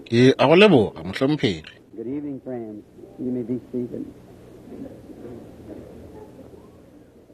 Ke a go leboga, mohlomphegi. Good evening, friends. You may be seated.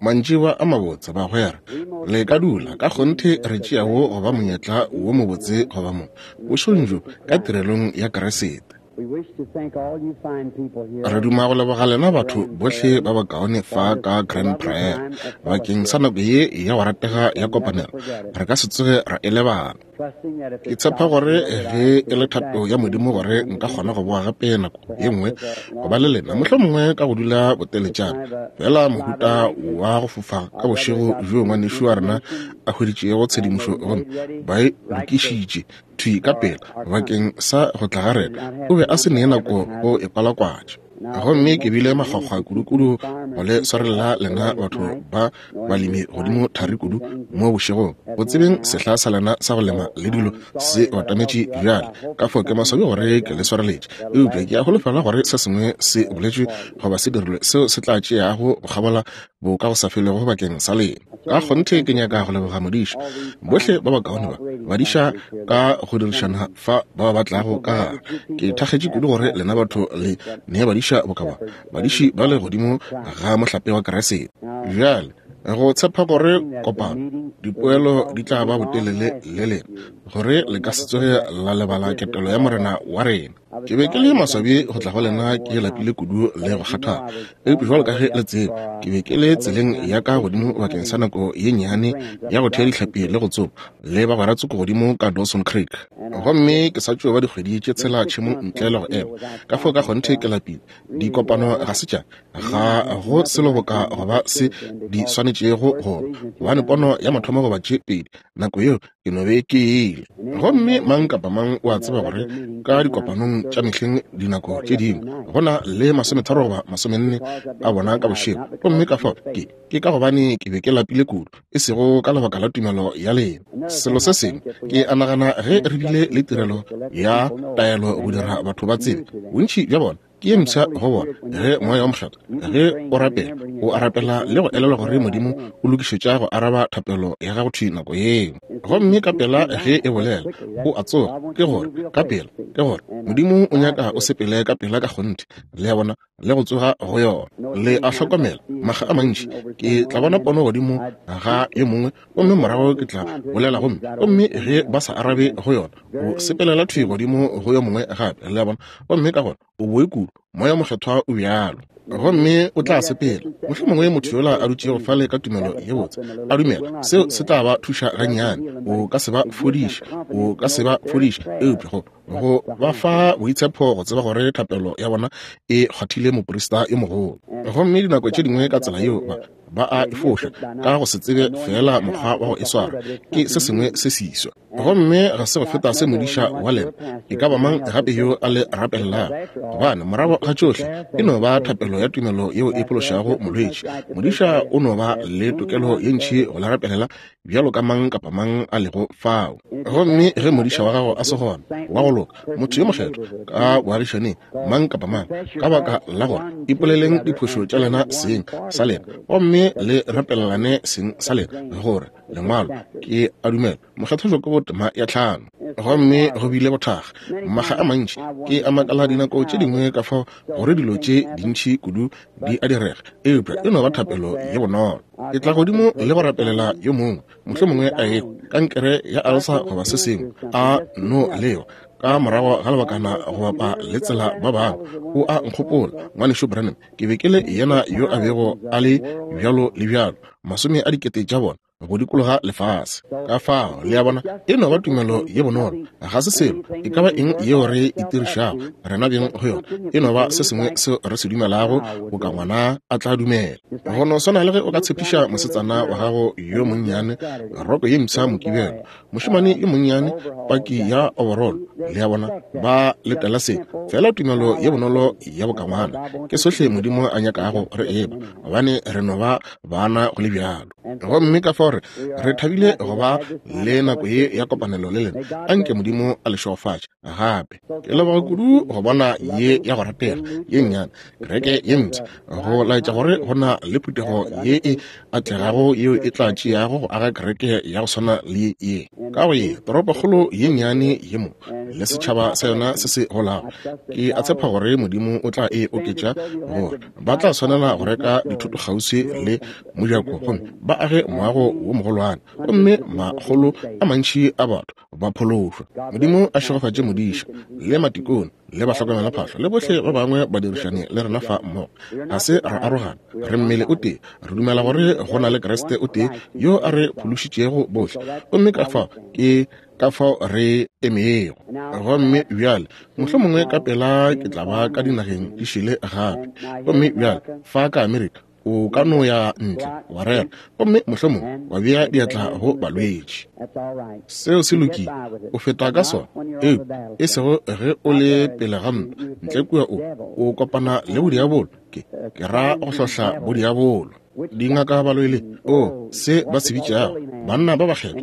Mantšiboa a mabotse, bagwera. Le ka dula. Ka kgonthe re tšea wo go ba monyetla wo mobotse go ba mo, bošegong bjo, ka tirelong ya Kriste. We wish to thank all you fine people here. Re duma go leboga lena batho bohle ba bakaone fa ka Grand Prairie bakeng sa nako ye ya go ratega ya kopanelo. Re ka se tsoge ra e lebala. Trusting that if Ke it's tshepa God's gore will that ge I e le thato ya Modimo gore nka kgona go boa gape nako ye nngwe go ba le lena, mohlomongwe ka go dula boteletšana. Fela mohuta wa go fofa ka bošego bjo ngwanešu wa rena a hweditšego tshedimošo gomme ba e lokišitše thwi ka pela bakeng sa go tla ga rena, o be a se ne nako go e kwalakwatša. Gomme ke bile makgwakgwa kudukudu go le swarelela lena batho ba balemi godimo thari kudu mo bošegong, go tsebeng sehla sa lena sa go lema le dilo se batametše bjale. Ka fao ke maswabi gore ke le swareletše, eupša ke a holofela gore se sengwe se boletšwe goba se dirilwe seo se tla tšeago go kgabola bo ka go sa felego bakeng sa lena. Ka kgonthe ke nyaka go leboga modiša, bohle ba bakaone ba badiša ka go dirišana fa ba ba tlago ka gare. Ke thakgetše kudu gore lena batho le ne badiša boka ba, badiši ba le godimo ga mohlape wa Kriste. Bjale, go tshepa gore kopano, dipoelo di tla ba botelele le lena, gore le ka se tsoge la lebala ketelo ya Morena wa rena. Ke be ke le maswabi go tla go lena ke lapile kudu le go kgathala, eupša bjalo ka ge le tseba, ke be ke le tseleng ya ka godimo bakeng sa nako ye nnyane ya go thea dihlapi le go tsoma le bagwera tsoko godimo ka Dawson Creek. Gomme ke sa tšo ba dikgwedi tše tshela tšhemong ntle le go ema, ka fao ka kgonthe ke lapile. Dikopano ga se tša ga go selo boka go ba se di swanetšego go ba, gobane pono ya mathomo goba tše pedi nako yeo ke no be ke ile. Gomme mang kapa mang o a tseba gore ka dikopanong tša mehleng dinako tše dingwe go na le 30 goba 40 a bona ka bošego. Gomme ka fao ke, ke ka gobane ke be ke lapile kudu, e sego ka lebaka la tumelo ya lena. Selo se sengwe, ke a nagana ge re bile le tirelo ya taelo go dira batho ba tsebe, bontši bja bona ke ye mpsha go bona. Ge Moya wo Mokgethwa, ge o rapela, o a rapela le go elelwa gore Modimo o lokišetša go araba thapelo ya gago thwi nako yeo. Gomme ka pela ge e bolela, o a tsoga, ke gore, ka pela, ke gore Modimo o nyaka o sepele ka pela ka kgonthe, le a bona, le go tsoga go yona. Le a hlokomela, makga a mantši ke tla bona pono godimo ga yo mongwe, gomme morago ke tla bolela, gomme, gomme ge ba sa arabe go yona, o sepelela thwi godimo go yo mongwe gape, le a bona. Gomme ka gona o boe kudu, Moya Mokgethwa o bjalo, gomme o tla sepela. Mohlomongwe motho yola a dutšego fale ka tumelo ye botse, a dumela, seo se tla ba thuša gannyane. O ka se ba fodiše, o ka se ba fodiše, eupša go, go ba fa boitshepo go tseba gore thapelo ya bona e kgwathile moprista yo mogolo. Gomme dinako tše dingwe ka tsela yeo ba, ba a e foša ka go se tsebe feela mokgwa wa go e swara. Ke se sengwe se seswa. Gomme ga se go feta se modiša wa lena e ka ba mang gape yo a le rapelelago, gobane morago ga tšohle e no ba thapelo ya tumelo yeo e phološago molwetši. Modiša o no ba le tokelo ye ntši go le rapelela bjalo ka mang kapa mang a lego fao. Gomme ge modiša wa gago a se gona, wa go loka, motho yo mokgethwa ka boagišaneng, mang kapa mang, ka baka la gore ipoleleng diphošo tša lena seng sa lena gomme le rapelelane seng sa lena, gore Lengwalo, ke a dumela, Mokgethwa Jakobo tema ya 5. Gomme go bile bothakga makga a mantši. Ke a makala dinako tše dingwe ka fao gore dilo tše dintši kudu di a direga, eupša e no ba thapelo ye bonolo. Ke tla godimo le go rapelela yo mongwe, mohlomongwe a ekwa kankere ya alsa goba se sengwe, a no lewa ka morago ga lebakana go bapa le tsela ba bangwe. O a nkgopola, Ngwanešu Branham, ke be ke le yena yo a bego a le bjalo le bjalo, masome a dikete tša bona go dikologa lefase. Ka fao, le a bona, e no ba tumelo ye bonolo. Ga se selo e ka ba eng yeo re itirišago rena beng go yona. E no ba se sengwe seo re se dumelago, boka ngwana a tla dumela. Go no swana le ge o ka tshepiša mosetsana wa gago yo monnyane roko ye mpsha Mokibelo, mošemane yo monnyane paki ya overall, le a bona, ba letela se. Fela tumelo ye bonolo ya bokangwana ke sohle Modimo a nyakago re eba, gobane re no ba bana go le bjalo. Gomme ka fao re, re thabile go ba le nako ye ya kopanelo le lena. A nke Modimo a le šegofatše gape. Ke leboga kudu go bona ye ya go ratega ye nnyane, kereke ye mpsha, go laetša gore go na le phuthego ye e atlegago yeo e tla tšeago go aga kereke ya go swana le ye ka go ye toropokgolo ye nnyane ye mo. le setšhaba sa yona se se golago. Ke a tshepa gore Modimo o tla e oketša gore ba tla swanela go reka dithoto kgauswi le mojako gomme ba age moago wo mogolwane, gomme makgolo a mantši a batho ba phološwa. Modimo a šegofatše modiša le matikone le bahlokomelaphahlo le bohle ba bangwe badirišani le rena fa mmogo. Ga se ra arogana, re mmele o tee. Re dumela gore go na le Kriste o tee yo a re phološitšego bohle, gomme ka fao ke ka fao re emego. Gomme bjale mohlomongwe ka pela ke tla ba ka dinageng di šele gape. Gomme bjale fa ka Amerika o ka no ya ntle wa rera gomme mohlomongwe wa bea diatla go balwetši. Seo se lokile, o feta ka sona, eupša e sego ge o le pele ga ntwa ntle kua o kopana le bodiabolo. Ke ra go hlohla bodiabolo. Dingaka ba loile, o se ba se bitšago banna ba bakgethwa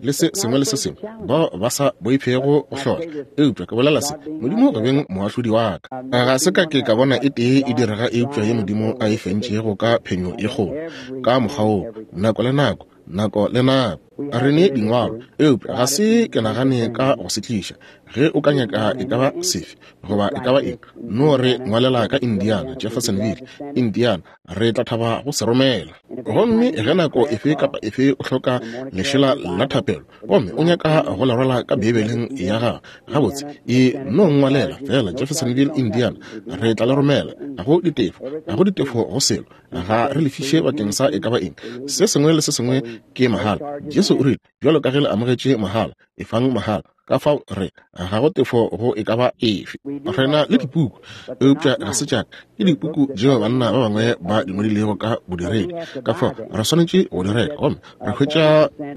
le se sengwe le se sengwe, bao ba sa boifego go hlohla. Eupša ke bolela se, Modimo go beng moahlodi wa ka, ga se ka ke ka bona e tee e direga eupša ye Modimo a e fentšego ka phenyo e kgolo ka mokgwa woo, nako le nako, nako le nako. Re ne dingwalo, eupša ga se ke nagane ka go se tliša. Ge o ka nyaka e ka ba sefe goba e ka ba eng, no re ngwalela ka Indiana, Jeffersonville, Indiana, re tla thaba go se romela. Gomme ge nako efe kapa efe o hloka lešela la thapelo gomme o nyaka go le rwala ka Beibeleng ya gago, gabotse, e no ngwalela fela Jeffersonville, Indiana, re tla le romela. Ga go ditefo, ga go ditefo go selo. Ga re lefiše bakeng sa e ka ba eng. Se sengwe le se sengwe ke mahala. Jesu o rile, bjalo ka ge le amogetše mahala, efang mahala. Ka fao re ga go tefo go e ka ba efe. Re na le dipuku, eupša ga se tša ka. Ke dipuku tšeo banna ba bangwe ba di ngwadilego ka bodiredi. Ka fao re swanetše go di reka, gomme re hwetša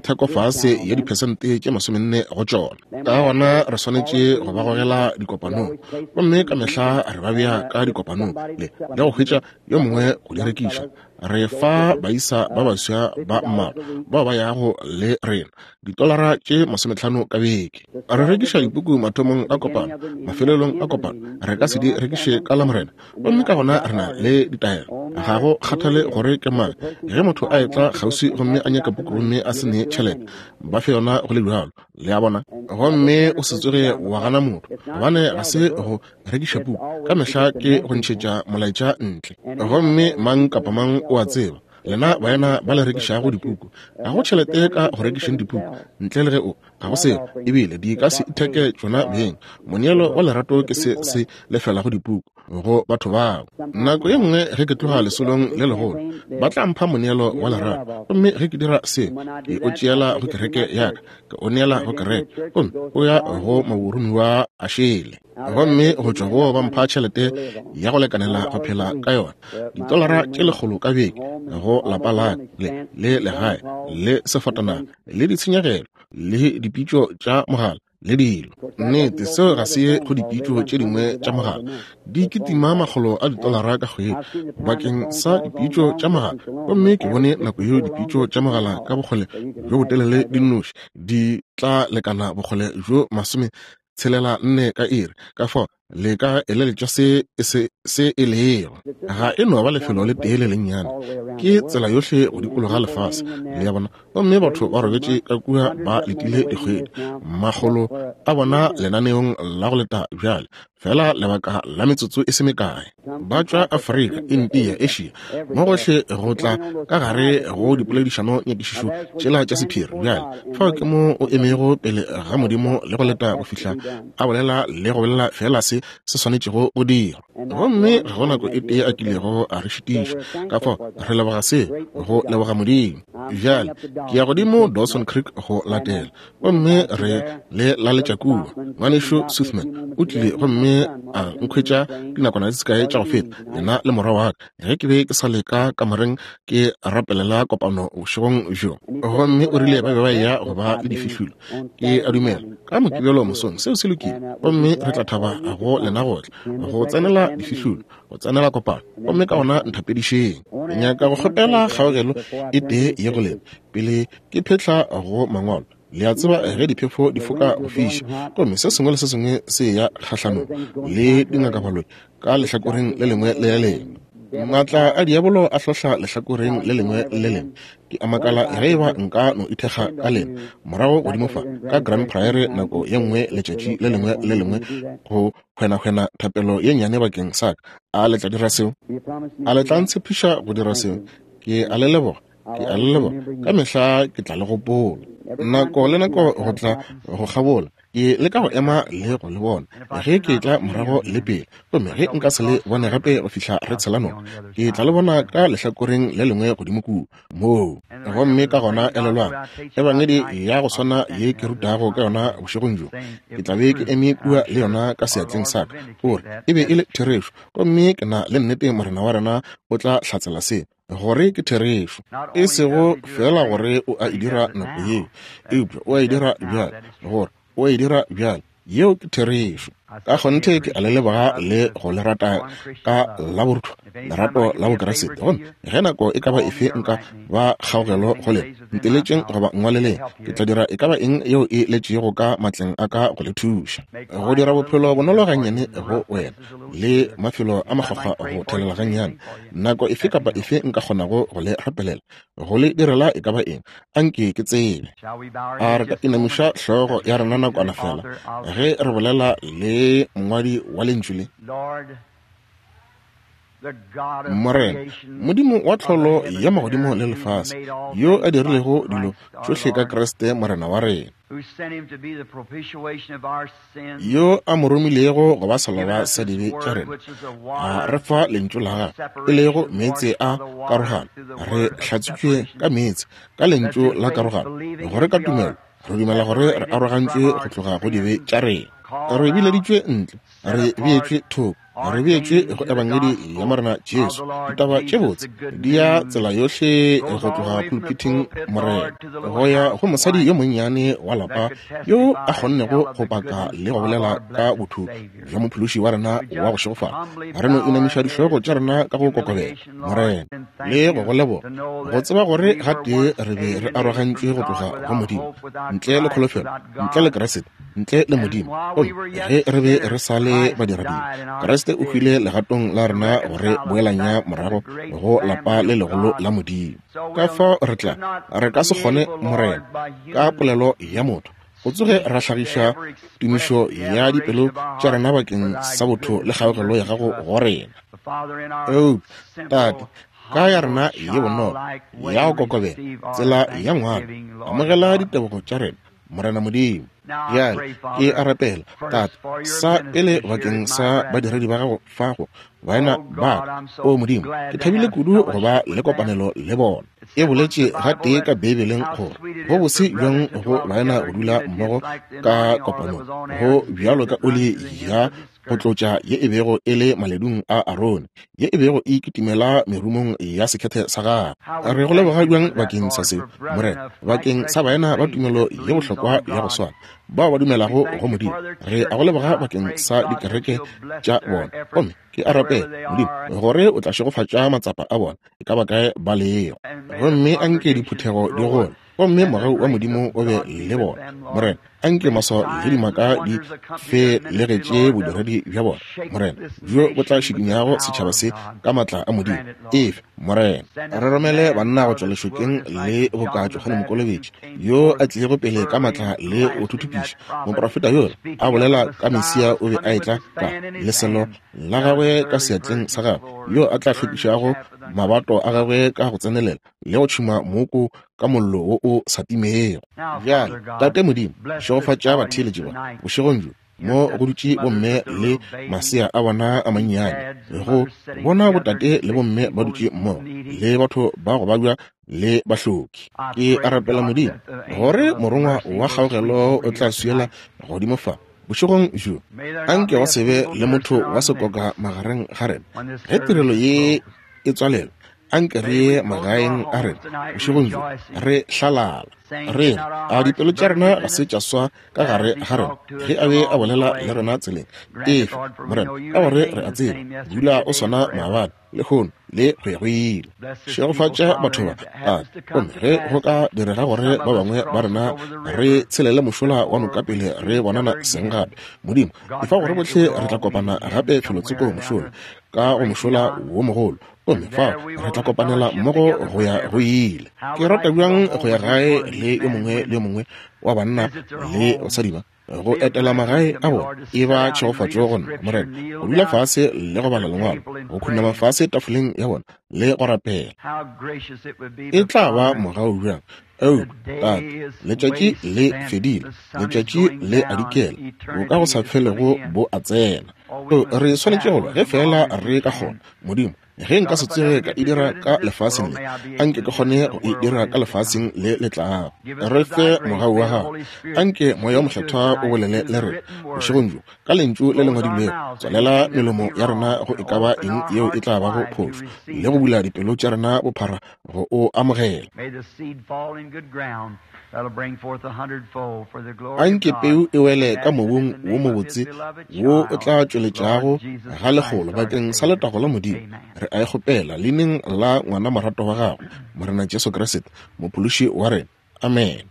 thekofase ya diphesente tše 40 go tšona. Ka gona re swanetše go ba gogela dikopanong, gomme ka mehla re ba bea ka dikopanong le go hwetša yo mongwe go di rekiša. Re fa baisa ba baswa ba mmalwa bao ba yago le rena ditolara tše 50 ka beke. Re rekiša dipuku mathomong a kopano, mafelelong a kopano. Re ka se di rekiše ka Lamorena, gomme ka gona re na le ditaelo. Ga go kgathale gore ke mang, ge motho a etla kgauswi gomme a nyaka puku gomme a se ne tšhelete, ba fe yona go le bjalo. Le a bona? Gomme o se tsoge wa gana motho, gobane ga se go rekiša puku ka mehla ke go ntšhetša molaetša ntle. Gomme mang kapa mang o a tseba, lena baena ba le rekišago dipuku, ga go tšhelete ka go rekišeng dipuku ntle le ge o, ga go selo, ebile di ka se itheke tšona beng. Moneelo wa lerato ke se se lefelago dipuku go batho bao. Nako ye nngwe ge ke tloga lesolong le legolo, ba tla mpha moneelo wa lerato, gomme ge ke dira seo, ke o tšeela go kereke ya ka, ke o neela go kereke, gomme o ya go maboromiwa a šele. Gomme go tšwa go ba mpha tšhelete ya go lekanela go phela ka yona, ditolara tše 100 ka beke, go lapa la ka le legae le sefatanaga le ditshenyegelo le dipitšo tša mogala le dilo. Nnete, seo ga se ye go dipitšo tše dingwe tša mogala. Di kitima makgolo a ditolara ka kgwedi bakeng sa dipitšo tša mogala, gomme ke bone nako yeo dipitšo tša mogala ka bokgole bjo botelele di nnoši di tla lekana bokgole bjo 64 ka iri. Ka fao le ka eleletša se e lego. Ga e no ba lefelo le tee le lennyane, ke tsela yohle go dikologa lefase, le a bona. Gomme batho ba robetše ka kua ba letile dikgwedi, makgolo a bona lenaneong la go leta bjale, fela lebaka la metsotso e se mekae. Ba tšwa Afrika, India, Asia, mo gohle go tla ka gare go dipoledišano nyakišišo tšela tša sephiri. Bjale fao ke mo o emego pele ga Modimo le go leta go fihla a bolela le go bolela fela se se swanetšego go dirwa. Gomme ga go nako e tee a kilego a re šitiša. Ka fao re leboga se, go leboga Modimo. Bjale ke ya godimo Dawson Creek go latela, gomme re le laletša kua. Ngwanešu Swiftman o tlile gomme a nkhwetša dinakwana di se kae tša go feta, yena le morwa wa ka, ge ke be ke sa le ka kamoreng ke rapelela kopano bošegong bjo. Gomme o rile ba be ba eya go ba le difihlolo, ke a dumela, ka Mokibelo mosong. Seo se lokile, gomme re tla thaba go lena go tla go tsenela difihlolo, go tsenela kopano. Gomme ka gona nthapedišeng. Ke nyaka go kgopela kgaogelo e tee ye go lena pele ke phetla go mangwalo. Le a tseba ge diphefo di foka go fiša, gomme se sengwe le se sengwe se ya kgahlanong le dingakabaloi ka lehlakoreng le lengwe le le lengwe. Maatla a diabolo a hlohla lehlakoreng le lengwe le lengwe. Ke a makala ge eba nka no ithekga ka lena morago godimo fa ka Grand Prairie nako ye nngwe letšatši le lengwe le lengwe go hwenahwena thapelo ye nnyane bakeng sa ka. A le tla dira seo? A le tla ntshepiša go dira seo? Ke a le leboga. Ke a le leboga. Ka mehla ke tla le gopola. Nako le nako go tla go kgabola ke leka go ema le go le bona ge ke tla morago le pele, gomme ge nka se le bone gape go fihla re tshela noka, ke tla le bona ka lehlakoreng le lengwe godimo kua moo. Gomme ka gona elelwang, Ebangedi ya go swana ye ke rutago ka yona bošegong bjo, ke tla be ke eme kua le yona ka seatleng sa ka, gore e be e le therešo. Gomme ke na le nnete Morena wa rena o tla hlatsela se gore ke therešo, e sego feela gore o a e dira nako yeo, eupša o a e dira bjale, gore o a e dira bjale. Yeo ke therešo. Ka kgonthe ke a le leboga le go le rata ka la borutho, lerato la Bokriste. Gomme ge nako e ka ba efe nka ba kgaogelo go lena, nteletšeng goba nngwaleleng, ke tla dira e ka ba eng yeo e letšego ka matleng a ka go le thuša go dira bophelo bonolo gannyane go wena le mafelo a makgwakgwa go thelela gannyane. Nako efe kapa efe nka kgonago go le rapelela, go le direla e ka ba eng, anke ke tsebe. A re ka inamiša hlogo ya rena nakwana fela ge re bolela le mongwadi wa lentšu le? Morena, Modimo wa tlholo ya magodimo le lefase, yo a dirilego dilo tšohle ka Kriste Morena wa rena, yo a mo romilego go ba seloba sa dibe tša rena, a re fa lentšu la gagwe, e lego meetse a karogano. Re hlatswitšwe ka meetse, ka lentšu la karogano, gore ka tumelo re dumela gore re arogantšwe go tloga go dibe tša rena, re bileditšwe ntle, re beetšwe thoko, re beetšwe go Ebangedi ya Morena Jesu. Ditaba tše botse di ya tsela yohle go tloga pulpiting, Morena, go ya go mosadi yo monnyane wa lapa yo a kgonnego go paka le go bolela ka botho bja Mophološi wa rena wa go šegofala. Re no inamiša dihlogo tša rena ka go kokobela, Morena, le go go leboga, go tseba gore gatee re be re arogantšwe go tloga go Modimo, ntle le kholofelo, ntle le Kriste, ntle le Modimo. Gomme ge re be re sa le badiradibe, Kriste o hwile legatong la rena go re boelanya morago go lapa le legolo la Modimo. Ka fao re tla, re ka se kgone, Morena, ka polelo ya motho, go tsoge ra hlagiša tumišo ya dipelo tša rena bakeng sa botho le kgaogelo ya gago go rena. Eupša, Tate, ka ya rena ye bonolo, ya go kokobela, tsela ya ngwana, amogela ditebogo tša rena, Morena Modimo. Bjale ke a rapela, Tate, sa pele bakeng sa badiredi ba gago fa go baena ba ka. O Modimo, ke thabile kudu go ba le kopanelo le bona. E boletše gatee ka Beibeleng gore go bose bjang go baena go dula mmogo ka kopanong, go bjalo ka oli ya go tlotša ye e bego e le maledung a Arone, ye e bego e kitimela merumong ya sekhethe sa gagwe. Re go leboga bjang bakeng sa seo, Morena, bakeng sa baena ba tumelo ye bohlokwa ya go swana, bao ba dumelago go Modimo. Re a go leboga bakeng sa dikereke tša bona. Gomme ke a rapela, Modimo, gore o tla šegofatša matsapa a bona, e ka ba kae ba lego. Gomme anke diphuthego di gole, gomme mogau wa Modimo o be le bona. Morena, anke maswao le dimaka di felegetše bodiredi bja bona, Morena, bjo bo tla šikinyago setšhaba se ka maatla a Modimo. Efe, Morena. Re romele banna go tšwa lešokeng le boka Johane Mokolobetši, yo a tlilego pele ka maatla le go thuthupiša. Moprofeta yola a bolela ka Mesia o be a etla ka leselo la gagwe ka seatleng sa gagwe, yo a tla hlwekišago mabato a gagwe ka go tsenelela le go tšhuma mooko ka mollo wo o sa timego. Bjale, Tate Modimo, šegofatša batheeletši ba bošegong bjo, mo go dutše bomme le masea a bona a mannyane, go bona botate le bomme ba dutše mmogo, le batho ba go babja le bahloki. Ke a rapela Modimo gore morongwa wa kgaogelo o tla swiela godimo fa bošegong bjo. Anke go se be le motho wa sekoka magareng ga rena ge tirelo ye e tswalelwa. Anke re ye magaeng a rena bošegong bjo re hlalala, re re, A dipelo tša rena ga se tša swa ka gare ga rena ge a be a bolela le rena tseleng? Efe, Morena, ka gore re a tseba dula o swana maabane, lehono le go ya go ile. Šegofatša batho ba, Tate. Gomme ge go ka direga gore ba bangwe ba rena re tshelele mošola wa noka pele re bonana seng gape, Modimo, efa gore bohle re tla kopana gape felotsoko mošola, ka go mošola wo mogolo, gomme fao re tla kopanela mmogo go ya go ile. Ke rata bjang go ya gae le yo mongwe le yo mongwe wa banna le basadi ba, go etela magae a bona. E ba tšhegofatšo go nna, Morena, go dula fase le go bala Lengwalo, go khunama fase tafoleng ya bona le go rapela. E tla ba mogau bjang! Ao, Tate, letšatši le fedile, letšatši le a dikela, bo ka go sa felego bo a tsena. O, re swanetše go lwa ge feela re ka kgona. Modimo, ge nka se tsoge ka e dira ka lefaseng le, anke ke kgone go e dira ka lefaseng le le tlago. Re fe mogau wa gago. Anke Moya wo Mokgethwa o bolele le rena bošegong bjo ka Lentšu le le ngwadilwego. Tswalela melomo ya rena go e ka ba eng yeo e tla bago phošo, le go bula dipelo tša rena bophara go o amogela. Anke peu e wele ka mobung wo mobotse wo o tla tšweletšago ga lekgolo bakeng sa letago la Modimo. Re a e kgopela leineng la ngwana morato wa gago, Morena Jesu Kriste, Mophološi wa rena. Amen.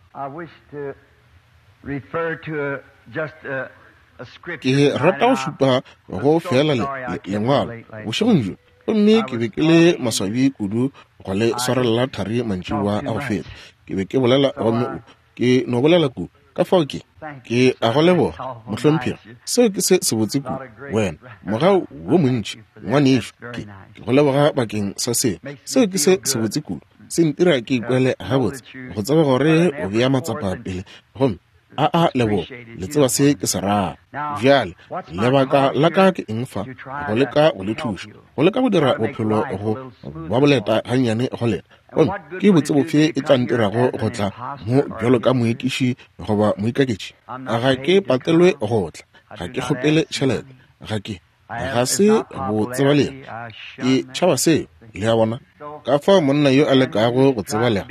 Ke rata go šupa go feela le, le, Lengwalo bošegong bjo. Gomme ke be ke le maswabi kudu go le swarelela thari mantšiboa a go feta. Ke be ke bolela gomme o, ke no bolela kudu. Ka fao ke, ke a go leboga, mohlomphegi. Seo ke se sebotse kudu. Wena, mogau wo montši, ngwanešu. Ke, ke go leboga bakeng sa seo. Seo ke se sebotse kudu. Se ntira ke ikwele gabotse go tseba gore o bea matsapa pele gomme a a leboga. Le tseba se ke se rago. Bjale, lebaka la ka ke eng fa? Go leka go le thuša, go leka go dira bophelo go ba boleta gannyane go lena. Gomme ke botse bofe e tla ntirago go tla mo bjalo ka moekiši goba moikaketši? Ga ke patelwe go tla, ga ke kgopele tšhelete, ga ke, ga se bo tsebalega. Ke tšhaba seo, le a bona. Ka fao monna yo a lekago go tsebalega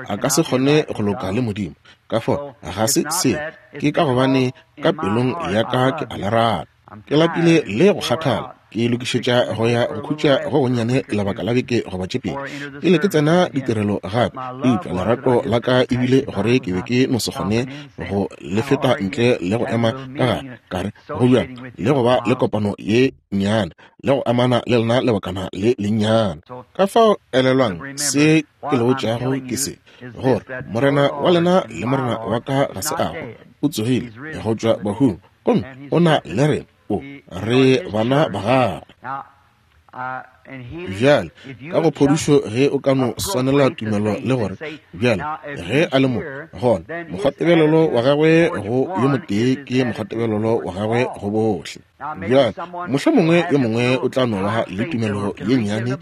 a ka se kgone go loka le Modimo. Ka fao ga se seo, ke ka gobane ka pelong ya ka ke a le rata. Ke lapile le go kgathala, ke lokišetša go ya go khutša go gonnyane lebaka la beke goba tše pedi pele ke tsena ditirelo gape. Eupša lerato la ka e bile gore ke be ke no se kgone go le feta ntle le go ema ka gare, ka re go bjang le go ba le kopano ye nnyane le go amana le lena lebakana le lennyane. Ka fao elelwang se ke le botšago ke se, gore Morena wa lena le Morena wa ka ga se a hwa, o tsogile go tšwa bahung, gomme o na le rena, o re bana ba gagwe. Bjale, ka go phodišo, ge o ka no swanela tumelo le gore, bjale, ge a le mo, gona mokgwatebelelo wa gagwe go yo motee ke mokgwatebelelo wa gagwe go bohle. Bjale, mohlomongwe yo mongwe o tla no ba le tumelo ye nnyane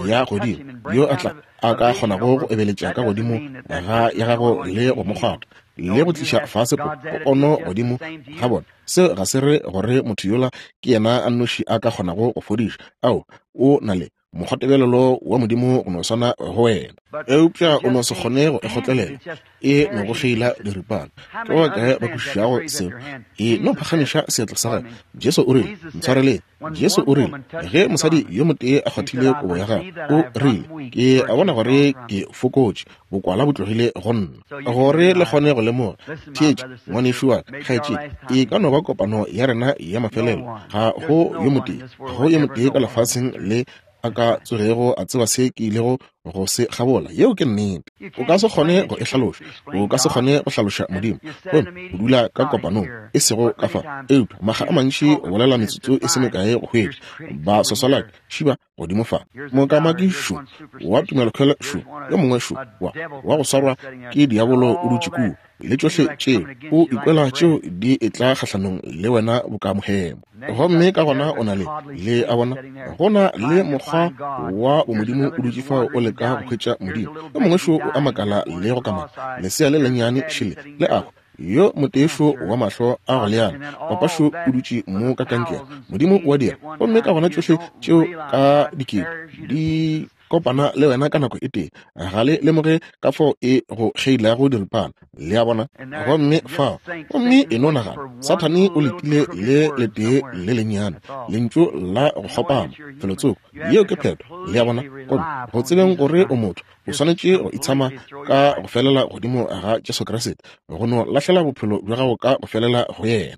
ya godimo, yo a tla, a ka kgonago go ebeletša ka godimo ga ya gago le go mo kgwatha, le go tliša fase po, pono godimo ga bona. Seo ga se re gore motho yola ke yena a nnoši a ka kgonago go fodiša. Ao, o na le mokgwatebelelo wa Modimo go no swana go wena, eupša o no se kgone go e kgotlelela. E no go feila diripana. Ke ba bakae ba kwešišago seo? E no phagamiša seatla sa gago. Jesu o rile, Ntshwareleng. Jesu o rile, ge mosadi yo motee a kgwathile kobo ya gagwe, o rile, Ke a bona gore ke fokotše, bokwala bo tlogile go nna. Gore le kgone go lemoga. Theetša, ngwanešu wa ka, kgaetšedi, e ka no ba kopano ya rena ya mafelelo. Ga go yo motee, ga go yo motee ka lefaseng le a ka tsogego a tseba se ke ilego go se kgabola. Yeo ke nnete. O ka se kgone go e hlaloša. O ka se kgone go hlaloša Modimo. Gomme o dula ka kopanong, e sego ka fa, eupša makga a mantši o bolela metsotso e se mekae go hwetša ba swaswalaki šiba godimo fa. Mokamaki šo, wa tumelokhwele šo, yo mongwe šo, wa, wa go swarwa ke diabolo o dutše kua, le tšohle tšeo, o ikwela tšeo di etla kgahlanong le wena boka mohemo. Gomme ka gona o na le, le a bona, go na le mokgwa wa bomodimo o dutše fao o leka go hwetša Modimo. Yo mongwe šo o a makala le go kamaka, lesea le lennyane šele le a hwa. Yo motee šo wa mahlo a go leana, papa šo o dutše mo ka kankere. Modimo o a dira. Gomme ka gona tšohle tšeo ka dikete di. kopana le wena ka nako e tee, ga le lemoge ka fao e go kgeilago diripana. Le a bona? Gomme fao, gomme e no nagana, Sathane o letile le letee le lennyane, lentšu la go kgopama, felotsoko. Yeo ke phetho. Le a bona? Gomme go tsebeng gore o motho, o swanetše go itshama ka go felela godimo ga Jesu Kriste, go no lahlela bophelo bja gago ka go felela go yena.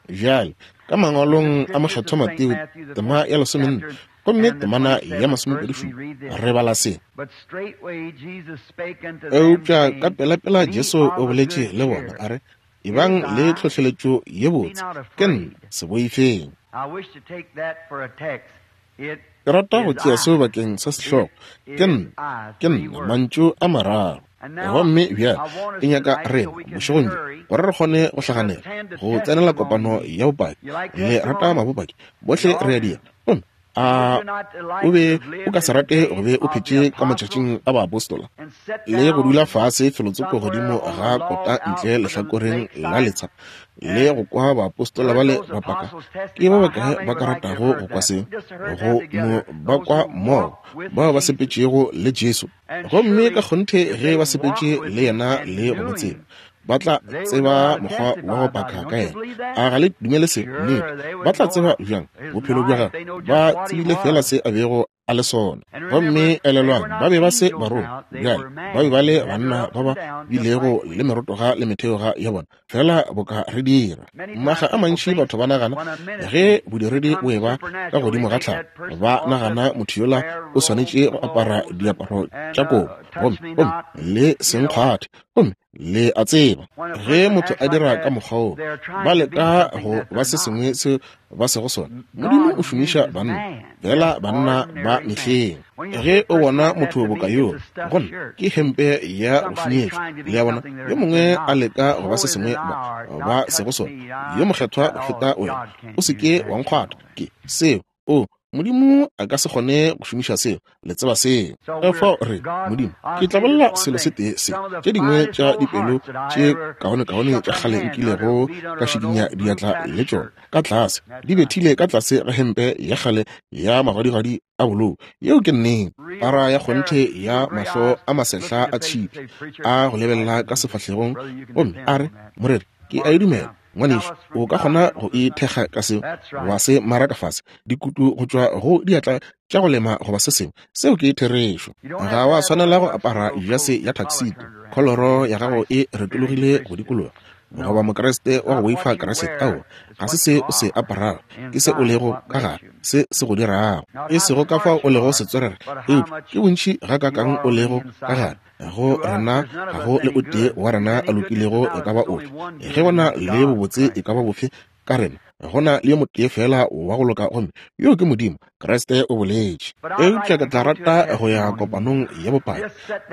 Bjale, ka mangwalong a Mokgethwa Mateo, tema ya 14, gomme temana ya 27, re bala se. Eupša ka pelapela Jesu o boletše le bona, a re, Ebang le tlhohleletšo ye botse, ke nna, se boifeng. Ke rata go tšea seo bakeng sa sehlogo, Ke nna, ke nna, mantšu a mararo. Gomme bjale ke nyaka rena, bošegong bjo, gore re kgone go hlaganela, go tsenela kopano ya bopaki. Le rata mabopaki? Bohle re a dira. Gomme a o be o ka se rate go be o phetše ka matšatšing a baapostola le go dula fase felotsoko godimo ga kota ntle lehlakoreng la letsha le go kwa baapostola ba le ba paka? Ke ba bakae ba ka ratago go kwa seo, go no ba kwa mmogo, bao ba sepetšego le Jesu? Gomme ka kgonthe ge ba sepetše le yena le go mo tseba, ba tla tseba mokgwa wa go paka ka yena. A ga le dumele seo? Nnete. Ba tla tseba bjang bophelo bja gagwe? Ba tsebile feela se a bego a le sona. Gomme elelwang, ba be ba se barongwa bjale, ba be ba le banna ba ba bilego le merotoga le metheoga ya bona, feela boka re dira. Makga a mantši batho ba nagana ge bodiredi bo eba ka godimo ga tlhago, ba nagana motho yola o swanetše go apara diaparo tša kobo, gomme, gomme le senkgwathe, gomme le a tseba ge motho a dira ka mokgwa woo, ba leka go ba se sengwe seo ba sego sona. Modimo o šomiša banna, fela banna ba mehleng. Ge o bona motho boka yoo, go nna ke hempe ya go šunyetšwa. Le a bona, yo mongwe a leka go ba se sengwe ba, ba sego sona, yo mokgethwa go feta wena. O se ke wa nkgwatha. Ke seo. O, Modimo a ka se kgone go šomiša seo. Le tseba seo. Ka fao re, Modimo, ke tla bolela selo se tee se. Tše dingwe tša dipelo tše kaonekaone tša kgale nkilego ka šikinya diatla le tšona, ka tlase, di bethile ka tlase ga hempe ya kgale ya magwadigwadi a bolou. Yeo ke nnete. Para ya kgonthe ya mahlo a masehla a tšhipi a go lebelela ka sefahlegong gomme a re, Moreri, ke a e dumela. Ngwanešu, o ka kgona go e thekga ka seo, wa se maraka fase, dikutu go tšwa go diatla tša go lema goba se sengwe. Seo ke therešo. Ga wa swanela go apara jase ya tuxedo, kholoro ya gago e retologile go dikologa, goba Mokriste wa go boifa Kriste. Aowa, ga se se o se aparago, ke se o lego ka gare, se se go dirago. E sego ka fao o lego setswerere, eupša ke bontši gakaakang o lego ka gare. Go rena ga go le o tee wa rena a lokilego e ka ba ofe. Ge go na le bobotse e ka ba bofe ka rena, go na le yo motee feela wa go loka, gomme yoo ke Modimo, Kriste o boletše. Eupša ke tla rata go ya kopanong ya bopaki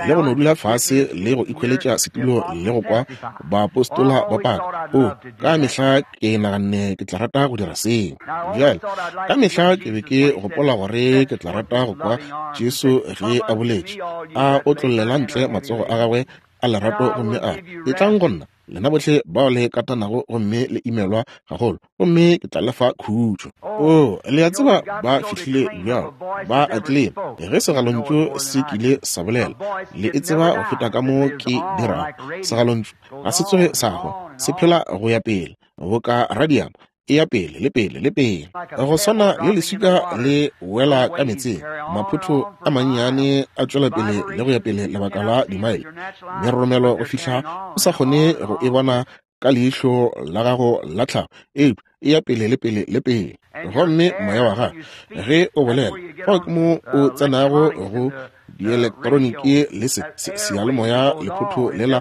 le go no dula fase le go ikhweletša setulo le go kwa baapostola ba paka. Oo, ka mehla ke naganne ke tla rata go dira seo. Bjale, ka mehla ke be ke gopola gore ke tla rata go kwa Jesu ge a boletše, a otlollela ntle matsogo a gagwe a lerato gomme a re, Etlang go nna, lena bohle bao le katanago gomme le imelwa gagolo, gomme ke tla le fa khutšo. Oo, le a tseba ba fihlile bjalo, ba a tlema. Ge segalontšu se kile sa bolela, le e tseba go feta ka mo ke dirago. Segalontšu ga se tsoge sa hwa, se phela go ya pele, boka radiamo e ya pele le pele le pele. Go swana le leswika le wela ka meetseng, maphotho a mannyane a tšwela pele le go ya pele lebaka la dimaele, meroromelo go fihla o sa kgone go e bona ka leihlo la gago la tlhago, eupša e ya pele le pele le pele. Gomme moya wa gago ge o bolela, fao ke mo o tsenago go dielektroniki le se, se, seyalemoya, lephotho lela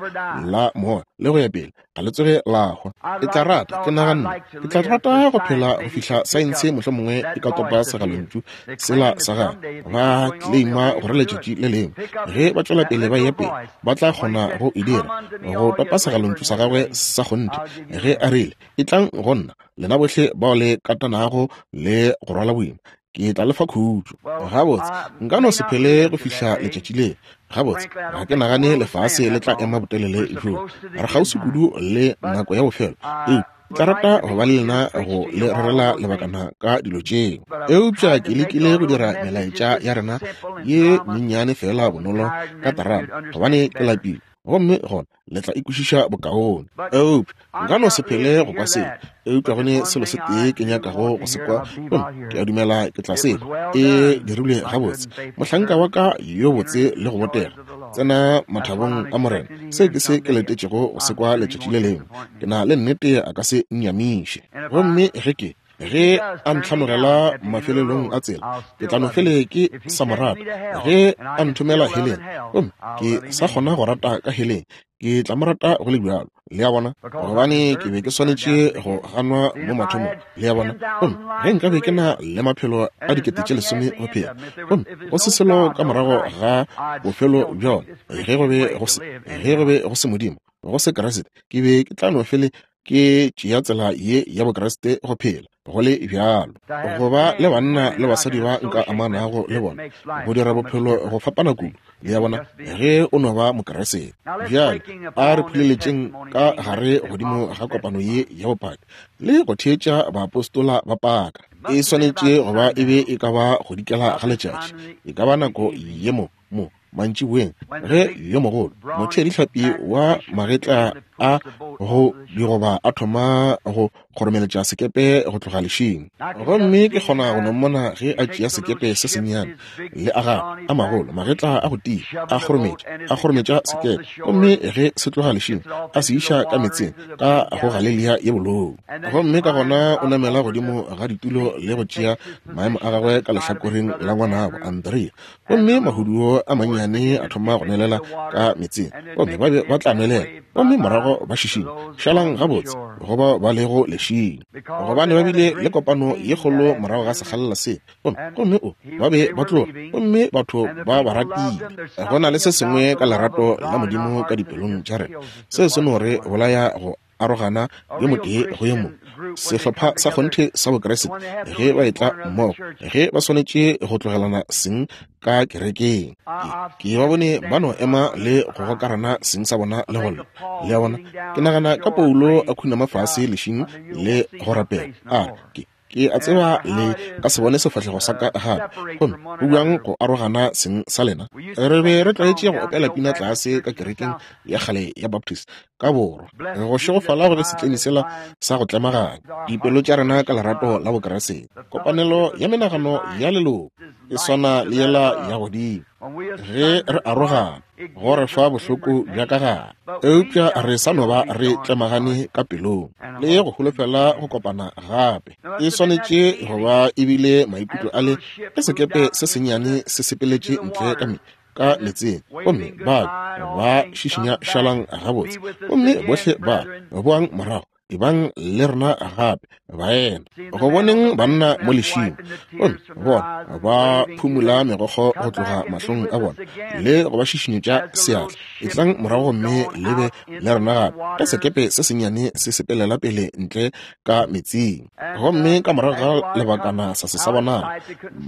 la moya le go ya pele, ga le tsoge la hwa. Ke tla rata, ke naganne, ke tla rata go phela go fihla saense mohlomongwe e ka topa segalontšu sela sa gagwe. Ba claima gore letšatši le lengwe ge ba tšwela pele ba eya pele, ba tla kgona go e dira, go topa segalontšu sa gagwe sa kgonthe, ge a rile, Etlang go nna, lena bohle bao le katanago le go rwala boima, ke tla le fa khutšo. Gabotse, nka no se phele go fihla letšatši leo. Gabotse, ga ke nagane lefase le tla ema botelele bjoo. Re kgauswi kudu le nako ya bofelo. Eupša Ke tla rata go ba le lena go le rerela lebakana ka dilo tšeo. Eupša ke lekile go dira melaetša ya rena ye mennyane feela bonolo ka terama, gobane ke lapile, gomme gona le tla e kwešiša bokaone. Eupša nka no se phele go kwa seo, eupša go ne selo se tee ke nyakago go se kwa, gomme ke a dumela ke tla se kwa. E dirilwe gabotse, mohlanka wa ka yo botse le go botega. Tsena mathabong a Morena. Seo ke se ke letetšego go se kwa letšatši le lengwe. Ke na le nnete a ka se nnyamiše. Gomme ge ke, ge a ntlhanogela mafelelong a tsela, ke tla no fele ke sa mo rata. Ge a nthomela heleng, gomme ke sa kgona go rata ka heleng, ke tla mo rata go le bjalo. Le a bona? Gobane ke be ke swanetše go ganwa mo mathomong. Le a bona? Gomme ge nka be ke na le maphelo a 10,000 go phela, gomme go se selo ka morago ga bofelo bja ona, ge go be go se, ge go be go se Modimo, go se Kriste, ke be ke tla no fele ke tšea tsela ye ya Bokriste go phela go le bjalo. Go ba le banna le basadi ba nka amanago le bona, go dira bophelo go fapana kudu, le a bona, ge o no ba Mokriste. Bjale a re phuleletšeng ka gare godimo ga kopano ye ya bopaki le go theetša baapostola ba paka. E swanetše go ba e be e ka ba go dikela ga letšatši, e ka ba nako ye mo, mo mantšiboeng, ge yo mogolo motheadihlapi wa magetla a go digoba a thoma go kgoromeletša sekepe go tloga lešing. Gomme ke kgona go no mmona ge a tšea sekepe se sennyane le a gagwe a magolo magetla a go tia, a kgorometša, a kgorometša sekepe, gomme ge se tloga lešing a se iša ka meetseng ka go Galelia ye bolou. Gomme ka gona o namela godimo ga ditulo le go tšea maemo a gagwe ka lehlakoreng la ngwanabo Andrea. Gomme mahuduo a mannyane a thoma go nwelela ka meetseng, gomme ba be ba tla nwelela, gomme morago ba šišinya, šalang gabotse go bao ba lego lešing, gobane ba bile le kopano ye kgolo morago ga sekgalela se, gomme, gomme o, ba be ba tloga, gomme batho ba ba ratile. Go na le se sengwe ka lerato la Modimo ka dipelong tša rena, seo se no re bolaya go arogana yo motee go yo mongwe. Sehlopha sa kgonthe sa Bokriste, ge ba etla mmogo, ge ba swanetše go tlogelana seng ka kerekeng, ke ba bone ba no ema le go gokarana seng sa bona le go lla. Le a bona? Ke nagana ka Paulo a khunama fase lešing le go rapela, a re, Ke, Ke a tseba le ka se bone sefahlego sa ka gape. Gomme go bjang go arogana seng sa lena? Re be re tlwaetše go opela pina tlase ka kerekeng ya kgale ya Baptist ka borwa. Go šegofala go be setlemi sela sa go tlemaganya dipelo tša rena ka lerato la Bokriste. Kopanelo ya menagano ya leloko e swana le yela ya godimo. Ge re arogana, go re fa bohloko bja ka gare, eupša re sa no ba re tlemagane ka pelong le go holofela go kopana gape. E swanetše go ba e bile maikutlo a le ge sekepe se sennyane se sepeletše ntle ka me ka letseng, gomme ba ba šišinya šalang gabotse, gomme bohle ba boang morago. Ebang le rena gape, baena, go boneng banna mo lešing, gomme bona ba phumula megokgo go tloga mahlong a bona le go ba šišinyetša seatla. Etlang morago gomme le be le rena gape, ge sekepe se sennyane se sepelela pele ntle ka metsing. Gomme ka morago ga lebakana sa se sa bonala,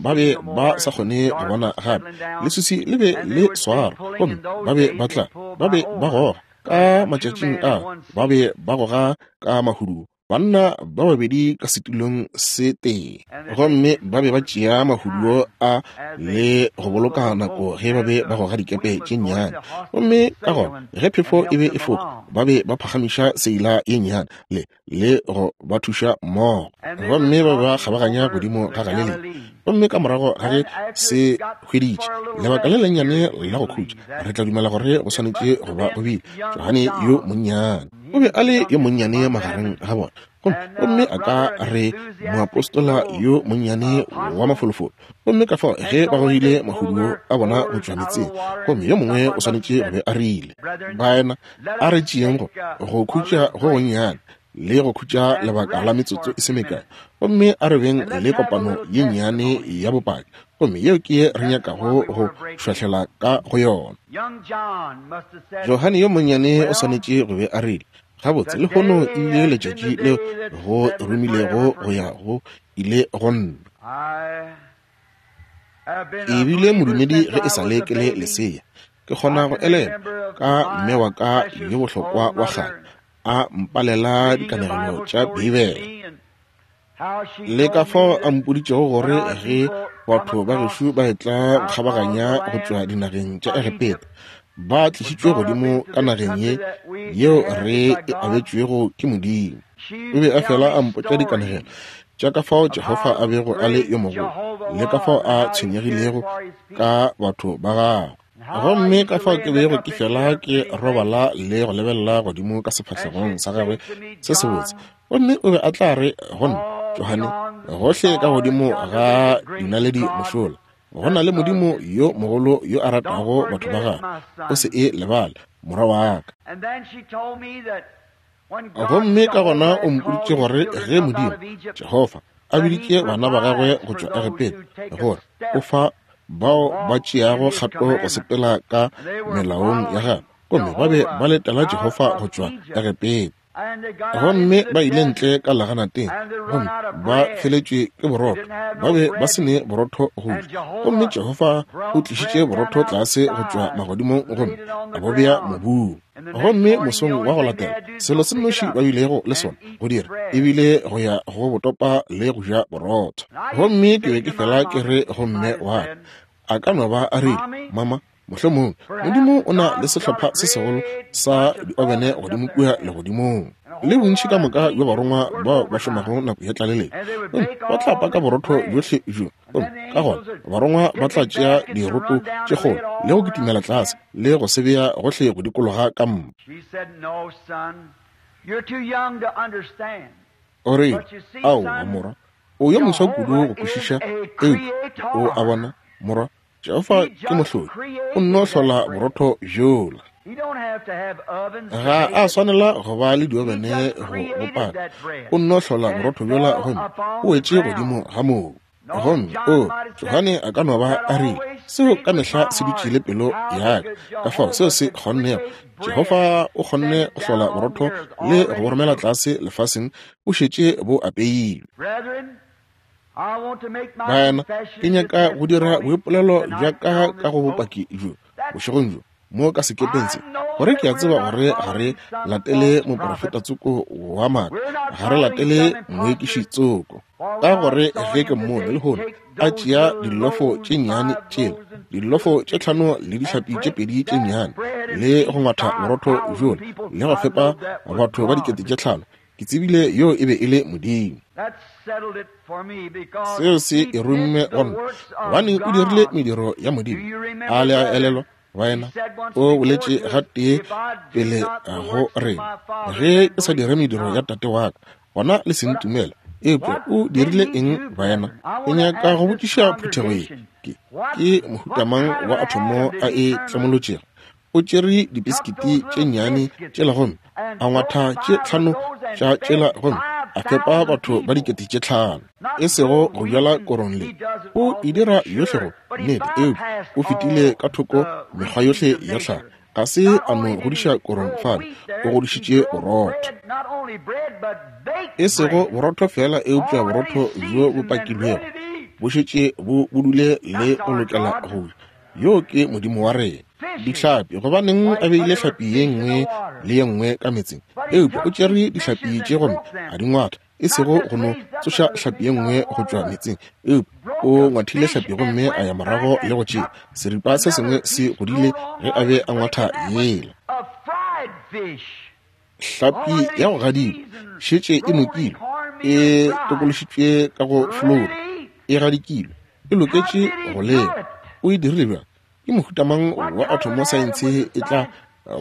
ba be ba sa kgone go bona gape. Leswiswi le be le swara, gomme ba be ba tla, ba be ba goga. Ka matšatšing a ba be ba goga ka mahuduo, banna ba babedi ka setulong se tee, gomme ba be ba tšea mahuduo a le go boloka nako ge ba be ba goga dikepe tše nnyane. Gomme ka gona ge phefo e be e foka, ba be ba phagamiša seila ye nnyane le le go ba thuša mmogo, gomme ba ba kgabaganya godimo ga Galilea. Gomme ka morago ga ge se hweditše lebaka le lennyane la go khutša, re tla dumela gore go swanetše go ba go bile Johane yo monnyane. O be a le yo monnyane magareng ga bona, gomme a ka re moapostola yo monnyane wa mafolofolo. Gomme ka fao ge ba gogile mahuduo a bona go tšwa metseng, gomme yo mongwe o swanetše go be a rile, Baena, a re tšeeng go go khutša go gonnyane le go khutša lebaka la metsotso e se mekae, gomme a re beng le kopano ye nnyane ya bopaki, gomme yeo ke ye re nyakago go šwahlela ka go yona. Johane yo monnyane o swanetše go be a rile, Gabotse, lehono e bile letšatši leo go romilego go ya go ile go nna. Ke bile modumedi ge e sa le ke le lesea. Ke kgona go elelwa ka mme wa ka yo bohlokwa wa kgale a mpalela dikanegelo tša Beibele. Le ka fao a mpoditšego gore ge batho ba gešo ba etla go kgabaganya go tšwa dinageng tša Egepeta, ba tlišitšwe godimo ka nageng ye yeo re e abetšwego ke Modimo. O be a fela a mpotša dikanegelo tša ka fao Jehofa a bego a le yo mogolo le ka fao a tshwenyegilego ka batho ba gagwe. Gomme ka fao ke bego ke fela ke robala le go lebelela godimo ka sefahlegong sa gagwe se sebotse. Gomme o be a tla re go nna, Johane, gohle ka godimo ga dinaledi mošola, go na le Modimo yo mogolo yo a ratago batho ba gagwe. O se e lebale, morwa wa ka. Gomme ka gona o mpoditše gore ge Modimo, Jehofa, a biditše bana ba gagwe go tšwa Egepeta, gore o fa bao ba tšeago kgato go sepela ka melaong ya gagwe, gomme ba be ba letela Jehofa go tšwa Egepeta. Gomme ba ile ntle ka leganateng, gomme ba feletšwe ke borotho, ba be ba se ne borotho go ja. Gomme Jehofa o tlišitše borotho tlase go tšwa magodimong gomme a bo bea mobung. Gomme mosong wa go latela, selo se nnoši ba bilego le sona go dira e bile go ya go botopa le go ja borotho. Gomme ke be ke fela ke re go mme wa ka, a ka no ba a rile, Mama, mohlomongwe Modimo o na le sehlopha se segolo sa diobene godimo kua legodimong, le bontši ka moka bja barongwa bao ba šomago nako ya tlaleletšo, gomme ba tla paka borotho bjohle bjo. Gomme ka gona barongwa ba tla tšea diroto tše kgolo le go kitimela tlase le go se bea gohle go dikologa ka mpa. O rile, Aowa, morwa, o yo moswa kudu go kwešiša, eupša o a bona, morwa, Jehofa ke mohlodi, o nno hlola borotho bjola. Ga a swanela go ba le diobene go bo paka, o nno hlola borotho bjola gomme o wetše godimo ga mobu. Gomme o, Johane a ka no ba a rile, seo ka mehla se dutše le pelo ya ka, ka fao seo se kgonnego. Jehofa o kgonne go hlola borotho le go bo romela tlase lefaseng, bo šetše bo apeilwe. Baena, ke nyaka go dira boipolelo bja ka ka go bopaki bjo bošegong bjo mo ka sekepeng se, gore ke a tseba gore ga re latele moprofeta tsoko wa maaka, ga re latele moekiši tsoko, ka gore ge ke mmone lehono a tšea dillofo tše nnyane tšela, dillofo tše tlhano le dihlapi tše pedi tše nnyane, le go ngwatha borotho bjola le go fepa batho ba 5,000, ke tsebile yo e be e le Modimo. Seo se e romme go nna, gobane o dirile mediro ya Modimo. A le a elelwa, baena? O boletše gatee pele go rena, ge ke sa dire mediro ya Tate wa ka, gona le se ntumele. Eupša o dirile eng, baena? Ke nyaka go botšiša phuthego ye, ke, ke mohuta mang wa athomo a e tlemolotšego? O tšere dipisikiti tše nnyane tšela gomme a ngwatha tše tlhano tša tšela gomme a fepa batho ba 5,000. E sego go bjala korong le o e dira yohle go nnete, eupša o fetile ka thoko mekgwa yohle ya tlhago. Ga se a no godiša korong fale, o godišitše borotho. E sego borotho feela, eupša borotho bjo bo pakilwego, bo šetše bo budule le go lokela go ja. Yo ke Modimo wa rena. Dihlapi, gobaneng a beile hlapi ye nngwe le ye nngwe ka meetseng? Eupša o tšere dihlapi tše gomme a di ngwatha, e sego go no tsoša hlapi ye nngwe go tšwa meetseng, eupša o ngwathile hlapi gomme a ya morago le go tšea seripa se sengwe se godile ge a be a ngwatha yela. Hlapi ya go gadikwa šetše e nokilwe, e tokološitšwe ka go flouro, e gadikilwe, e loketše go lewa. O e dirile bjang? Ke mohuta mang wa athomo saense e tla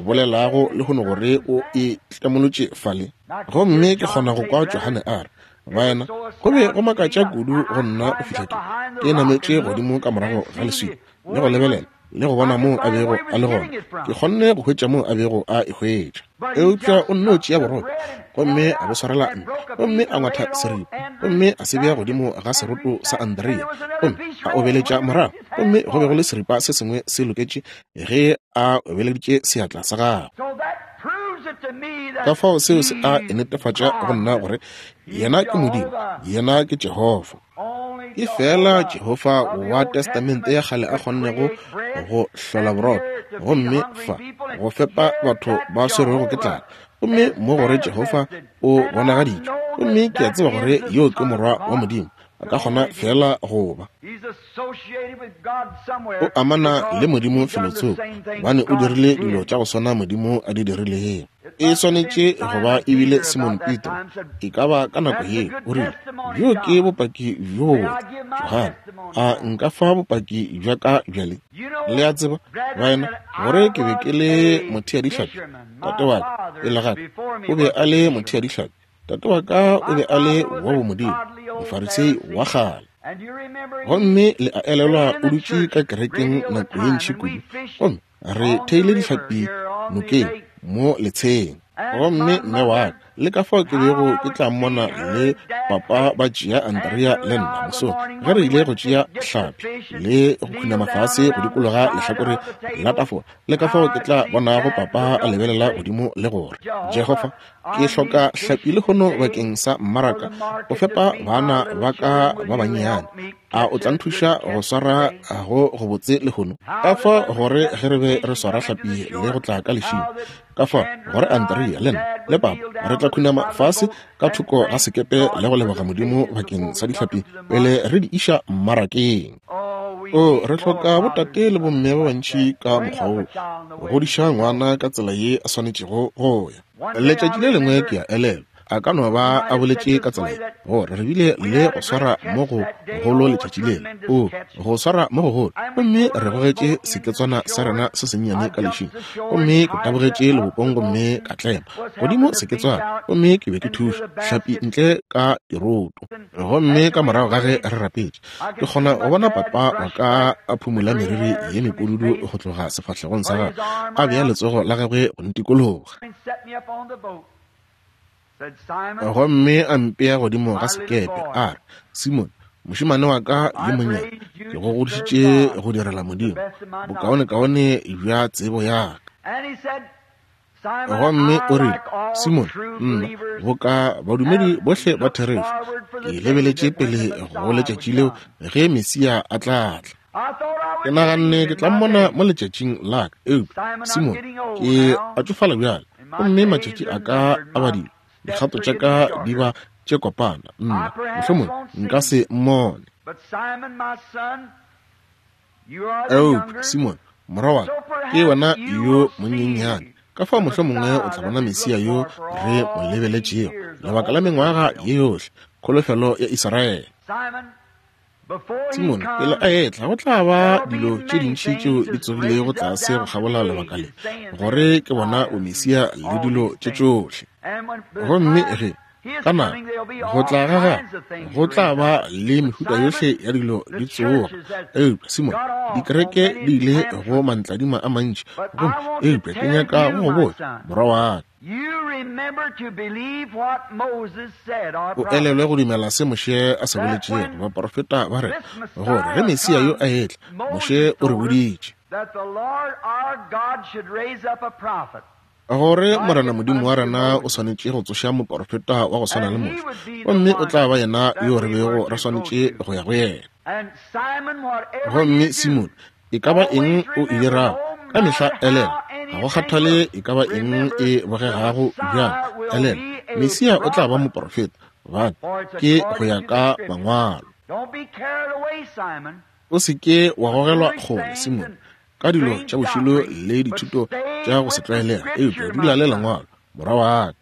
bolelago lehono gore o e tlemolotše fale? Gomme ke kgona go kwa Johane a re, Baena, go be go makatša kudu go nna go fihla ke ke nametše godimo ka morago ga leswika le go lebelela le go bona moo a bego a le gona. Ke kgonne go hwetša moo a bego a e hwetša. Eupša o nno tšea borotho gomme a bo swarela ntle, gomme a ngwatha seripa gomme a se bea godimo ga seroto sa Andrea, gomme a obeletša morago, gomme go be go le seripa se sengwe se loketše ge a obeleditše seatla sa gagwe. Ka fao seo se a e netefatša go nna gore yena ke Modimo, yena ke Jehofa. Ke feela Jehofa wa Testamente ya Kgale a kgonnego go hlola borotho gomme fa go fepa batho ba swerwego ke tlala. Gomme mo gore Jehofa o bonagaditšwe, gomme ke a tseba gore yo ke Morwa wa Modimo. A ka kgona feela go ba. O amana le Modimo felotsoko, gobane o dirile dilo tša go swana Modimo a di dirilego. E swanetše go ba e bile Simon Petro, e ka ba ka nako yeo, o rile, Bjo ke bopaki bjo bobotse, Johane. A nka fa bopaki bja ka bjale? Le a tseba, baena, gore ke be ke le motheadihlapi. Tate wa ka, pele ga ka, o be a le motheadihlapi. Tate wa ka o be a le wa bomodimo, Mofarisei wa kgale. Gomme le a elelwa o dutše ka kerekeng nako ye ntši kudu, gomme re theile dihlapi nokeng mo letsheng. Gomme mme wa ka, le ka fao ke bego ke tla mmona le papa ba tšea Andrea le nna mosong ge re ile go tšea hlapi le go khunama fase go dikologa lehlakore la tafola, le ka fao ke tla bonago papa a lebelela godimo le gore, Jehofa, ke hloka hlapi lehono bakeng sa mmaraka go fepa bana ba ka ba bannyane. A o tla nthuša go swara go gobotse lehono? Ka fao gore ge re be re swara hlapi le go tla ka lešing, ka fao gore Andrea le nna le papa re tla khunama fase ka thoko ga sekepe le go leboga Modimo bakeng sa dihlapi pele re di iša mmarakeng. O, re hloka botate le bomme ba bantši ka mokgwa wo, go godiša ngwana ka tsela ye a swanetšego go ya. Letšatši le lengwe ke a elelwa, a ka no ba a boletše ka tsela ye, gore re bile le go swara mo go golo letšatši lela, o, go swara mo gogolo, gomme re gogetše seketswana sa rena se sennyane ka lešing, gomme ke tabogetše lebopong gomme ka tlema godimo seketswana, gomme ke be ke thuša hlapi ntle ka diroto. Gomme ka morago ga ge re rapetše, ke kgona go bona papa wa ka a phumula meriri ye mepududu go tloga sefahlegong sa gagwe, a bea letsogo la gagwe go ntikologa, gomme a mpea godimo ga sekepe, a re, Simon, mošemane wa ka yo monnyane, ke go godišitše go direla Modimo bokaonekaone bja tsebo ya ka. Gomme o rile, Simone, nna, boka badumedi bohle ba therešo, ke lebeletše pele go letšatši leo ge Mesia a tla tla. Ke naganne ke tla mmona mo letšatšing la ka, eupša, Simone, ke a tšofala bjale, gomme matšatši a ka a badilwe, dikgato tša ka di ba tše kopana, nna, mohlomongwe nka se mmone. Eupša, Simone, morwa wa ka, ke wena yo monyenyane. Ka fao mohlomongwe o tla bona Mesia yo re mo lebeletšego lebaka la mengwaga ye yohle, kholofelo ya Israele. Simone, pele a etla, go tla ba dilo tše dintši tšeo di tsogilego tlase go kgabola lebaka le, gore ke bona bomesia le dilo tše tšohle. Gomme ge Ka nako go tla ga gagwe go tla ba le mehuta yohle ya dilo di tsoga. Eupša Simone, dikereke di ile go mantladima a mantši, gomme eupša ke nyaka go go botša, morwa wa ka, o elelwe go dumela se Moshe a se boletšego, baporofeta ba re, gore ge Mesia yo a etla, Moshe o re boditše, Gore Morena Modimo wa rena o swanetše go tsoša moporofeta wa go swana le Moshe, gomme o tla ba yena yo re bego re swanetše go ya go yena. Gomme Simone, e ka ba eng o e dirago, ka mehla elelwa, ga go kgathale e ka ba eng e bogegago bjang, elelwa, Mesia o tla ba moporofeta, gobane ke go ya ka Mangwalo. O se ke wa gogelwa kgole, Simone, ka dilo tša bošilo le dithuto tša go se tlwaelega, eupša dula le Lengwalo, morwa wa ka.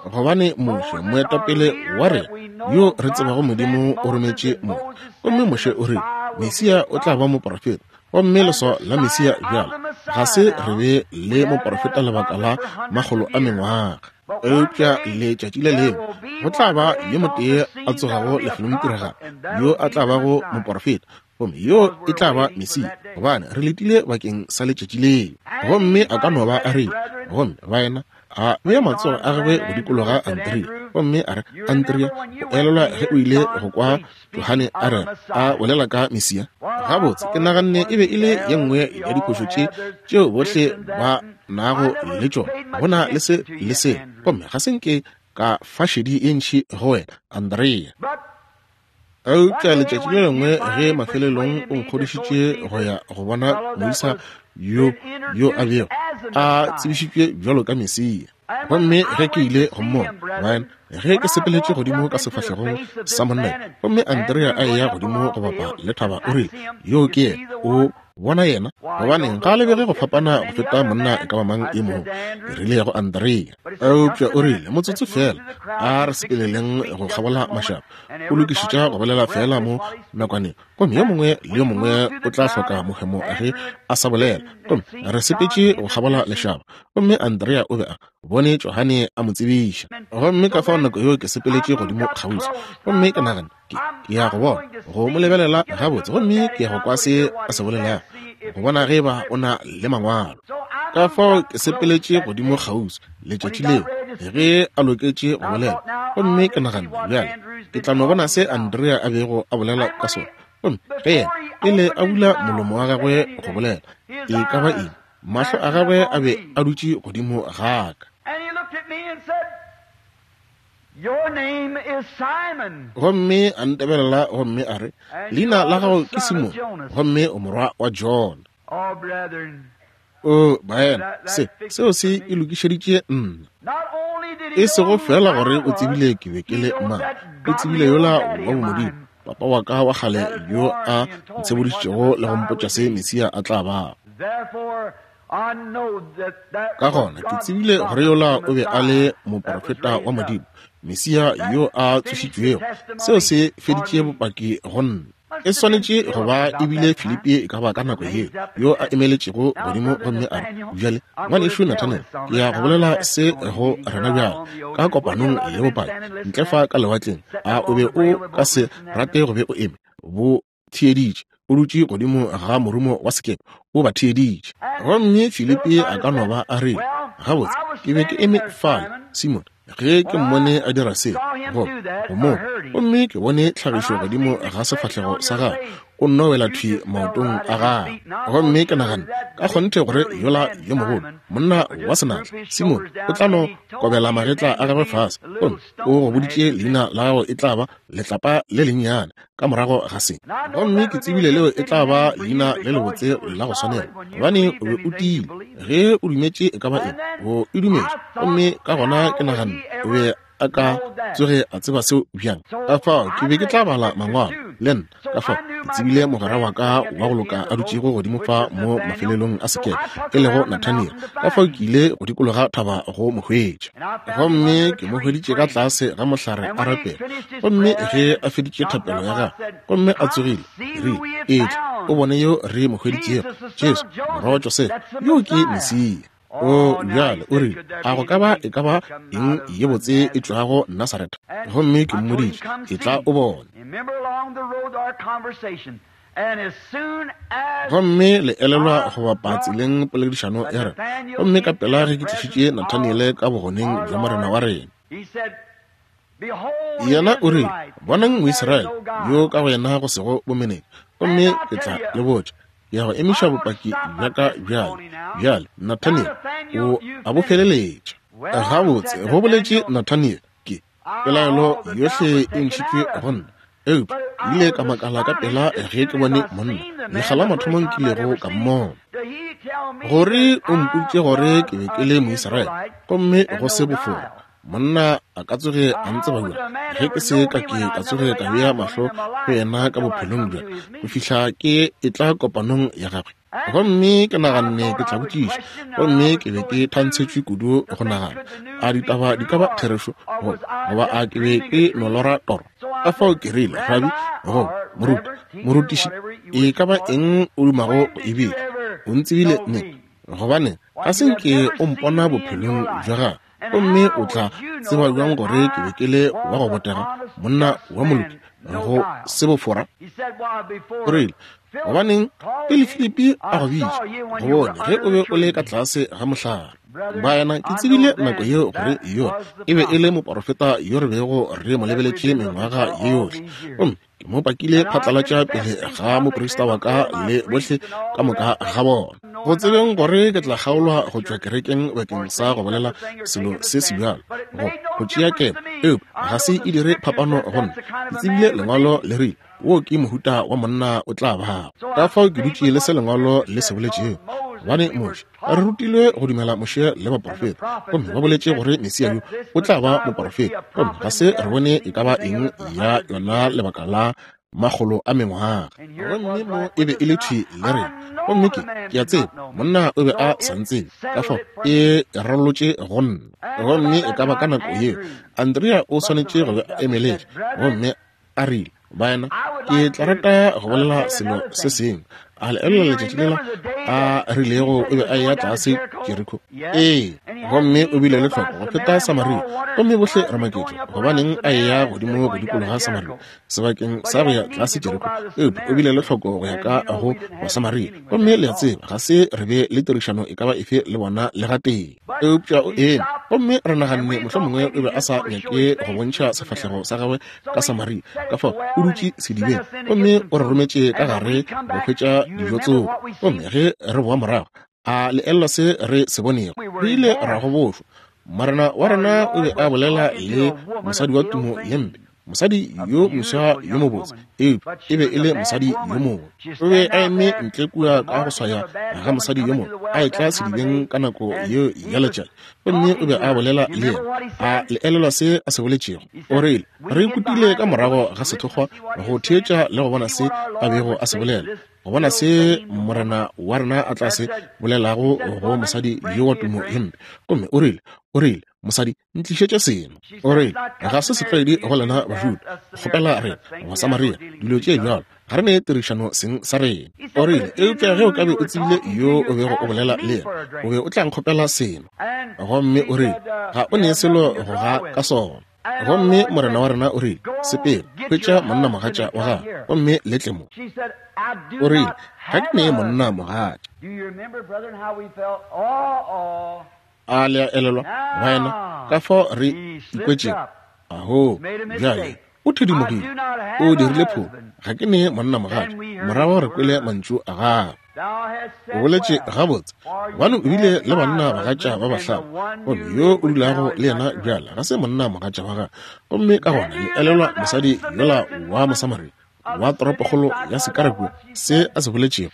Gobane Moshe, moetapele wa rena, yo re tsebago Modimo o rometše Moshe, gomme Moshe o rile, Mesia o tla ba moporofeta, gomme leswao la Mesia bjalo ga se re be le moporofeta lebaka la makgolo a mengwaga. Eupša letšatši le lengwe go tla ba yo motee a tsogago lefelongtiragalo, yo a tla bago moporofeta, gomme yo e tla ba Mesia, gobane re letile bakeng sa letšatši leo. Gomme a ka no ba a rile, gomme baena, a bea matsogo a gagwe go dikologa Andrea, gomme a re, Andrea, o elelwa ge o ile go kwa Johane a rera, a bolela ka Mesia? Gabotse, ke naganne e be e le ye nngwe ya diphošo tše tšeo bohle ba nago le tšona, go na le se le se, gomme ga se nke ka fa šedi ye ntši go wena, Andrea. Eupša letšatši le lengwe ge mafelelong o nkgodišitše go ya go bona moisa yo yo a bego a tsebišitšwe bjalo ka Mesia. Gomme ge ke ile go mmona, baena, ge ke sepeletše godimo ka sefahlegong sa monna, gomme Andrea a eya godimo go bapa le thaba, o rile, Yo ke yena, o bona yena? Gobaneng, ga a lebege go fapana go feta monna e ka ba mang e mongwe. Ke rile go Andrea. Eupša o rile, Motsotso feela, a re sepeleleng go kgabola mašaba. O lokišetša go bolela feela mo nakwaneng, gomme yo mongwe le yo mongwe o tla hloka mohemo ge a sa bolela. Gomme re sepetše go kgabola lešaba, gomme Andrea o be a bone Johane a mo tsebiša. Gomme ka fao nako yeo ke sepeletše godimo kgauswi, gomme ke nagana, ke ya go bona, go mo lebelela gabotse, gomme ke ya go kwa se a se bolelago, go bona ge ba o na le mangwalo. Ka fao ke sepeletše godimo kgauswi letšatši leo ge a loketše go bolela, gomme ke nagana, bjale ke tla no bona se Andrea a bego a bolela ka sona. Gomme ge yena pele a bula molomo wa gagwe go bolela e ka ba eng, mahlo a gagwe a be a dutše godimo ga ka. Gomme a ntebelela gomme a re, Leina la gago ke Simone, gomme o morwa wa Jona. O baena, se seo se e lokišeditše nna. E sego fela gore o tsebile ke be ke le mang, o tsebile yola wa bomodimo, papa wa ka wa kgale yo a ntshebodišitšego le go mpotša se Mesia a tla bago. Ka gona ke tsebile gore yola o be a le moprofeta wa Modimo, Mesia yo a tsošitšwego. Seo se feditše bopaki go nna. E swanetše go ba e bile Filipi e ka ba ka nako yeo, yo a emeletšego godimo gomme a re, Bjale, ngwanešu Nathanael, ke ya go bolela se go rena bjale, ka kopanong ya bopaki, ntle fa ka lewatleng. A o be o ka se rate go be o eme? Bo theeditše, o dutše godimo ga morumo wa sekepe, o ba theeditše. Gomme Filipi a ka no ba a rile, Gabotse, ke be ke eme fale, Simone, ge ke mmone a dira se, go mo, gomme ke bone tlhagišo godimo ga sefahlego sa gagwe, o nno wela thwi maotong a gagwe. Gomme ke naganne, ka kgonthe gore yola yo mogolo, monna wa senatla, Simone, o tla no kobela magetla a gagwe fase, gomme o go boditše leina la gago e tla ba letlapa le lennyane ka morago ga se. Gomme ke tsebile leo e tla ba leina le lebotse la go swanela, gobane o be o tiile. Ge o dumetše e ka ba eng, o e dumetše. Gomme ka gona ke naganne o be a ka tsoge a tseba seo bjang. Ka fao ke be ke tla bala mangwalo le nna. Ka fao ke tsebile mogwera wa ka wa go loka a dutšego godimo fa mo mafelelong a sekepe, e lego Nathaniel. Ka fao ke ile go dikologa thaba go mo hwetša. Gomme ke mo hweditše ka tlase ga mohlare a rapela. Gomme ge a feditše thapelo ya gagwe gomme a tsogile, ke rile, Etla o bone yo re mo hweditšego, Jesu, morwa wa Josefa, yo ke Mesia. O bjale o rile, a go ka ba e ka ba eng ye botse e tšwago Nasaretha? Gomme ke mmoditše, Etla o bone. Gomme le elelwa go bapa tseleng poledišano ya rena, gomme ka pela ge ke tlišitše Nathaniele ka bogoneng bja Morena wa rena. Yena o rile, Bonang Moisraele yo ka go yena go sego bomenetša, gomme ke tla le botša, ke ya go emiša bopaki bja ka bjale. Bjale, Nathaniel, o a bo feleletša. Gabotse, go boletše Nathaniel, ke, pelaelo yohle e ntšhitšwe go nna. Eupša ke ile ka makala ka pela ge ke bone monna, lekga la mathomo nkilego ka mmona. Gore o mpoditše gore ke be ke le Moisraele, gomme go se bofora. Monna a ka tsoge a ntseba bjang ge ke se ka ke ka tsoge ka bea mahlo go yena ka bophelong bja go fihla ke etla kopanong ya gagwe? Gomme ke naganne ke tla botšiša, gomme ke be ke thantshetšwe kudu go nagana, a ditaba di ka ba therešo goba a ke be ke no lora toro? Ka fao ke rile, Rabi, goba moruti, morutiši, e ka ba eng o dumago go e bitša, o ntsebile neng? Gobane ga se nke o mpona bophelong bja gago, gomme o tla tseba bjang gore ke be ke le wa go botega, monna wa moloki, go se bofora? O rile, Gobaneng, pele Filipi a go bitša, go bone ge o be o le ka tlase ga mohlare. Baena, ke tsebile nako yeo gore yo e be e le moporofeta yo re bego re mo lebeletše mengwaga ye yohle, gomme ke mo pakile phatlalatša pele ga moprista wa ka le bohle ka moka ga bona. Go tsebeng gore ke tla kgaolwa go tšwa kerekeng bakeng sa go bolela selo se se bjalo, go tšea kemo, eupša ga se e dire phapano go nna. Ke tsebile Lengwalo le rile, Wo ke mohuta wa monna o tla bago. Ka fao ke dutše le se Lengwalo le se boletšego. Gobane Moshe, re rutilwe go dumela Moshe le baporofeta, gomme ba boletše gore Mesia yo o tla ba moporofeta, gomme ga se re bone e ka ba eng ya yona lebaka la makgolo a mengwaga. Gomme mo e be e le thwi le rena. Gomme ke, ke a tseba monna o be a sa ntsebe, ka fao e rarolotše go nna. Gomme e ka ba ka nako yeo Andrea o swanetše go be a emeletše gomme a rile, Baena, ke tla rata go bolela selo se sengwe. A le elelwa letšatši lela a rilego o be a eya tlase Jeriko? Ee, gomme o bile le tlhoko go feta Samaria. Gomme bohle re maketše gobaneng a eya godimo go dikologa Samaria sebakeng sa go ya tlase Jeriko. Eupša o bile le tlhoko go ya ka go Basamaria. Gomme le a tseba, ga se re be le tirišano e ka ba efe le bona le gatee. Eupša o eme, gomme re naganne mohlomongwe o be a sa nyake go bontšha sefahlego sa gagwe ka Samaria, ka fao o dutše sedibeng, gomme o re rometše ka gare go hwetša dijo tsoko. Gomme ge re boa morago, a le elelwa se re se bonego? Re ile ra gobošwa. Morena wa rena o be a bolela le mosadi wa tumo ye mpe, mosadi yo moswa yo mobotse, eupša e be e le mosadi yo mongwe. O be a eme ntle kua ka go swaya ga mosadi yo mongwe a etla sedibeng ka nako yeo ya letšatši, gomme o be a bolela le yena. A le elelwa se a se boletšego? O rile, Re ikutile ka morago ga sethokgwa go theetša le go bona se a bego a se bolela, go bona se Morena wa rena a tla se bolelago go mosadi yo wa tumo ye mpe. Gomme o rile, o rile, Mosadi, ntlišetše seno. O rile, Ga se setlwaedi go lena Bajuda go kgopela rena Basamaria dilo tše bjalo. Ga re ne tirišano seng sa rena. O rile, Eupša ge o ka be o tsebile yo o bego o bolela le yena, o be o tla nkgopela seno. Gomme o rile, Ga o ne selo go ga ka sona. Gomme Morena wa rena o rile, Sepela, hwetša monnamogatša wa gago, gomme le tle mo. O rile, Ga ke ne monnamogatša. A le a elelwa, baena, ka fao re ikwetšego? Aho, bjale, o thedimogile, o dirile phošo. Ga ke ne monnamogatša. Morago re kwele mantšu a gagwe. O boletše gabotse, gobane o bile le banna bagatša ba bahlano, gomme yo o dulago le yena bjale ga se monnamogatša wa gagwe. Gomme ka gona le elelwa mosadi yola wa Mosamaria wa toropokgolo ya Sikara kua, se a se boletšego?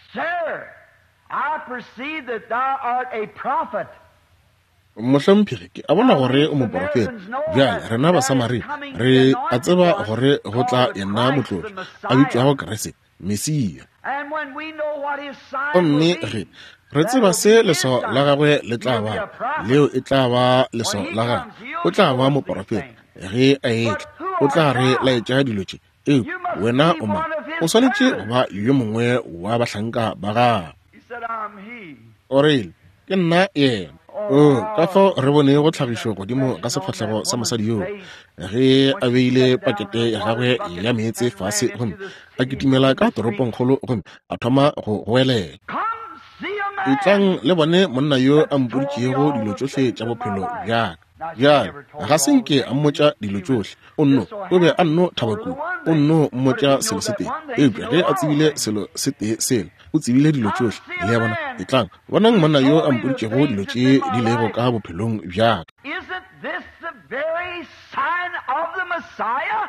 I perceive that thou art a prophet. Mohlomphegi, ke a bona gore o moporofeta. Bjale, rena Basamaria re a tseba gore go tla yena Motlotšwa, a bitšwago Kriste, Mesia. And when we know what his sign Gomme will be, ge re tseba se leswao la gagwe le tla ba, leo e tla ba leswao la gagwe, o tla ba moporofeta. Ge a etla, o tla re laetša dilo tše. Eupša wena o mang? O swanetše go ba yo mongwe wa bahlanka ba gagwe. He said, I'm he. O rile, Ke nna yena. O, ka fao re bonego tlhagišo godimo ga sefahlego sa mosadi yoo ge a beile pakete ya gagwe ya meetse fase gomme a kitimela ka toropongkgolo gomme a thoma go goelela. Come see a man. Etlang le bone monna yo a mpoditšego dilo tšohle tša bophelo bja ka. Bjale, ga se nke a mmotša dilo tšohle. O nno, o be a nno thaba kudu. O nno mmotša selo se tee. Eupša ge a tsebile selo se tee sela, o tsebile dilo tšohle. Le a bona? Etlang, bonang monna yo a mpoditšego dilo tše di lego ka bophelong bja ka. Isn't this the very sign of the Messiah?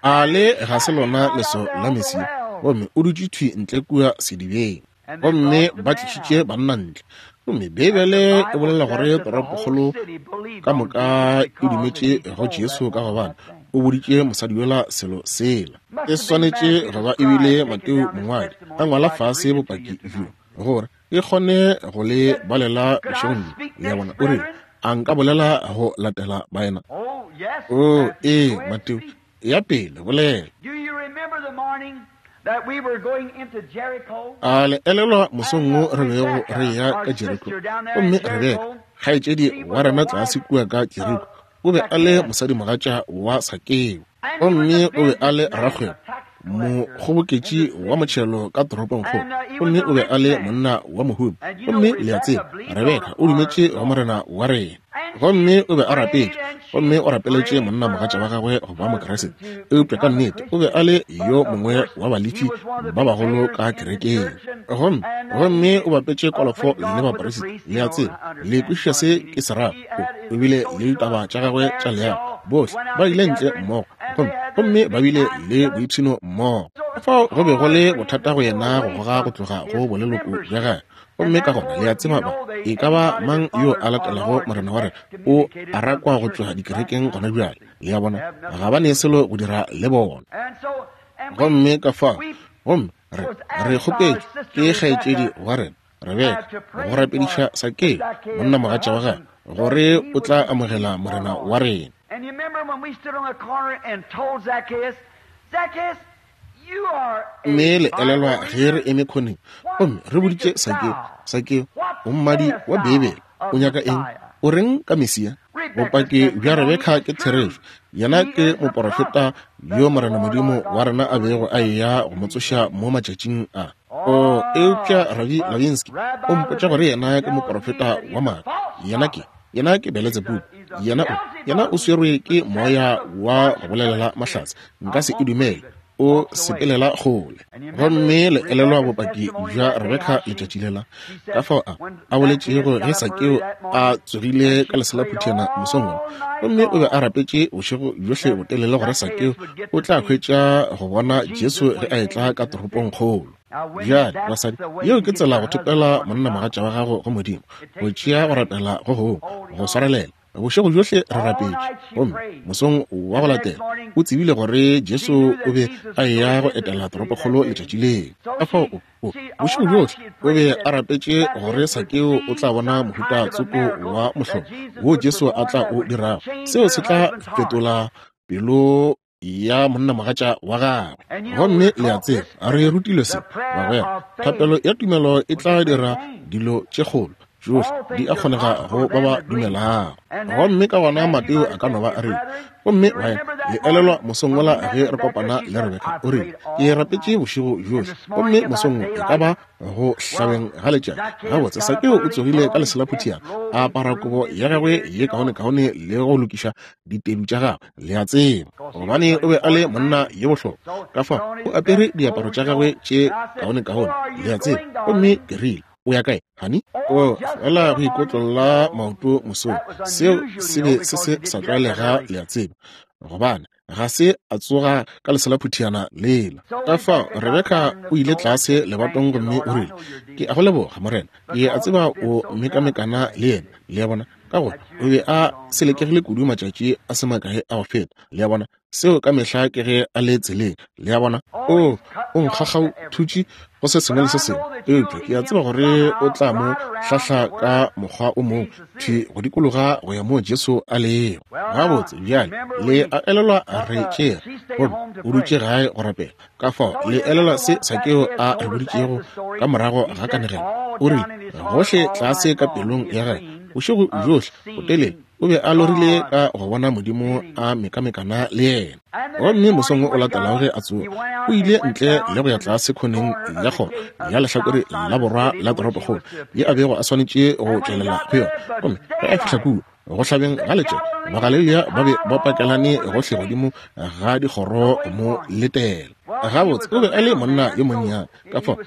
A le ga se lona leso la Mesia? Gomme o dutše thwi ntle kua sedibeng. Gomme ba tlišitše banna ntle. Gomme Beibele e bolela gore toropokgolo ka moka e dumetše go Jesu ka gobane o boditše mosadi yola selo sela. E swanetše go ba e bile Mateo mongwadi a ngwala fase bopaki bjo gore e kgone go le balela bošegong bjo. Le a bona? O rile, A nka bolela go latela baena? Oh, yes. Oo, Matthew, ee, go ahead, Mateo, speak. ya pele, bolela. Do you remember the morning that we were going into Jericho? A le elelwa mosong wo re bego Rebecca, re eya our ka Jeriko? sister down there in Gomme Rebeka, Jericho, kgaetšedi she wa was rena the tlase wife kua ka of Jeriko, o be a le Zacchaeus. mosadimogatša wa Sakeo. And he was Gomme a o be a le businessman, rakgwebo, a tax collector in the mokgoboketši wa city. motšhelo ka toropongkgolo, And he was gomme a o be a rich le man. monna wa mohumi. And you know, Gomme le a Rebecca tseba, believed on Rebeka o our dumetše go Lord. Morena wa rena. Gomme o be a rapetše, gomme o rapeletše monnamogatša wa gagwe go ba Mokriste. Eupša ka nnete o be a le yo mongwe wa balefi ba bagolo ka kerekeng. Gomme, gomme o bapetše kolofo le baperisita, le a tseba, le kwešiša se ke se rago. O, o bile le ditaba tša gagwe tša leago. Bohle ba ile ntle mmogo, gomme, gomme ba bile le boipshino mmogo. Fao go be go le bothata go yena go goga go tloga go boleloko bja gagwe. Gomme ka gona le a tseba ba e ka ba mang yo a latelago Morena wa rena o a rakwa go tšwa dikerekeng gona bjale. Le a bona, ga ba ne selo go dira le bona. Gomme ka fao, gomme re, re kgopetšwe ke kgaetšedi wa rena, Rebeka, go rapediša Sakeo, monnamogatša wa gagwe, gore o tla amogela Morena wa rena. And you remember when we stood on the corner and told Zacchaeus, Zacchaeus, Mme le elelwa ge re eme khoneng gomme re boditše Sakeo, Sakeo, o mmadi wa Beibele, o nyaka eng? O reng ka Mesia? Bopaki bja Rebeka ke therešo. Yena ke moporofeta yo Morena Modimo wa rena a bego a eya go mo tsoša mo matšatšing a. O, eupša Rabi Lavinsky o mpotša gore yena ke moporofeta wa maaka. Yena ke, yena ke Beletsebubu. Yena o, yena o swerwe ke moya wa go bolelela mahlatse. Nka se e dumele. O sepelela kgole. Gomme le elelwa bopaki bja Rebeka letšatši lela, ka fao a, a boletšego ge Sakeo a tsogile ka leselaphuthiana mosong wola. Gomme o be a rapetše bošego bjohle botelele gore Sakeo o tla hwetša go bona Jesu ge a etla ka toropongkgolo. Bjale, basadi, yeo ke tsela go thopela monnamogatša wa gago go Modimo, go tšea go rapela go gongwe, go swarelela. Bošego bjohle re rapetše, gomme mosong wa go latela o tsebile gore Jesu o be a eya go etela toropokgolo letšatši leo. Ka fao o, o, bošego bjohle o be a rapetše gore Sakeo o tla bona mohuta tsoko wa mohlolo wo Jesu a tla o dirago. Seo se tla fetola pelo ya monnamogatša wa gagwe. Gomme le a tseba, re rutilwe se, bagwera, thapelo ya tumelo e tla dira dilo tše kgolo, tšohle di a kgonega go ba ba dumelago. Gomme ka gona Mateo a ka no ba a rile, gomme baena, le elelwa mosong wola ge re kopana le Rebeka, o rile, ke rapetše bošego bjohle, gomme mosong wo e ka ba go hlabeng ga letšatši. Gabotse, Sakeo o tsogile ka leselaphuthiana, a apara kobo ya gagwe ye kaonekaone le go lokiša ditedu tša gagwe, le a tseba, gobane o be a le monna yo bohlokwa. Ka fao o apere diaparo tša gagwe tše kaonekaone, le a tseba. Gomme ke rile, O ya kae, honey? O fela go ikotlolla maoto mosong. Seo se be se se sa tlwaelega, le a tseba, gobane ga se a tsoga ka leselaphuthiana lela. Ka fao Rebeka o ile tlase lebatong gomme o rile, Ke a go leboga, Morena. Ke a tseba o mekamekana le yena. Le a bona? Ka gore o be a selekegile kudu matšatši a se makae a go feta. Le a bona? Seo ka mehla ke ge a le tseleng. Le a bona? O, o nkgakgauthutše go se sengwe le se sengwe, eupša ke a tseba gore o tla mo hlahla ka mokgwa o mongwe, thwi go dikologa go ya moo Jesu a lego. Gabotse, bjale, le a elelwa re tšere, gomme o dutše gae go rapela. Ka fao, le elelwa se Sakeo a re boditšego ka morago ga kanegelo? O rile, gohle tlase ka pelong ya gagwe, bošego bjohle botelele, o be a lorile ka go bona Modimo a mekamekana le yena. Gomme mosong o latelago ge a tsoga, o ile ntle le go ya tlase khoneng ya kgoro ya lehlakore la borwa la toropokgolo ye a bego a swanetše go tšwelela go yona. Gomme ge a fihla kua, go hlabeng ga letšatši, Bagalelia ba be ba pakelane gohle godimo ga dikgoro mo letela. Gabotse, o be a le monna yo monnyane, ka fao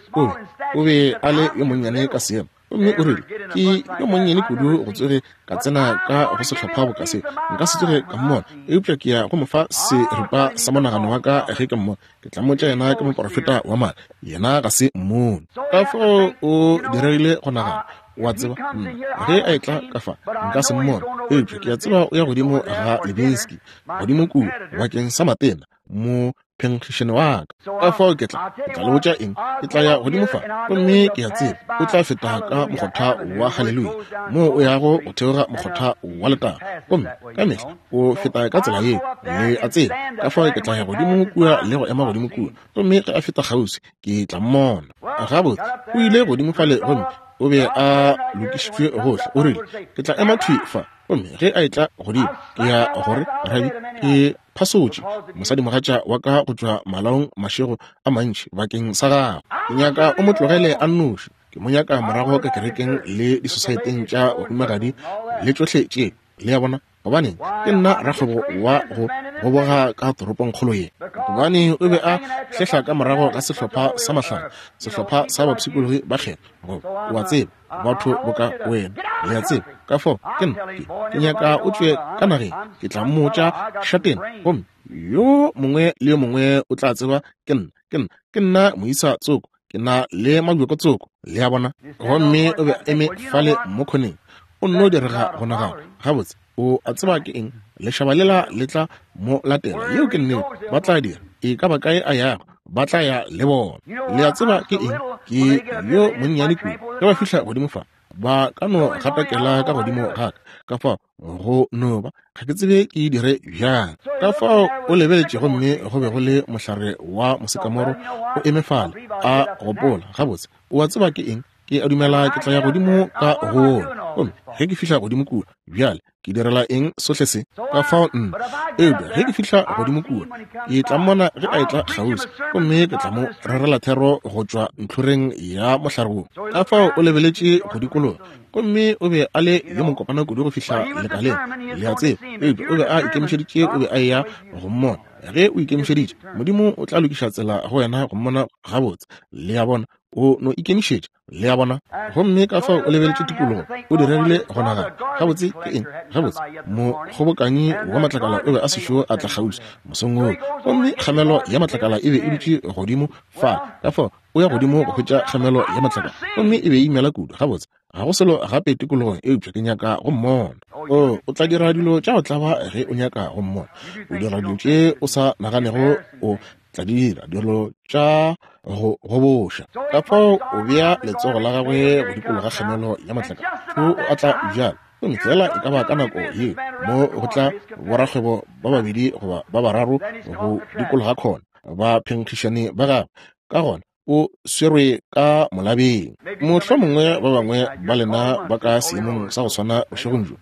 o be a le yo monnyane ka seemo. Gomme o rile, Ke yo monnyane kudu go tsoge ka tsena ka go sehlopha boka se. Nka se tsoge ka mmona, eupša ke ya go mo fa seripa sa monagano wa ka ge ke mmona. Ke tla mmotša yena ke moprofeta wa maaka. Yena ga se mmone. Ka fao o diregile go nagana, wa tseba, nna, ge a etla ka fa, nka se mmone, eupša ke a tseba o ya godimo ga Levinsky, godimo kua, bakeng sa matena, mo phenkgišane wa ka. Ka fao ke tla, ke tla le botša eng, ke tla ya godimo fa, gomme ke a tseba o tla feta ka mokgotha wa Haleluya, moo o yago go theoga mokgotha wa letago, gomme ka mehla o feta ka tsela yeo, le a tseba. Ka fao ke tla ya godimo kua le go ema godimo kua, gomme ge a feta kgauswi, ke tla mmona. Gabotse, o ile godimo fale gomme o be a lokišitšwe gohle. O rile, Ke tla ema thwi fa, gomme ge a etla godimo, ke ya gore, Rabi, ke phasotše mosadimogatša wa ka go tšwa malaong mašego a mantši bakeng sa gago. Ke nyaka o mo tlogele a nnoši. Ke mo nyaka morago ka kerekeng le disosaeteng tša bahumagadi le tšohle tše. Le a bona? Gobaneng, ke nna rakgwebo wa go goboga ka toropongkgolo ye. Gobane o be a hlehla ka morago ga sehlopha sa mahlale, sehlopha sa bapshikologi ba kgethwa, goba, o a tseba, batho boka wena, le a tseba. Ka fao, ke nna, ke, ke nyaka o tšwe ka nageng. Ke tla mmotša šatena, gomme yo mongwe le yo mongwe o tla tseba ke nna, ke nna, ke nna moisa tsoko, ke na le mabjoko tsoko, le a bona. Gomme o be a eme fale mo khoneng, o nno direga go nagana, Gabotse, o a tseba ke eng? Lešaba lela le tla mo latela. Yeo ke nnete, ba tla dira. E ka ba kae a yago, ba tla ya le bona. Le a tseba ke eng? Ke yo monnyane kudu. Ge ba fihla godimo fa, ba ka no gatakela ka godimo ga ka. Ka fao go no ba, ga ke tsebe ke dire bjang. Ka fao o lebeletše gomme go be go le mohlare wa mosekamoro o eme fale, a gopola, Gabotse, o a tseba ke eng? Ke a dumela ke tla ya godimo ka gola. Gomme ge ke fihla godimo kua, bjale ke direla eng sohle se? Ka fao nna, eupša ge ke fihla godimo kua, ke tla mmona ge a etla kgauswi, gomme ke tla mo rerela thero go tšwa ntlhoreng ya mohlare wo. Ka fao o lebeletše go dikologa, gomme o be a le yo mokopana kudu go fihla lekaleng, le a tseba, eupša o be a ikemišeditše, o be a eya go mmona. Ge o ikemišeditše, Modimo o tla lokiša tsela go wena go mmona gabotse, le a bona. O no ikemišetša, le a bona. Gomme ka fao o lebeletše tikologo, o diregile go nagana, Gabotse, ke eng? Gabotse, mokgobokanyi wa matlakala o be a sešo a tla kgauswi mosong woo, gomme kgamelo ya matlakala e be e dutše godimo fa. Ka fao o ya godimo go hwetša kgamelo ya matlakala, gomme e be e imela kudu. Gabotse, ga go selo gape tikologong eupša ke nyaka go mmona. O, o tla dira dilo tša go tlaba ge o nyaka go mmona. O dira dilo tše o sa naganego o tla dira, dilo tša go goboša. Ka fao o bea letsogo la gagwe go dikologa kgamelo ya matlakala, o atla bjalo. Gomme feela e ka ba ka nako ye mo go tla borakgwebo ba babedi goba ba bararo go dikologa khona, ba phenkgišane ba gagwe. Ka gona o swerwe ka molabeng. Mohlomongwe ba bangwe ba lena ba ka seemong sa go swana bošegong bjo,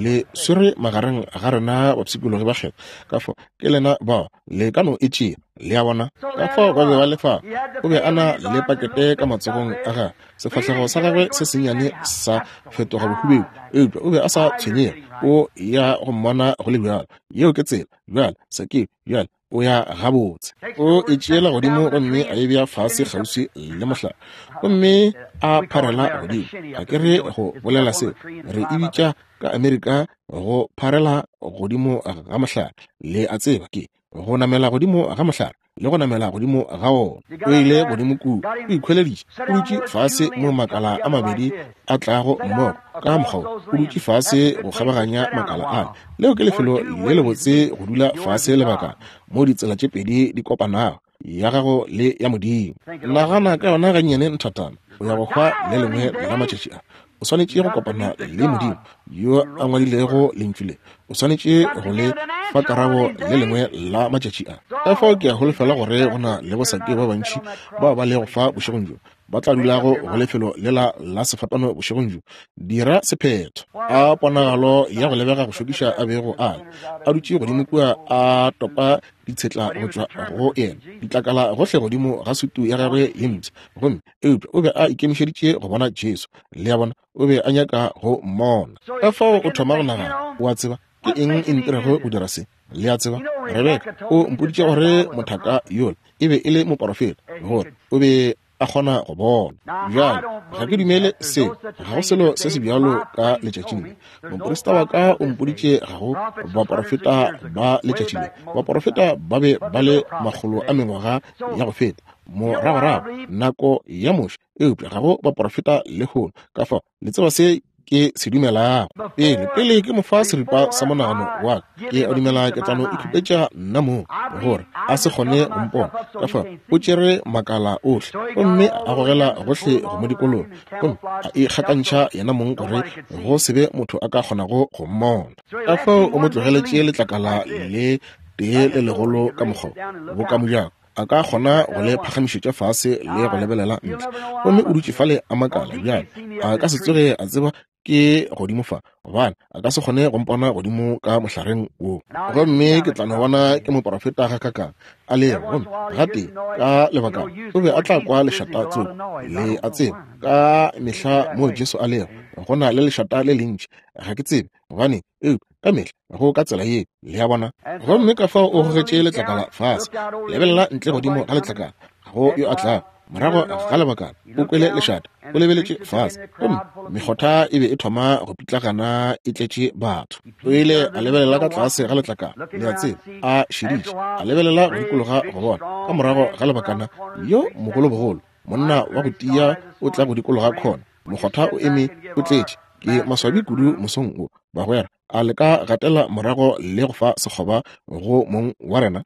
le swerwe magareng ga rena bapshikologi ba kgethwa. Ka fao ke lena bao, le ka no e tšea, le a bona. Ka fao ba be ba le fa, o be a na le pakete ka matsogong a gagwe, sefahlego sa gagwe se sennyane sa fetoga bohubedu, eupša o be a sa tshwenyege, o ya go mmona go le bjalo. Yeo ke tsela. Bjale, Sakeo, bjale o ya gabotse. O e tšeela godimo gomme a e bea fase kgauswi le mohlare, gomme a pharela godimo. Ga ke re go bolela seo, re e bitša ka Amerika go pharela godimo ga mohlare. Le a tseba, ke go namela godimo ga mohlare le go namela godimo ga wona. O ile godimo kua, o ikhweleditše, o dutše fase mo makala a mabedi a tlago mmogo ka mokgwa wo, o dutše fase go kgabaganya makala ale. Leo ke lefelo le lebotse go dula fase lebakana, mo ditsela tše pedi di kopanago, ya gago le ya Modimo. Nagana ka yona gannyane nthatana, o ya go hwa le lengwe la matšatši a. O swanetše go kopana le Modimo yo a ngwadilego Lentšu le. O swanetše go le fa karabo le lengwe la matšatši a. Ka fao ke a holofela gore go na le bosake ba bantši bao ba lego fa bošegong bjo, ba tla dulago go lefelo lela la sefapano bošegong bjo. Dira sephetho. A ponagalo ya go lebega go šokiša a bego a le, a dutše godimo kua a topa ditshetla go tšwa go yena, ditlakala gohle godimo ga sutu ya gagwe ye mpsha. Gomme, eupša o be a ikemišeditše go bona Jesu. Le a bona, o be a nyaka go mmona. Ka fao o thoma go nagana, O a tseba, ke eng e ntirego go dira se? Le a tseba, Rebeka o mpoditše gore mothaka yola e be e le moporofeta, gore o be a kgona go bona. Bjale, ga ke dumele seo, ga go selo se se bjalo ka letšatšing le. Moprista wa ka o mpoditše ga go baporofeta ba letšatši le. Baporofeta ba be ba le makgolo a mengwaga ya go feta, moragorago, nako ya Moshe, eupša ga go baporofeta lehono. Ka fao, le tseba se ke se dumelago. Pele, pele ke mo fa seripa sa monagano wa ka, ke a dumela ke tla no ikhupetša nna mong, gore a se kgone go mpona. Ka fao o tšere makala ohle gomme a gogela gohle go mo dikologa, gomme a ikgakantšha yena mong gore go se be motho a ka kgonago go mmona. Ka fao o mo tlogeletše letlakala le tee le legolo ka mokgwa wo, boka mojako. a ka kgona go le phagamišetša fase le go lebelela ntle. Gomme o dutše fale a makala bjale, a ka se tsoge a tseba ke godimo fa, gobane a ka se kgone go mpona godimo ka mohlareng wo. Gomme ke tla no bona ke moporofeta gakakang a lego. Gomme gatee ka lebakana o be a tla kwa lešata tsoko, le a tseba, ka mehla moo Jesu a lego. Go na le lešata le lentši. Ga ke tsebe gobane, eupša ka mehla go ka tsela ye, le a bona. Gomme ka fao o gogetše letlakala fase. Lebelela ntle godimo ga letlakala, ga go yo a tlago. Morago ga lebakana o kwele lešata, o lebeletše fase, gomme mekgotha e be e thoma go pitlagana e tletše batho. O ile a lebelela ka tlase ga letlakala, le a tseba, a šeditše, a lebelela go dikologa go bona. Ka morago ga lebakana, yo mogolobogolo, monna wa go tia o tla go dikologa khona, mokgotha o eme o tletše. Ke maswabi kudu mosong wo, bagwera. A le ka gatela morago le go fa sekgoba go mong wa rena?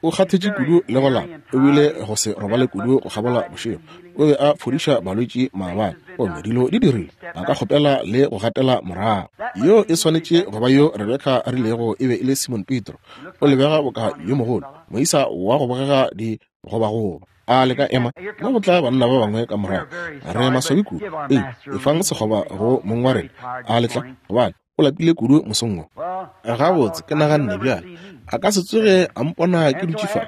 O kgathetše kudu le go lapa, o bile go se robale kudu go kgabola bošego. O be a fodiša balwetši maabane, gomme dilo di dirile. A ka kgopela le go gatela morago. Yo e swanetše go ba yo Rebeka a rilego e be e le Simon Petro. O lebega boka yo mogolo, moisa wa go bogega di gobagoba. A le ka ema mo go tla banna ba bangwe ka morago. Re maswabi kudu. Ee, efang sekgoba go mong wa rena. A le tla, gobane o lapile kudu mosong wo. Gabotse, ke naganne bjale a ka se tsoge a mpona ke dutše fa.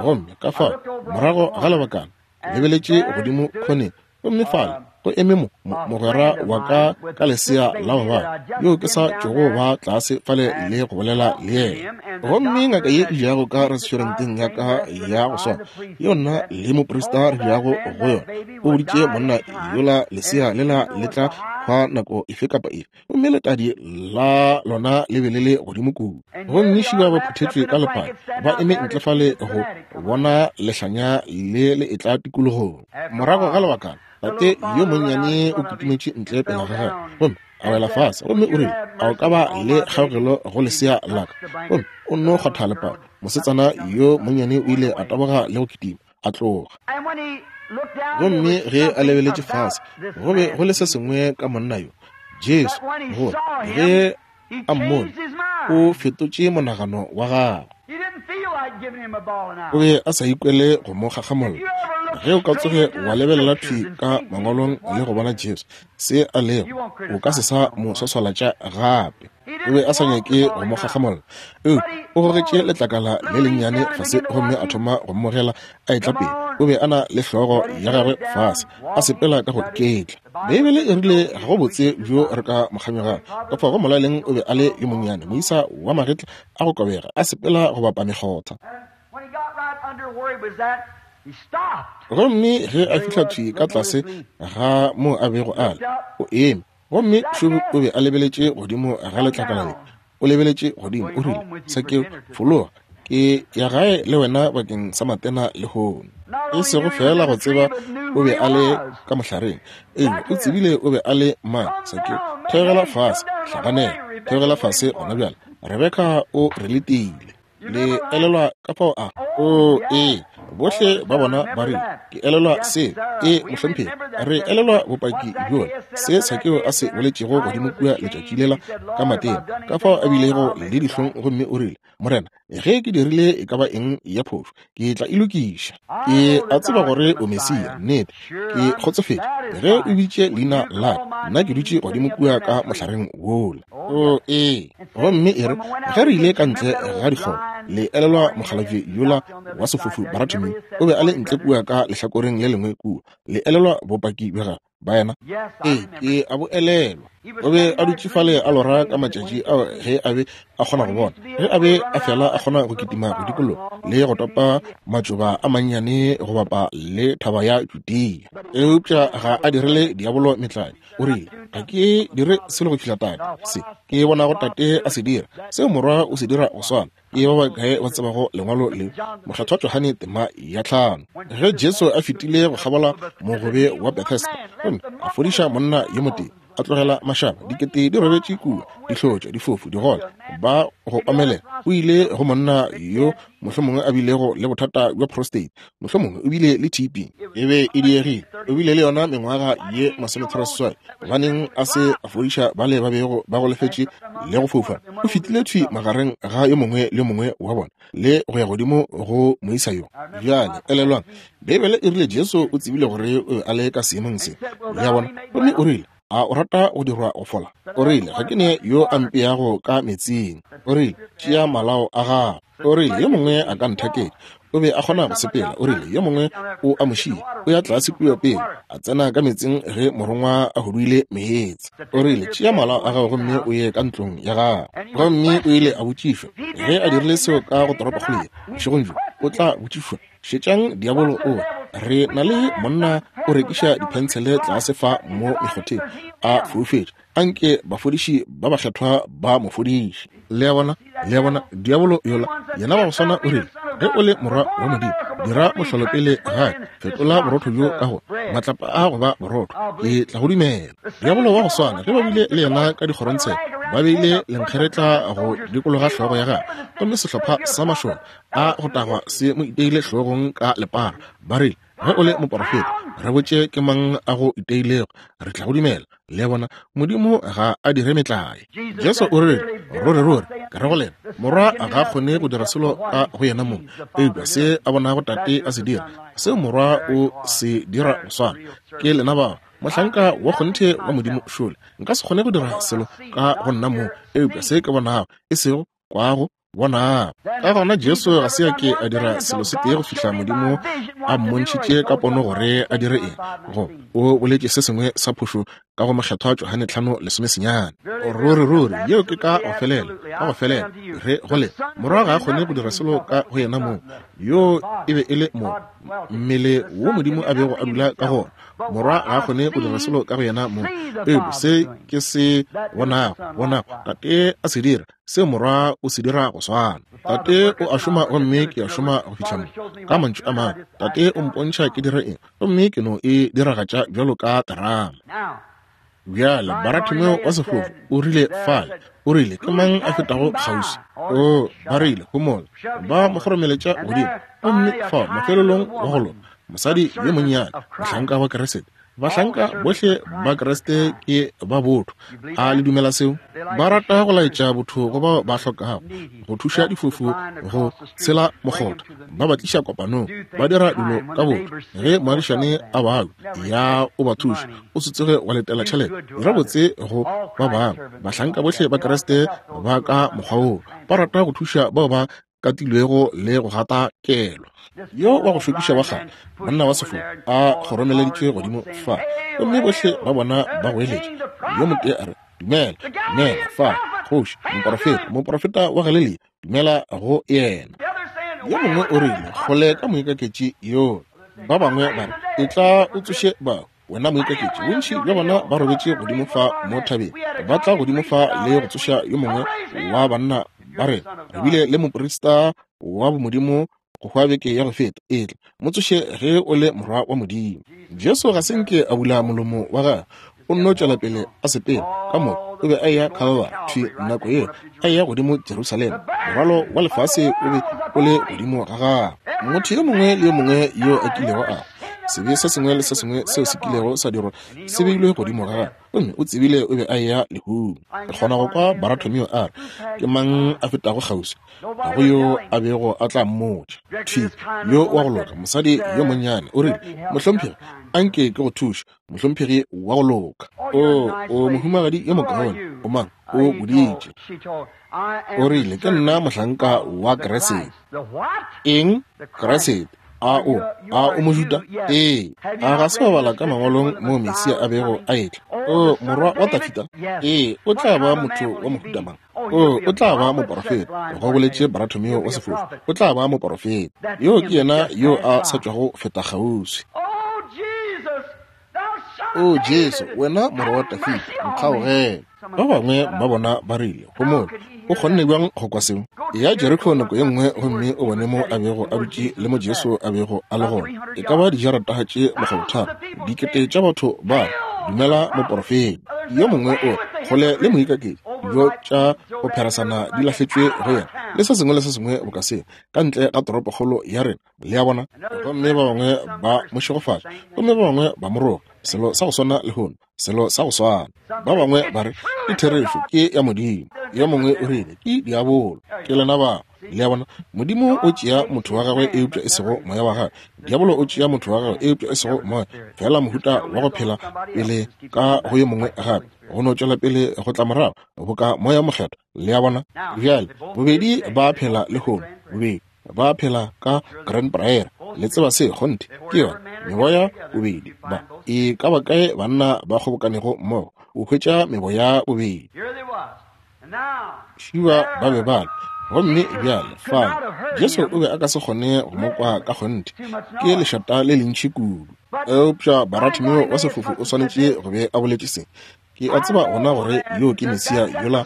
Gomme ka fao morago ga lebakana, lebeletše godimo khoneng, gomme fale go eme mo mogwera wa ka ka lesea la go bala yo ke sa tšogo ba tlase fale le go bolela le yena. Gomme ngaka ye e jago ka restauranteng ya ka ya go swana yeo nna le moprista re jago go yona, o boditše monna yola lesea lela le tla hwa nako efe kapa efe, gomme letadi la lona le be le le godimo kudu. Gomme šiba ba phuthetšwe ka lephane, ba eme ntle fale go bona lehlanya le le etla tikologong. Morago ga lebakana, tate yo monnyane o kitimetše ntle pele ga gagwe, gomme a wela fase, gomme o rile, A o ka ba le kgaogelo go lesea la ka? Gomme o nno kgwatha lepalo. Mosetsana yo monnyane o ile a taboga le go kitima a tloga. Gomme ge a lebeletše fase, go be go le se sengwe ka monna yo, Jesu, gore ge a mmone, o fetotše monagano wa gagwe. O be a sa ikwele go mo gagamolla. Ge o ka tsoge wa lebelela thwi ka mangwalong le go bona Jesu, se a lego, o ka se sa mo swaswalatša gape. O be a sa nyake go mo gagamolla, eupša o gogetše letlakala le lennyane fase gomme a thoma go mmogela a etla pele. O be a na le hlogo ya gagwe fase, a sepela ka go iketla. Beibele e rile ga go botse bjo re ka mo kganyogago. Ka fao go molaleng o be a le yo monnyane, moisa wa magetla a go kobega, a sepela go bapa mekgotha. Gomme ge a fihla thwi ka tlase ga moo a bego a le, o eme. Gomme šo o be a lebeletše godimo ga letlakala le. O lebeletše godimo, o rile, Sakeo, fologa, ke ya gae le wena bakeng sa matena lehono. E sego feela go tseba o be a le ka mohlareng, eupša o tsebile o be a le mang. Sakeo, theogela fase, hlaganela, theogela fase gona bjale. Rebeka o re letile. Le elelwa ka fao a? O, ee, bohle ba bona ba rile, Ke elelwa se. Ee, mohlomphegi, re elelwa bopaki bjola, se Sakeo a se boletšego godimo kua letšatši lela ka matena, ka fao a bilego le dihlong gomme o rile, Morena, ge ke dirile e ka ba eng ya phošo, ke tla e lokiša. Ke a tseba gore o Mesia, nnete. Ke kgotsofetše ge o biditše leina la ka, nna ke dutše godimo kua ka mohlareng wola. O, ee. Gomme e re ge re ile ka ntle ga dikgoro, le elelwa mokgalabje yola wa sefofu Baratimeo, o be a le ntle kua ka lehlakoreng le lengwe kua. Le elelwa bopaki bja gagwe, baena? Ee, ke a bo elelwa. O be a dutše fale a lora ka matšatši ao ge a be a kgona go bona, ge a be a fela a kgona go kitima go dikologa le go topa matšoba a mannyane go bapa le thaba ya Judea. Eupša ga a direle diabolo metlae. O rile, Ga ke dire selo go fihla Tate, se ke bonago Tate a se dira, seo Morwa o se dira go swana. Ke ba bakae ba tsebago lengwalo le? Mokgethwa Johane tema ya 5. Ge Jesu a fetile go kgabola mogobe wa Bethesda gomme a fodiša monna yo motee, a tlogela mašaba dikete di robetše kua, dihlotša, difofu, digole, ba go omelela, o ile go monna yo mohlomongwe a bilego le bothata bja prostate, mohlomongwe o bile le TB, e be e diegile, o bile le yona mengwaga ye 38. Gobaneng a se a fodiša bale ba bego ba golofetše le go foufala? O fetile thwi magareng ga yo mongwe le yo mongwe wa bona le go ya godimo go moisa yo. Bjale elelwang, Beibele e rile Jesu o tsebile gore o be a le ka seemong se. Le a bona? Gomme o rile, A o rata go dirwa go fola? O rile, Ga ke ne yo a mpeago ka meetseng. O rile, Tšea malao a gago. O rile, Yo mongwe a ka nthaketša. O be a kgona go sepela. O rile, Yo mongwe o a mo šia, o ya tlase kua pele, a tsena ka meetseng ge morongwa a huduile meetse. O rile, Tšea malao a gago gomme o ye ka ntlong ya gago. Gomme o ile a botšišwa. Ge a dirile seo ka go toropokgolo ye, bošegong bjo, o tla botšišwa. Šetšang diabolo o re na le monna o rekiša diphentshele tlase fa mo mekgotheng, a foufetše. Anke bafodiši ba bakgethwa ba mo fodiše. Le a bona? Le a bona? Diabolo yola, yena wa go swana o rile, Ge o le morwa wa Modimo, dira mohlolo pele gae, fetola borotho bjo ka go matlapa a go ba borotho, ke tla go dumela. Diabolo wa go swana, ge ba bile le yena ka dikgorongtsheko, ba beile lenkgeretla go dikologa hlogo ya gagwe, gomme sehlopha sa mašole a go tagwa se mo iteile hlogong ka lepara, ba rile, Ge o le moporofeta, re botše ke mang a go iteilego, re tla go dumela. Le a bona, Modimo ga a dire metlae. Jesu o rile, Ruri, ruri, ke re go lena, Morwa ga a kgone go dira selo ka go yena mong, eupša se a bonago Tate a se dira, seo Morwa o se dira go swana. Ke lena bao, mohlanka wa kgonthe wa Modimo šole. Nka se kgone go dira selo ka go nna mong, eupša se ke bonago, e sego kwago, Bonang. Ka gona Jesu ga se a ke a dira selo se tee go fihla Modimo a mmontšhitše ka pono gore a dire eng. Go o boletše se sengwe sa phošo ka go mokgethwa Johane 5:19. Ruri ruri yeo ke ka go felela, ka go felela re go le morwa ga a kgone go dira selo ka go yena mong. Yo e be e le mo mmele wo Modimo a bego a dula ka gona. Morwa ga a kgone go dira selo ka go yena mong, eupša se ke se bonago, bonago Tate a se dira, se Morwa o se dira go swana. Tate o a šoma gomme ke a šoma go fihla mo. Ka mantšu a mangwe, Tate o mpontšha ke dire eng gomme ke no e diragatša bjalo ka terama. Bjale Baratimeo wa sefofu o rile fale, o rile, Ke mang a fetago kgauswi? O, ba rile, homola. Ba mo kgoromeletša godimo. Gomme fao mafelelong wa go loka, mosadi yo monnyane, mohlanka wa Keresete. Bahlanka bohle ba Kriste ke ba botho. A le dumela seo? Ba rata go laetša botho go bao ba hlokago, go thuša difofu go tshela mokgotha, ba ba tliša kopanong, ba dira dilo ka botho. Ge moagišane a babja, ya o ba thuša, o se tsoge wa letela tšhelete. Dira botse go ba bangwe. Bahlanka bohle ba Kriste ba ka mokgwa woo, ba rata go thuša bao ba katilwego le go gata kelo. Yo wa go šokiša wa kgale, monna wa sefofu, a kgoromeleditšwe godimo fa, gomme bohle ba bona ba goeletša. Yo motee a re, Dumela, dumela, fa, kgoši, moporofeta, moporofeta wa Galelia, dumela go yena. Yo mongwe o rile, Kgole ka moikaketši yo. Ba bangwe ba re, Etla o tsoše bahu. Wena moikaketši, bontši bja bona ba robetše godimo fa mo thabeng, ba tla godimo fa le go tsoša yo mongwe wa banna ba rena. Re bile le moprista wa bomodimo go hwa beke ya go feta. Etla, mo tsoše ge o le morwa wa Modimo. Jesu ga se nke a bula molomo wa gagwe, o nno tšwela pele a sepela. Ka moka o be a eya Calvary, thwi nako yeo a eya godimo Jerusalema. Morwalo wa lefase o be o le godimo ga gagwe. Motho yo mongwe le yo mongwe yo a kilego a sebe se sengwe le se sengwe seo se kilego sa dirwa se beilwe godimo ga gagwe, gomme o tsebile o be a eya lehung. Ke kgona go kwa Baratomio a re, Ke mang a fetago kgauswi? Ga go yo a bego a tla mmotša. Thwi yo wa go loka, mosadi yo monnyane, o rile, Mohlomphegi, anke ke go thuše, mohlomphegi wa go loka. O, o mohumagadi yo mokaone. O mang? O boditše. O rile, Ke nna mohlanka wa Keresete. Eng? Keresete. A o, a o Mojuda? Ee. A ga se wa bala ka Mangwalong moo Mesia a bego a etla? O, morwa wa Dafida? Ee, o tla ba motho wa mohuta mang? O, o tla ba moporofeta, go boletše Baratomeo wa sefofu. O tla ba moporofeta. Yoo ke yena yo a sa tšwago feta kgauswi. O Jesu, wena morwa wa Dafida, nkgaogele. Ba bangwe ba bona ba rile, Homola, o kgonne bjang go kwa seo? Eya Jeriko nako ye nngwe gomme o bone mo a bego a dutše le mo Jesu a bego a le gona. E ka ba dijarata tše makgolotharo, dikete tša batho ba dumela moporofeta. Yo mongwe o re, Kgole le moikaketši, dijo tša go pheresana di lahletšwe go yena, le se sengwe le se sengwe boka seo, ka ntle ga toropokgolo ya rena. Le a bona? Gomme ba bangwe ba mo šegofatša, gomme ba bangwe ba mo roga. Selo sa go swana lehono, selo sa go swana. Ba bangwe ba re, Ke therešo, ke ya Modimo. Yo mongwe o rile, Ke diabolo. Ke lena bao. Le a bona? Modimo o tšea motho wa gagwe eupša e sego moya wa gagwe. Diabolo o tšea motho wa gagwe eupša e sego moya. Feela mohuta wa go phela pele ka go yo mongwe gape, go no tšwela pele go tla morago, boka Moya Mokgethwa. Le a bona? Bjale, bobedi ba phela lehono, bobedi. Ba phela ka Grand Prairie. Le tseba se, kgonthe. Ke yona meboya bobedi ba. E ka ba kae banna ba kgobokanego mmogo, o hwetša meboya bobedi. Šiba ba be ba le. Gomme bjale, fale, Jesu o be a ka se kgone go mo kwa ka kgonthe. Ke lešata le lentši kudu. Eupša Baratimeo wa sefofu o swanetše go be a boletše se. Ke a tseba gona gore yo ke Mesia yola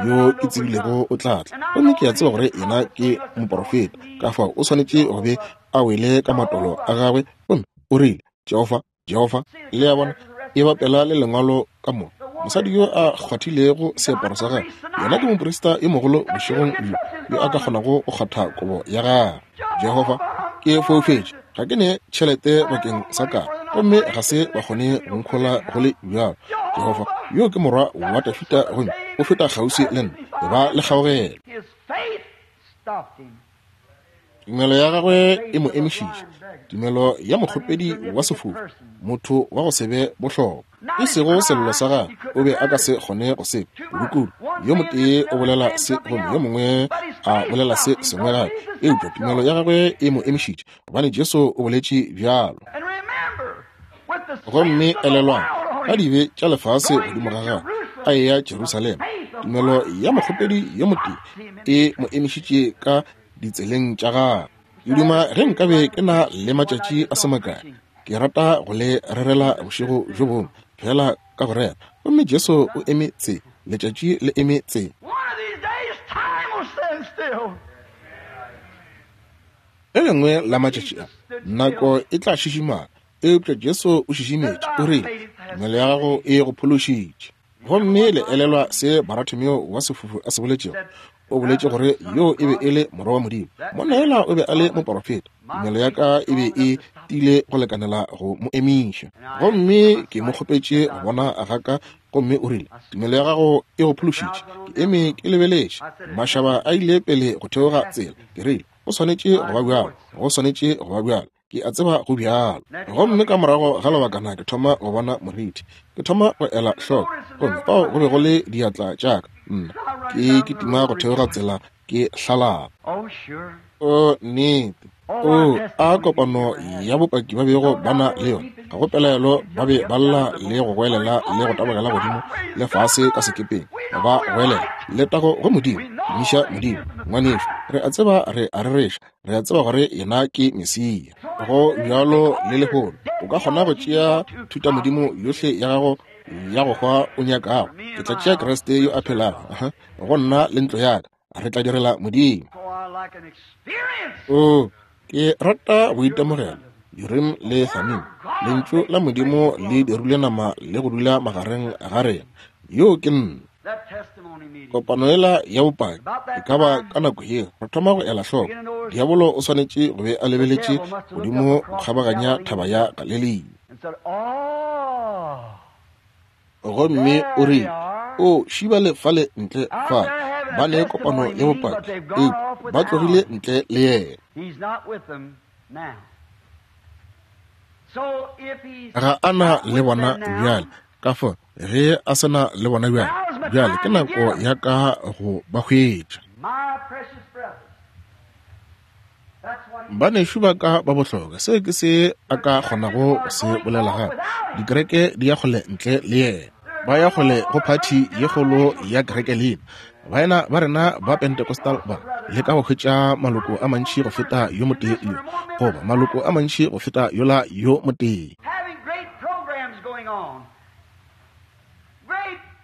yo ke tsebilego o tla tla. Gomme ke a tseba gore yena ke moporofeta. Ka fao o swanetše go be a wele ka matolo a gagwe gomme o rile, Jehofa, Jehofa. Le a bona, e bapela le Lengwalo ka moka. Mosadi yo a kgwathilego seaparo sa gagwe, yena ke moprista yo mogolo bošegong bjo, yo a ka kgonago go kgwatha kobo ya gagwe. Jehofa, ke foufetše, ga ke ne tšhelete bakeng sa ka, gomme ga se ba kgone go nkhola go le bjalo. Jehofa, yo ke morwa wa Dafida gomme o feta kgauswi le nna, e ba le kgaogelo. Tumelo ya gagwe e mo emišitše, tumelo ya mokgopedi wa sefofu, motho wa go se be bohlokwa. E sego sello sa gagwe, o be a ka se kgone go se kudu-kudu. Yo motee o bolela se gomme yo mongwe a bolela se sengwe gape, eupša tumelo ya gagwe e mo emišitše, gobane Jesu o boletše bjalo. Gomme elelwang, ka dibe tša lefase godimo ga gagwe, a eya Jerusalema, tumelo ya mokgopedi yo motee e mo emišitše ka ditseleng tša gagwe. Ke duma ge nkabe ke na le matšatši a se makae, ke rata go le rerela bošego bjo bongwe, fela ka go rera. Gomme Jesu o eme tse, letšatši le eme tse. Le lengwe la matšatši a, nako e tla šišimala. Eupša Jesu o šišimetše, o rile, Tumelo ya gago e go phološitše. Gomme le elelwa se Baratimeo wa sefofu a se boletšego? O boletše gore yoo e be e le Morwa wa Modimo. Monna yola o be a le moporofeta. Tumelo ya ka e be e tiile go lekanela go mo emiša. Gomme ke mo kgopetše go bona ga ka, gomme o rile, Tumelo ya gago e go phološitše. Ke eme ke lebeletše. Mašaba a ile pele go theoga tsela. Ke rile, Go swanetše go ba bjalo. Go swanetše go ba bjalo. Ke a tseba go bjalo. Gomme ka morago ga lebakana ke thoma go bona morithi. Ke thoma go ela hloko. Gomme fao go be go le diatla tša ka. Nna, ke kitima go theoga tsela ke hlalala. O, nnete. O, a kopano ya bopaki ba bego ba na le yona. Ga go pelaelo ba be ba lla le go goelela le go tabogela godimo le fase ka sekepeng. Ba goelela, Letago go Modimo! Tumiša Modimo! Ngwanešu, re a tseba re a rereša. Re a tseba gore yena ke Mesia. Go bjalo le lehono. O ka kgona go tšea thutamodimo yohle ya gago ya go hwa o nyakago. Ke tla tšea Kriste yo a phelago go nna le ntlo ya ka. Re tla direla Modimo. O, ke rata go itemogela Urim le Thummim, Lentšu la Modimo le dirile nama le go dula magareng ga rena. Yoo ke nna. Kopano yela ya bopaki e ka ba ka nako yeo re thoma go ela hloko. Diabolo o swanetše go be a lebeletše godimo go kgabaganya thaba ya Galelia. Gomme o rile, O šibale fale ntle fale, ba ne kopano ya bopaki, eupša ba tlogile ntle le yena. Ga a na le bona bjale. Ka fao ge a se na le bona bjale, bjale ke nako ya ka go ba hwetša. Banešu ba ka ba bohlokwa, seo ke se a ka kgonago go se bolela gape. Dikereke di ya kgole ntle le yena. Ba ya kgole go phathi ye kgolo ya kereke leina. Baena ba rena ba Pentecostal ba leka go hwetša maloko a mantši go feta yo motee yo, goba maloko a mantši go feta yola yo motee.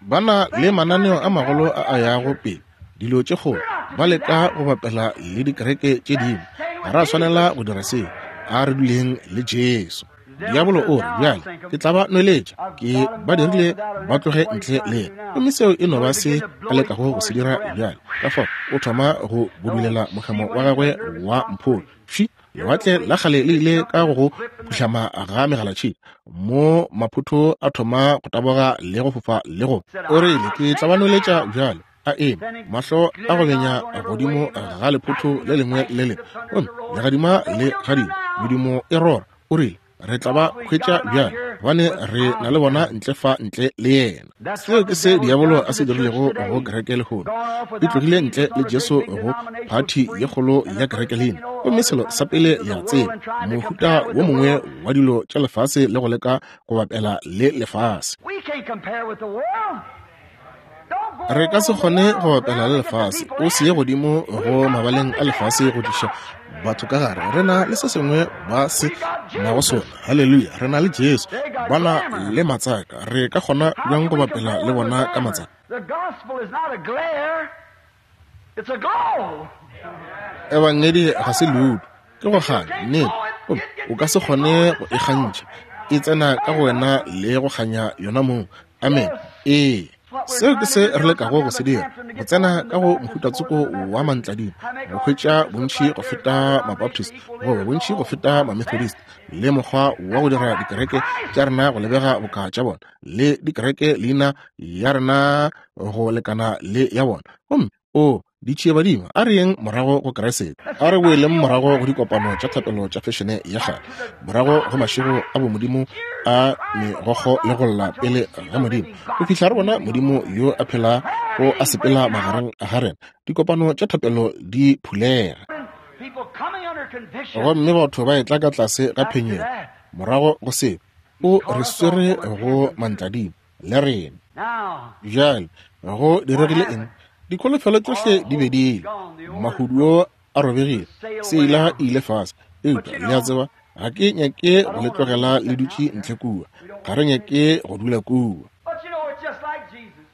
Ba na le mananeo a magolo a a yago pele, dilo tše kgolo, ba leka go bapela le dikereke tše dingwe. Ga ra swanela go dira seo. A re duleng le Jesu. Diabolo o re, Bjale, ke tla ba nweletša. Ke ba dirile ba tloge ntle le yena. Gomme seo e no ba se a lekago go se dira bjale. Ka fao o thoma go budulela mohemo wa gagwe wa mpholo. Fši! Lewatle la kgale le ile ka go go phuhlama ga megalatšhika, mo maphotho a thoma go taboga le go fofa le go. O rile, Ke tla ba nweletša bjale. A eme, mahlo a go benya godimo ga lephotho le lengwe le lengwe, gomme legadima le gadima, medumo e rora. O rile, Re tla ba hwetša bjale. Gobane re na le bona ntle fa ntle le yena. Seo ke se diabolo a se dirilego go kereke lehono. E tlogile ntle le Jesu go phathi ye kgolo ya kereke leina. Gomme selo sa pele le a tseba, mohuta wo mongwe wa dilo tša lefase le go leka go bapela le lefase. Re ka se kgone go bapela le lefase. O se ye godimo go mabaleng a lefase go tliša batho ka gare. Re na le se sengwe ba se nago sona. Haleluya! Re na le Jesu. Ba na le matsaka. Re ka kgona bjang go bapela le bona ka matsaka? Ebangedi ga se leudu, ke go kganya, nnete. Gomme o ka se kgone go e kgantšha. E tsena ka go wena le go kganya yona mong. Amen. Ee. Seo ke se re lekago go se dira, go tsena ka go mohutatsoko wa mantladima, go hwetša bontši go feta Mabaptist goba bontši go feta Mamethodist, le mokgwa wa go dira dikereke tša rena go lebega boka tša bona, le dikereke leina ya rena go lekana le ya bona. Gomme o ditšiebadimo, a re yeng morago go Kriste. A re boeleng morago go dikopano tša thapelo tša fešene ya kgale, morago go mašego a bomodimo a megokgo le go lla pele ga Modimo, go fihla re bona Modimo yo a phela go a sepela magareng ga rena. Dikopano tša thapelo di phulega, gomme batho ba etla ka tlase ga phenyego morago go seo. O re swere go mantladimo le rena. Bjale go diregile eng? Dikholofelo tšohle di be di ile, mahuduo a robegile, seila e ile fase. Eupša le a tseba, ga ke nyake go le tlogela le dutše ntle kua. Ga re nyake go dula kua.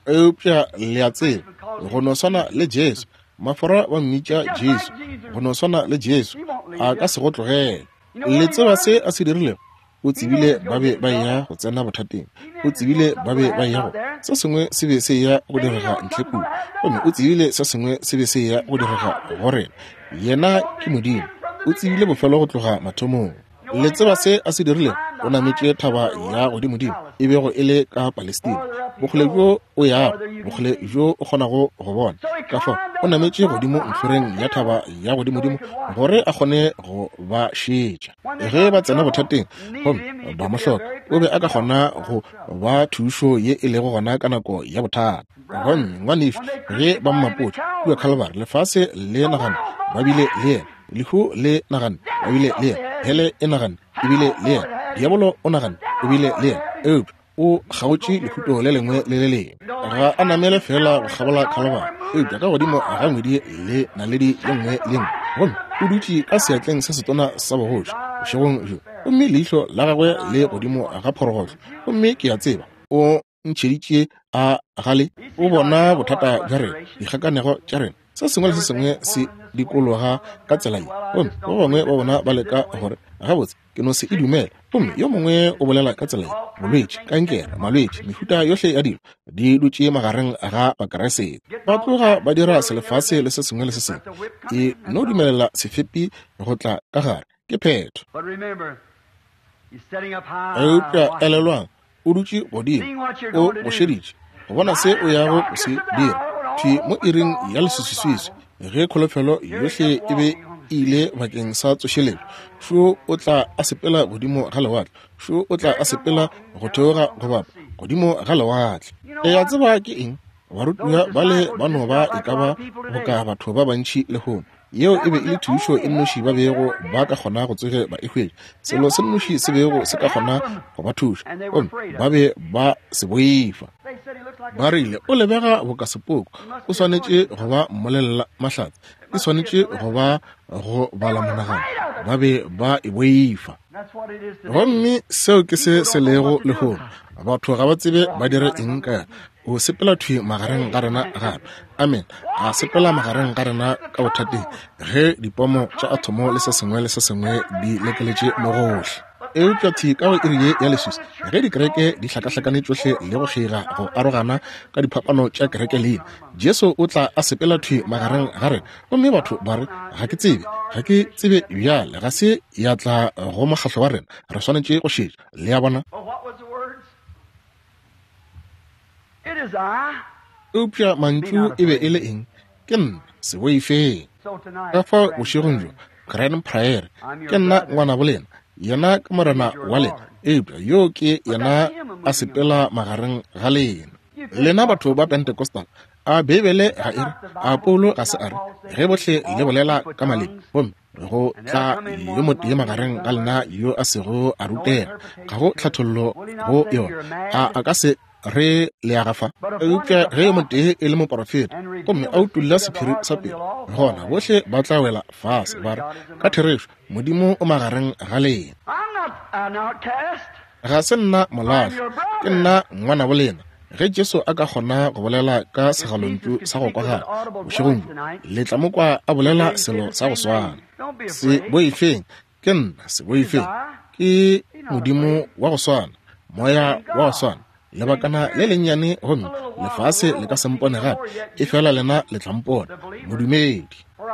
Eupša le a tseba, go no swana le Jesu, Mafora ba mmitša Jesu, go no swana le Jesu, a ka se go tlogele. Le tseba se a se dirilego? O tsebile ba be ba eya go tsena bothateng. O tsebile ba be ba eya go, se sengwe se be se eya go direga ntle kua. Gomme o tsebile se sengwe se be se eya go direga go rena. Yena ke Modimo. O tsebile bofelo go tloga mathomong. Le tseba se a se dirilego? O nametše thaba ya godimodimo, e bego e le ka Palestina, bokgole bjo o yago, bokgole bjo o kgonago go bona. Ka fao o nametše godimo ntlhoreng ya thaba ya godimodimo gore a kgone go ba šetša. Ge ba tsena bothateng gomme ba mo hloka, o be a ka kgona go ba thušo ye e lego gona ka nako ya bothata. Gomme ngwanešu, ge ba mmapotše kua Calvary, lefase le nagana ba bile le yena, lehu le nagana ba bile le yena, hele e nagana e bile le yena, diabolo o nagana o bile le yena, eupša o kgaotše lehuto le lengwe le le lengwe. Ga a namele feela go kgabola Calvary, eupša ka godimo ga ngwedi le naledi ye nngwe le nngwe. Gomme o dutše ka seatleng se setona sa bogoši bošegong bjo, gomme leihlo la gagwe le godimo ga phorogohlo. Gomme ke a tseba o ntšheditše a gale, o bona bothata bja rena, dikgakanego tša rena, se sengwe le se sengwe se dikologa ka tsela ye. Gomme ba bangwe ba bona ba leka gore, Gabotse, ke no se e dumela. Gomme yo mongwe o bolela ka tsela ye, bolwetši, kankere, malwetši, mehuta yohle ya dilo di dutše magareng ga Bakriste. Ba tloga ba dira selefase le se sengwe le se sengwe. E no dumelela sefepi go tla ka gare, ke phetho. Eupša elelwang, o dutše godimo, o go šeditše go bona se o yago go se dira. Thwi mo iring ya leswiswiswiswi, ge kholofelo yohle e be e ile bakeng sa tsošeletšo, šo o tla a sepela godimo ga lewatle, šo o tla a sepela go theoga go bapa godimo ga lewatle. Le a tseba ke eng? Barutiwa bale ba no ba e ka ba boka batho ba bantši lehono. Yeo e be e le thušo e nnoši ba bego ba ka kgona go tsoge ba e hwetša, selo se nnoši se bego se ka kgona go ba thuša, gomme ba be ba se boifa. Ba rile, O lebega boka sepoko, o swanetše go ba mmolelela mahlatse, e swanetše go ba go bala monagano. Ba be ba e boifa. Gomme seo ke se se lego lehono. Batho ga ba tsebe ba dire eng ka yona. O sepela thwi magareng ga rena gape. Amen. A sepela magareng ga rena ka bothateng, ge dipomo tša athomo le se sengwe le se sengwe di lekeletše mo gohle. Eupša thwi ka go iri ye ya leswiswi, ge dikereke di hlakahlakane tšohle le go kgeiga go arogana ka diphapano tša kereke leina, Jesu o tla a sepela thwi magareng ga rena, gomme batho ba re, Ga ke tsebe, ga ke tsebe bjale, ga se ya tla go mokgahlo wa rena, re swanetše go šetša. Le a bona? Eupša mantšu e be e le eng? Ke nna, se boifeng. Ka fao bošegong bjo, Grand Prairie, ke nna ngwanabo lena. Yena ke Morena wa lena, eupša yo ke yena a sepela magareng ga lena. Lena batho ba Pentecostal, a Beibele ga e re, a Paulo ga se a re, ge bohle le bolela ka maleme, gomme go tla yo motee magareng ga lena yo a sego a rutega, ga go tlhathollo go yona, a a ka se re le ya gafa? Eupša ge yo motee e le moporofeta gomme a utolla sephiri sa pelo, gona bohle ba tla wela fase ba re, Ka therešo Modimo o magareng ga lena. Ga se nna molahlwa, ke nna ngwanabo lena. Ge Jesu a ka kgona go bolela ka segalontšu sa go kwagala bošegong bjo, le tla mo kwa a bolela selo sa go swana. Se boifeng, ke nna, se boifeng. Ke Modimo wa go swana, Moya wa go swana. Lebakana le lennyane gomme lefase le ka se mpone gape, efela lena le tla mpona, modumedi,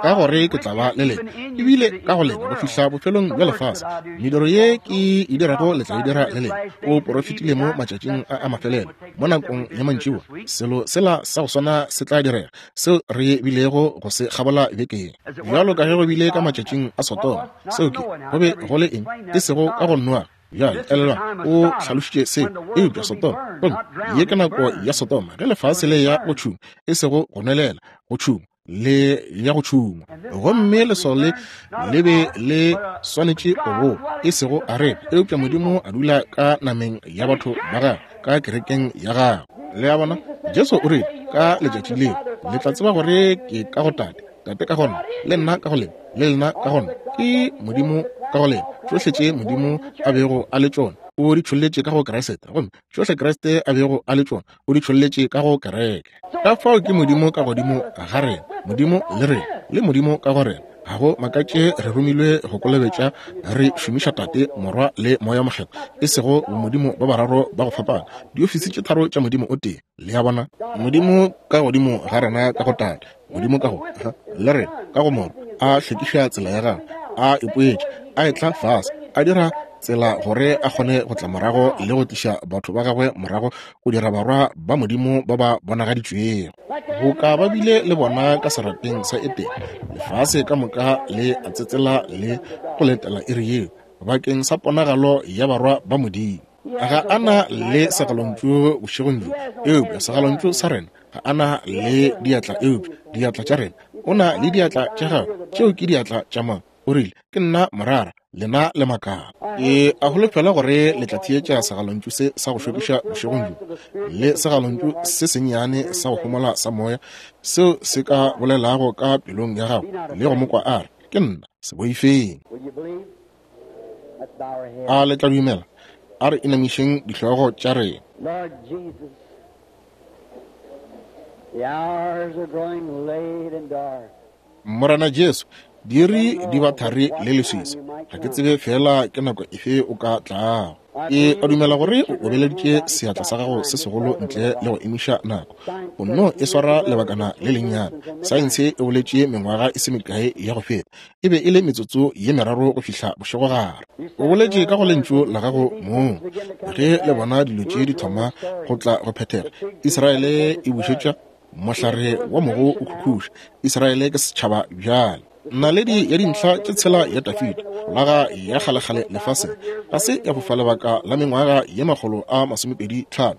ka gore ke tla ba le lena, ebile ka go lena go fihla bofelong bja lefase. Mediro ye ke e dirago le tla e dira le lena. O porofetile mo matšatšing a a mafelelo, mo nakong ya mantšiboa, selo sela sa go swana se tla direga, seo re bilego go se kgabola bekeng. Bjalo ka ge go bile ka matšatšing a Sodoma, seo ke, go be go le eng, e sego ka go Noage. Bjale, elelwang, o hlalošitše seo. Eupša Sodoma, gomme ye ke nako ya Sodoma, ge lefase le ya go tšhungwa, e sego go nwelela, go tšhungwa, le ya go tšhungwa. Gomme leswao le le be le swanetše go bowa, e sego areka, eupša Modimo a dula ka nameng ya batho ba gagwe, ka kerekeng ya gagwe. Le a bona? Jesu o rile, ka letšatši leo, le tla tseba gore ke ka go Tate, Tate ka go nna, le nna ka go lena, le lena ka go nna. Ke Modimo ka go lena. Tšohle tše Modimo a bego a le tšona, o di tšholletše ka go Kriste. Gomme tšohle Kriste a bego a le tšona, o di tšholletše ka go Kereke. Ka fao ke Modimo ka godimo ga rena, Modimo le rena, le Modimo ka go rena. Ga go makatše re romilwe go kolobetša, re šomiša Tate, Morwa, le Moya Mokgethwa, e sego bomodimo ba bararo ba go fapana, diofisi tše tharo tša Modimo o tee. Le a bona? Modimo ka godimo ga rena ka go Tate, Modimo ka go le rena ka go Morwa, a hlwekiša tsela ya gagwe, a ipoetša, a etla fase, a dira tsela gore a kgone go tla morago le go tliša batho ba gagwe morago go dira barwa ba Modimo ba ba bonagaditšwego. Boka ba bile le bona ka serapeng sa Etene, lefase ka moka le a tsetsela le go letela iri yeo bakeng sa ponagalo ya barwa ba Modimo. Ga a na le segalontšu bošegong bjo, eupša segalontšu sa rena. Ga a na le diatla, eupša diatla tša rena. O na le diatla tša gagwe, tšeo ke diatla tša mang? O rile, Ke nna morara, lena le makala. Ke a holofela gore le tla theetša segalontšu se sa go šokiša bošegong bjo, le segalontšu se sennyane sa go homola sa Moya, seo se ka bolelago ka pelong ya gago le go mo kwa a re, Ke nna, se boifeng. A le tla dumela? A re inamišeng dihlogo tša rena. Morena Jesu, diiri di ba thari le leswiswi. Ga ke tsebe feela ke nako efe o ka tlago. Ke a dumela gore o obeleditše seatla sa gago se segolo ntle le go emiša nako. O nno e swara lebakana le lennyane. Saense e boletše mengwaga e se mekae ya go feta. E be e le metsotso ye meraro go fihla bošegogare. O boletše ka go Lentšu la gago mong. Ge le bona dilo tše di thoma go tla go phethega, Israele e bušetša mohlare wa mogo o khukhuša. Israele ke setšhaba bjale. Naledi ya dintlha tše tshela ya Dafida, folaga ya kgalekgale lefaseng, ga se ya fofa lebaka la mengwaga ye 125.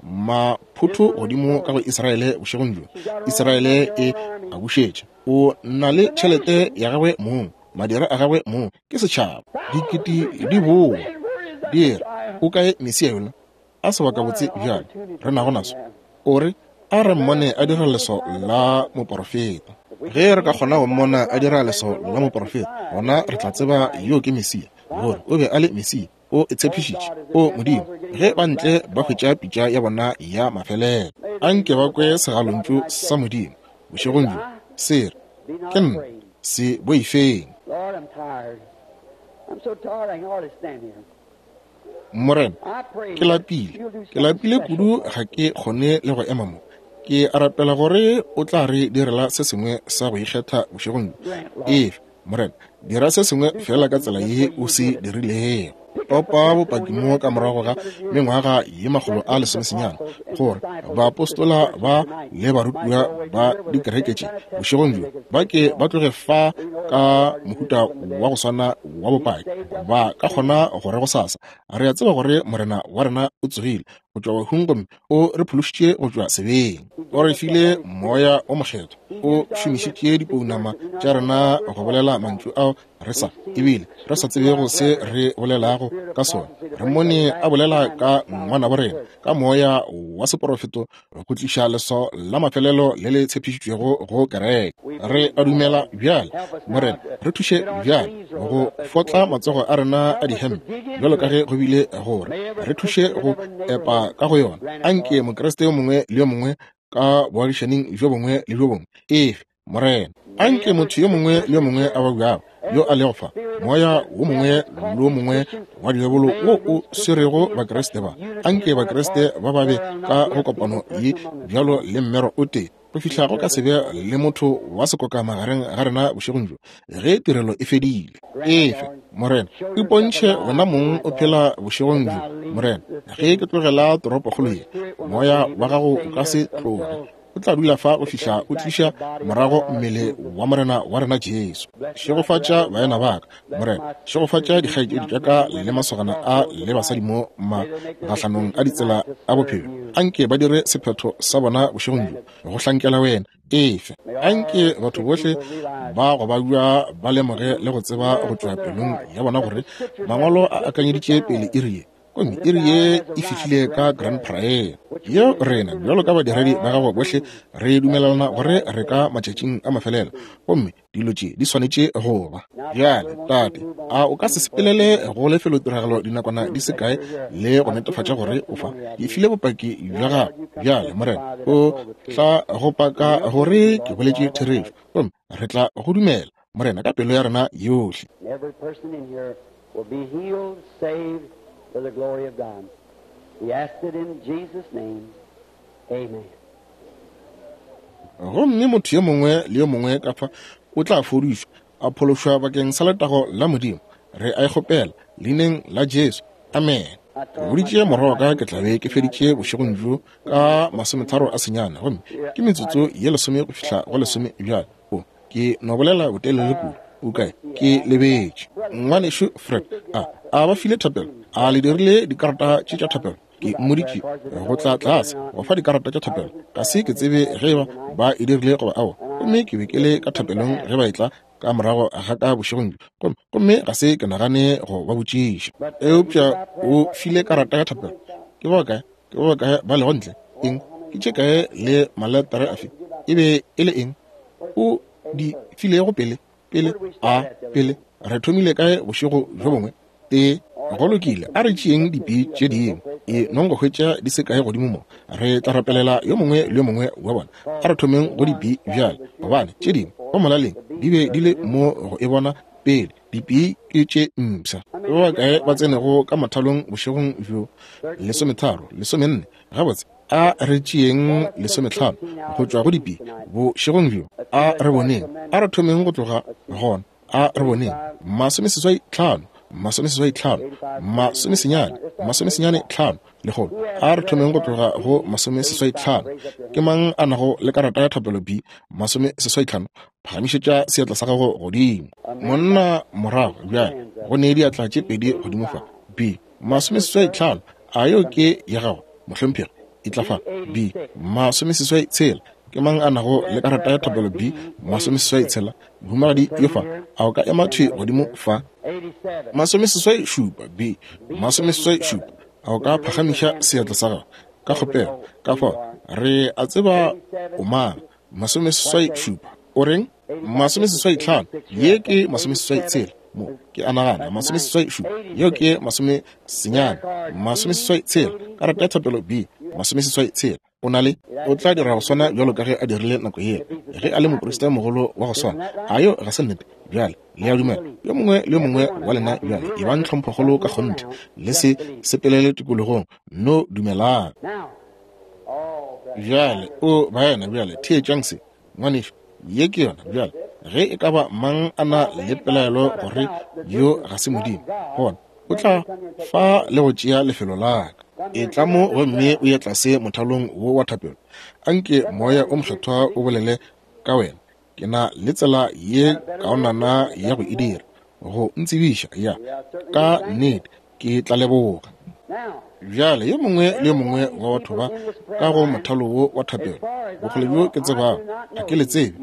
Maphotho godimo ka go Israele bošegong bjo. Israele e a bušetša. O na le tšhelete ya gagwe mong, madira a gagwe mong, ke setšhaba. Dikete di boa, di re, O kae Mesia yola? A sebakabotse bjale re nago naso! O re, A re mmone a dira leswao la moporofeta. Ge re ka kgona go mmona a dira leswao la moporofeta, gona re tla tseba yo ke Mesia, gore o be a le Mesia. O e tshepišitše. O Modimo, ge ba ntle ba hwetša pitša ya bona ya mafelelo, a nke ba kwe segalontšu sa Modimo bošegong bjo se re, Ke nna, se boifeng. Morena, ke lapile. Ke lapile kudu ga ke kgone le go ema mo. Ke a rapela gore O tla re direla se sengwe sa go ikgetha bošegong bjo. Efa, Morena, dira se sengwe feela ka tsela ye O se dirilego. Topa bopaki mo ka morago ga mengwaga ye 190, gore baapostola ba le barutiwa ba dikereke tše bošegong bjo ba ke ba tloge fa ka mohuta wa go swana wa bopaki, ba ka kgona go re gosasa, Re a tseba gore Morena wa rena o tsogile go tšwa bahung gomme o re phološitše go tšwa sebeng. O re file Moya wo Mokgethwa. O šomišitše dipounama tša rena go bolela mantšu ao re sa ebile re sa tsebego se re bolelago ka sona. Re mmone a bolela ka ngwanabo rena ka moya wa seporofeto go tliša leswao la mafelelo le le tshepišitšwego go kereke. Re a dumela bjale, Morena, re thuše bjale go fotla matsogo a rena a dihempe bjalo ka ge go bile gore re thuše go epa ka go yona. Anke Mokriste yo mongwe le yo mongwe ka boagišaning bjo bongwe le bjo bongwe efe, Morena, anke motho yo mongwe le yo mongwe a babjago yo a lego fa, moya wo mongwe le wo mongwe wa diabolo wo o swerego Bakriste ba, anke Bakriste ba ba be ka go kopano ye bjalo le mmero o tee, go fihla go ka se be le motho wa sekoka magareng ga rena bošegong bjo ge tirelo e fedile. Efe, Morena, ipontšhe wena mong o phela bošegong bjo, Morena, ge ke tlogela toropokgolo ye, moya wa gago o ka se tloge. O tla dula fa go fihla o tliša morago mmele wa Morena wa rena Jesu. Šegofatša baena ba ka, Morena. Šegofatša dikgaetšedi tša ka le masogana a le basadi mo magahlanong a ditsela a bophelo. Anke ba dire sephetho sa bona bošegong bjo go hlankela wena. Efe. Anke batho bohle ba go babja ba lemoge le go tseba go tšwa pelong ya bona gore Mangwalo a akanyeditše pele iri ye. Gomme iri ye e fihlile ka Grand Prairie, yeo rena bjalo ka badiredi ba gago bohle re dumelelana gore re ka matšatšing a mafelelo, gomme dilo tše di swanetše go ba. Bjale, Tate, a o ka se sepelele go lefelotiragalo dinakwana di se kae le go netefatša gore o fa? Ke file bopaki bja gago bjale, Morena. O tla go paka gore ke boletše therešo, gomme re tla go dumela, Morena, ka pelo ya rena yohle. Will be healed, saved for the glory of God. We ask it in Jesus' name. Amen. Gomme motho yo mongwe le yo mongwe ka fa o tla fodišwa, a phološwa bakeng sa letago la Modimo. Re a e kgopela, Leineng la Jesu. Amen. Ke boditše morwa wa ka ke tla be ke feditše bošegong bjo ka masometharo a senyane, gomme ke metsotso ye lesome go fihla go lesome bjale. O, ke no bolela botelele kudu. O kae? Ke lebetše. Ngwanešu Fred, a, a ba file thapelo? A le dirile dikarata tše tša thapelo? Ke mmoditše go tla tlase go fa dikarata tša thapelo. Ga se ke tsebe ge eba ba e dirile goba aowa. Gomme ke be ke le ka thapelong ge ba etla ka morago ga ka bošegong bjo, gomme, gomme ga se ke nagane go ba botšiša. Eupša o file karata ya thapelo. Ke ba bakae, ke ba bakae ba lego ntle? Eng? Ke tše kae le maletare afe? E be e le eng? O di filego pele, pele, a, pele. Re thomile kae bošego bjo bongwe? Tee. Go lokile, a re tšeeng dipi tše dingwe. E nong go hwetša di se kae godimo mo. Re tla rapelela yo mongwe le yo mongwe wa bona. A re thomeng go dipi bjale, gobane tše dingwe go molaleng di be di le mo go e bona pele. Dipi ke tše mpsha. Ke ba bakae ba tsenego ka mothalong bošegong bjo? Lesometharo, lesomenne. Gabotse, a re tšeeng lesometlhano go tšwa go dipi bošegong bjo. A re boneng. A re thomeng go tloga gona. A re boneng. Masomeseswai tlhano, masomeseswai tlhano, masomesenyane, masomesenyane tlhano, lekgolo. A re thomeng go tloga go masomeseswai tlhano. Ke mang a nago le karata ya thapelo B, masomeseswai tlhano? Phagamišetša seatla sa gago godimo. Monna morago bjale, go ne diatla tše pedi godimo fa. B, masomeseswai tlhano. A yeo ke ya gago, mohlomphegi? Etla fa. B, masomeseswai tshela. Ke mang a nago le karata ya thapelo B, masomeseswai tshela? Mohumagadi yo fa. A o ka ema thwi godimo fa? Masomeseswai šupa. B, masomeseswai šupa. A o ka phagamiša seatla sa gago? Ka kgopelo. Ka fao, re a tseba o mang. Masomeseswai šupa. O reng? Masomeseswai tlhano. Ye ke masomeseswai tshela. Mo, ke a nagana, masomeseswai šupa. Yeo ke masomesenyane. Masomeseswai tshela. Karata ya thapelo B, masomeseswai tshela. O na le, o tla dira go swana bjalo ka ge a dirile nako yela, ge a le moprista mogolo wa go swana. A yeo ga se nnete? Bjale, le a dumela? Yo mongwe le yo mongwe wa lena bjale, ebang tlhomphokgolo ka kgonthe. Le se sepelele tikologong. Nno dumelang. Bjale, o baena, bjale theetšang se, ngwanešu, ye ke yona. Bjale, ge e ka ba mang a na le pelaelo gore yo ga se Modimo, gona o tla fa le go tšea lefelo la ka. Etla mo gomme o ye tlase mothalong wo wa thapelo. Anke Moya o Mokgethwa o bolele ka wena. Ke na le tsela ye kaonana ya go e dira, go ntsebiša. Ya, ka nnete, ke tla leboga. Bjale, yo mongwe le yo mongwe wa batho ba ka go mothalo wo wa thapelo, bokgole bjo ke tsebago, ga ke le tsebe,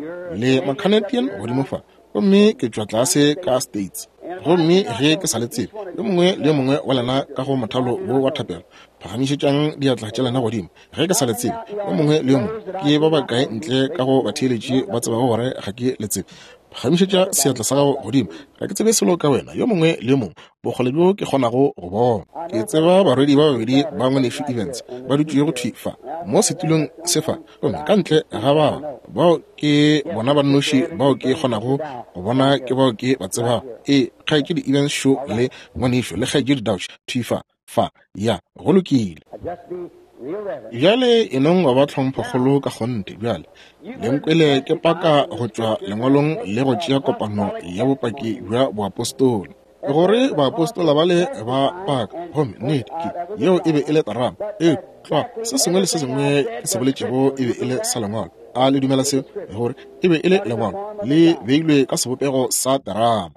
le Macanadian godimo fa, gomme ke tšwa tlase ka States. Gomme ge ke sa le tsebe, yo mongwe le yo mongwe wa lena ka go mothalo wo wa thapelo, phagamišetšang diatla tša lena godimo. Ge ke sa le tsebe, yo mongwe le yo mongwe, ke ba bakae ntle ka go batheeletši ba tsebago gore ga ke le tsebe? Phagamišetša seatla sa gago godimo. Ga ke tsebe selo ka wena, yo mongwe le yo mongwe, bokgole bjo ke kgonago go bona. Ke tseba barwedi ba babedi ba Ngwanešu Evans ba dutšego thwi fa mo setulong se fa, gomme ka ntle ga bao, bao ke bona ba nnoši bao ke kgonago go bona ke bao ke ba tsebago. Ee, Kgaetšedi Evans šo le Ngwanešu le Kgaetšedi Dauch thwi fa. Fa, ya, go lokile. Bjale e nong go ba tlhomphokgolo ka kgonthe bjale. Le nkwele ke paka go tšwa lengwalong le go tšea kopano ya bopaki bja boapostola, gore baapostola bale ba paka, gomme nnete ke yeo e be e le terama. Ee, tlwa, se sengwe le se sengwe ke se boletšego e be e le sa lengwalo. A le dumela seo? Gore e be e le lengwalo le beilwe ka sebopego sa terama.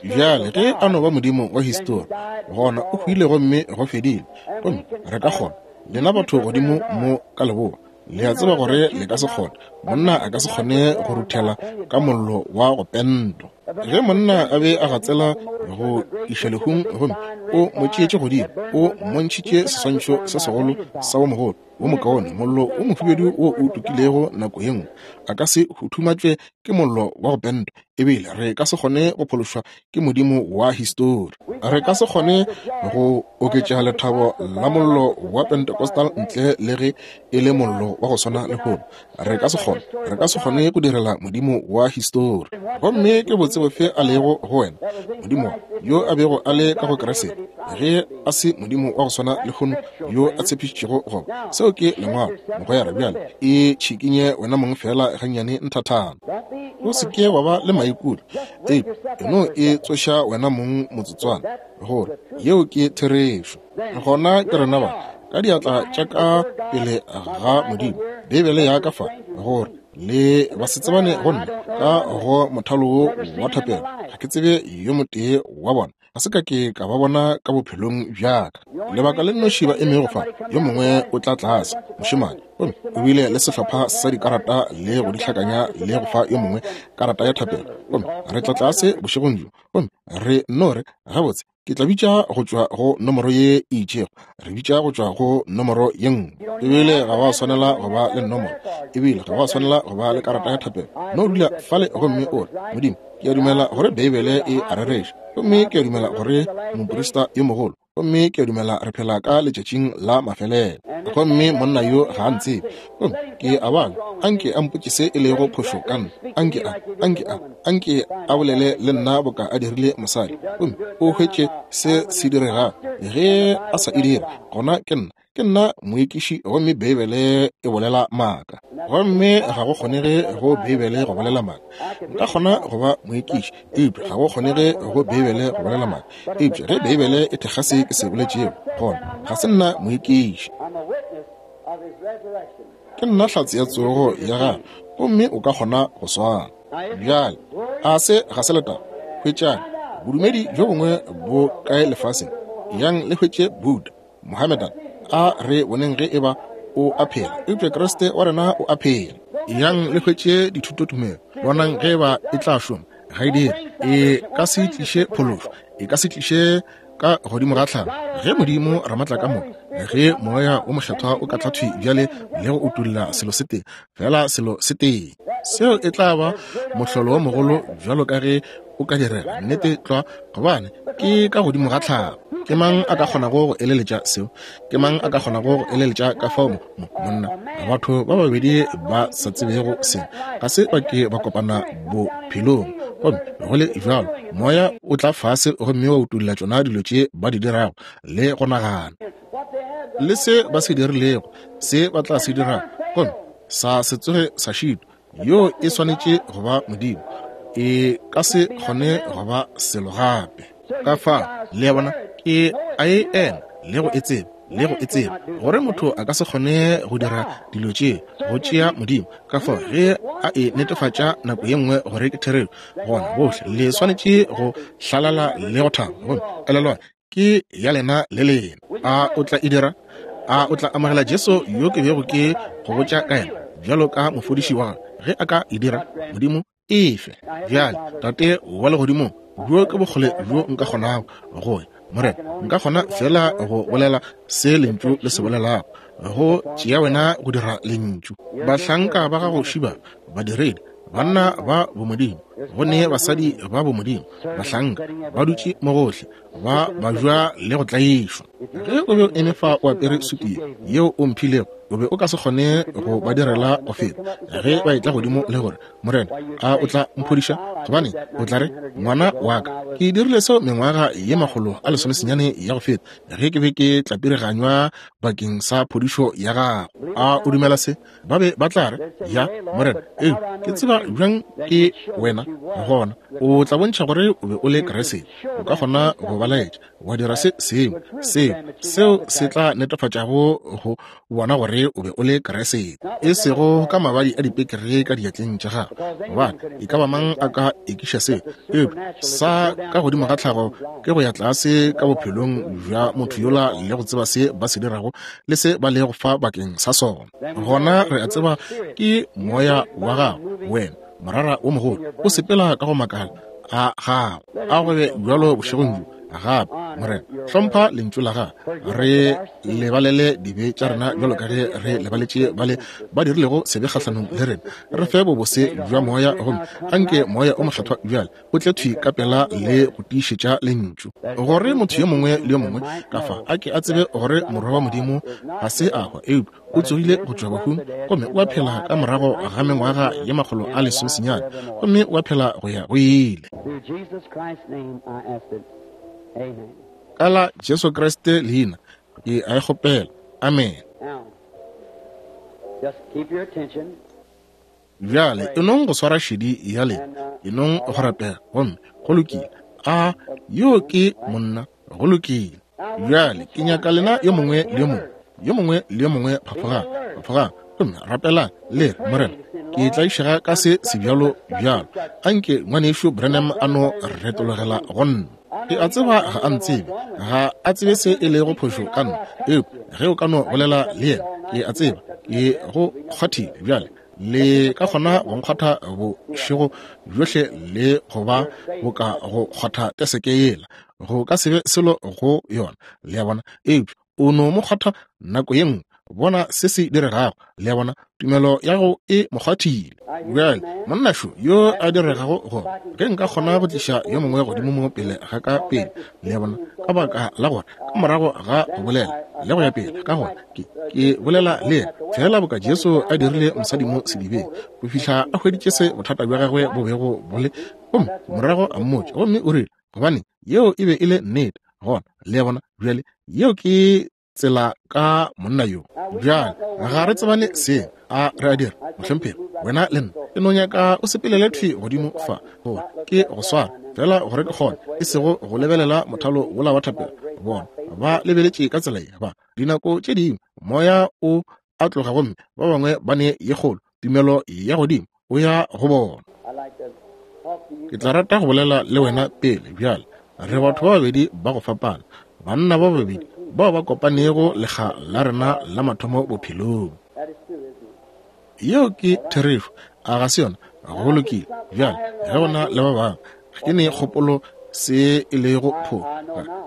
Bjale ge a no ba Modimo wa histori, gona o hwile gomme go fedile. Gomme re ka kgona, lena batho godimo mo ka leboa, le a tseba gore le ka se kgone, monna a ka se kgone go ruthela ka mollo wa go pentwa. Ge monna a be a gatsela go iša lehung, gomme o mo tšeetše godimo, o mmontšhitše seswantšho se segolo sa wo mogolo, wo mokaone, mollo wo mohubedu wo o tukilego nako ye nngwe, a ka se huthumatšwe ke mollo wa go pentwa. Ebile re ka se kgone go phološwa ke modimo wa histori. Re ka se kgone go oketša lethabo la mollo wa Pentecostal ntle le ge e le mollo wa go swana lehono. Re ka se kgone, re ka se kgone go direla modimo wa histori. Gomme ke botse bofe a lego go wena, modimo yo a bego a le ka go Kriste, ge a se modimo wa go swana lehono yo a tshepišitšego go ba? Seo ke Lengwalo, mogwera. Bjale e tšhikinye wena mong feela gannyane nthathana. O se ke wa ba le maikutlo, eupša e no e tsoša wena mong motsotswana, gore yeo ke therešo. Gona ke rena ba, ka diatla tša ka pele ga Modimo, Beibele ya ka fa, gore le ba se tsebane go nna ka go mothalo wo wa thapelo. Ga ke tsebe yo motee wa bona, ga se ka ke ka ba bona ka bophelong bja ka. Lebaka le nnoši ba emego fa, yo mongwe o tla tlase, mošemane, gomme o bile le sehlopha sa dikarata le go di hlakanya le go fa yo mongwe karata ya thapelo, gomme re tla tlase bošegong bjo, gomme re no re, Gabotse, ke tla bitša go tšwa go nomoro ye e itšego, re bitša go tšwa go nomoro ye nngwe. Ebile ga wa swanela go ba le nomoro, ebile ga wa swanela go ba le karata ya thapelo. No dula fale gomme o re, Modimo, ke a dumela gore Beibele e a rereša, gomme ke a dumela gore moprista yo mogolo, gomme ke a dumela re phela ka letšatšing la mafelelo, gomme monna yo ga a ntsebe, gomme ke a bala, anke a mpotše se e lego phošo ka nna, anke a, anke a, anke a bolele le nna boka a dirile mosadi, gomme o hwetše se se diregago. Ge a sa e dire, gona ke nna, ke nna moekiši, gomme Beibele e bolela maaka. Gomme ga go kgonege go Beibele go bolela maaka. Nka kgona go ba moekiši, eupša ga go kgonege go Beibele go bolela maaka. Eupša ge Beibele e thekga se ke se boletšego, gona ga se nna moekiši. Ke nna hlatse ya tsogo ya gagwe, gomme o ka kgona go swana. Bjale, a se ga se letaba? Hwetšang bodumedi bjo bongwe bo kae lefaseng, yang le hwetše Buddha, Mohammedan, a re boneng ge eba o a phela, eupša Kriste wa rena o a phela. Yang le hwetše dithutotumelo, bonang ge eba e tla šoma. Ga e dire. E ka se tliše phološo, e ka se tliše ka godimo ga tlhago. Ge Modimo Ramatlakamoka, ge Moya wo Mokgethwa o ka tla thwi bjale le go utolla selo se tee, feela selo se tee, seo e tla ba mohlolo wo mogolo bjalo ka ge o ka direga, nnete tlwa, gobane ke ka godimo ga tlhago. Ke mang a ka kgonago go eleletša seo? Ke mang a ka kgonago go eleletša ka fao mo, mo, monna, batho ba babedi ba sa tsebego selo, ga se ba ke ba kopana bophelong, gomme go le bjalo Moya o tla fase gomme wa utolla tšona dilo tše ba di dirago le go nagana, le se ba se dirilego, se ba tla se dirago, gomme sa se tsoge sa šitwa. Yoo e swanetše go ba Modimo, e ka se kgone go ba selo gape. Ka fa, le a bona, ke a e ema le go e tseba. le go e tseba gore motho a ka se kgone go dira dilo tše go tšea Modimo. Ka fao ge a e netefatša nako ye nngwe gore ke therešo, gona bohle le swanetše go hlalala le go thaba. Gomme elelwang, ke ya lena le lena. A o tla e dira? A o tla amogela Jesu yo ke bego ke go botša ka yena bjalo ka mofodiši wa gago? Ge a ka e dira, Modimo efe. Bjale, Tate wa Legodimong, bjo ke bokgole bjo nka kgonago go ya, Morena. Nka kgona feela go bolela se Lentšu le se bolelago, go tšea Wena go dira Lentšu. Bahlanka ba Gago šiba, badiredi, banna ba bomodimo, go ne basadi ba bomodimo, bahlanka, ba dutše mo gohle, ba bajwa le go tlaišwa. Ge o be o eme fa o apere sutu ye yeo o mphilego, o be o ka se kgone go ba direla go feta ge ba etla godimo le gore, Morena, a o tla mphodiša? Gobane o tla re, Ngwana wa ka, ke dirile seo mengwaga ye 190 ya go feta ge ke be ke tlapiriganywa bakeng sa phodišo ya gago. A o dumela se? Ba be ba tla re, Ya, Morena, eupša ke tseba bjang ke wena? Gona o tla bontšha gore o be o le Kriste. O ka kgona go ba laetša, wa dira se sengwe seo, seo se tla netefatšago go bona gore o be o le Kriste, e sego ka mabadi a dipekere ka diatleng tša gago, gobane e ka ba mang a ka ekiša seo. Eupša sa ka godimo ga tlhago ke go ya tlase ka bophelong bja motho yola le go tseba se ba se dirago le se ba lego fa bakeng sa sona. Gona re a tseba ke moya wa gago, wena morara wo mogolo, o sepela ka go makala a gago. A go be bjalo bošegong bjo gape, Morena. Hlompha lentšu la gago. Re lebalele dibe tša rena bjalo ka ge re lebaletše bale ba dirilego sebe kgahlanong le rena. Re fe bobose bja moya, gomme anke moya o mokgethwa bjale o tle thwi ka pela le go tiišetša lentšu, gore motho yo mongwe le yo mongwe ka fa a ke a tsebe gore Morwa wa Modimo ga se a hwa, eupša o tsogile go tšwa bahung gomme o a phela ka morago ga mengwaga ye 190, gomme o a phela go ya go ile. Ka la Jesu Kriste leina ke a e kgopela. Amene. Bjale e nong go swara šedi ya lena, e nong go rapela, gomme go lokile. A yo ke monna? Go lokile. Bjale ke nyaka lena yo mongwe le yo mongwe, yo mongwe le yo mongwe, phafogang, phafogang, gomme rapelang, le re, Morena, ke tlaišega ka se sebjalo bjalo. Anke Ngwanešu Branham a no retologela go nna. Ke a tseba ga a ntsebe, ga a tsebe se e lego phošo ka nna, eupša ge o ka no bolela le yena, ke a tseba ke go kgwathile bjale. Le ka kgona go nkgwatha bošego bjohle le go ba boka go kgwatha teseke yela, go ka se be selo go yona, le a bona. Eupša o no mo kgwatha nako ye nngwe, bona se se diregago, le a bona, tumelo ya gago e mo kgwathile. Bjale, monna šo yo a diregago go, ge nka kgona go tliša yo mongwe godimo mo pele ga ka pele, le a bona, ka baka la gore ka morago ga go bolela le go ya pele, ka gore ke, ke bolela le yena feela boka Jesu a dirile mosadi mo sedibeng, go fihla a hweditše se bothata bja gagwe bo bego bo le, gomme morago a mmotša, gomme o rile, gobane yeo e be e le nnete. Gona, le a bona, bjale yeo ke tsela ka monna yo. Bjale ga re tsebane seng, a re a dira, mohlomphegi, wena le nna? Ke no nyaka o sepelele thwi godimo fa, gore ke go swara fela gore ke kgone, e sego go lebelela mothalo wola wa thapelo. Bona ba lebeletše ka tsela ye, ba dinako tše dingwe moya o a tloga gomme ba bangwe ba ne ye kgolo tumelo ya godimo o ya go bona. Ke tla rata go bolela le wena pele bjale. Re batho ba babedi ba go fapana, banna ba babedi bao ba kopanego lekga la rena la mathomo bophelong. Yeo ke therešo, a ga se yona? Go lokile. Bjale, ge go na le ba bangwe, ga ke ne kgopolo se e lego pho,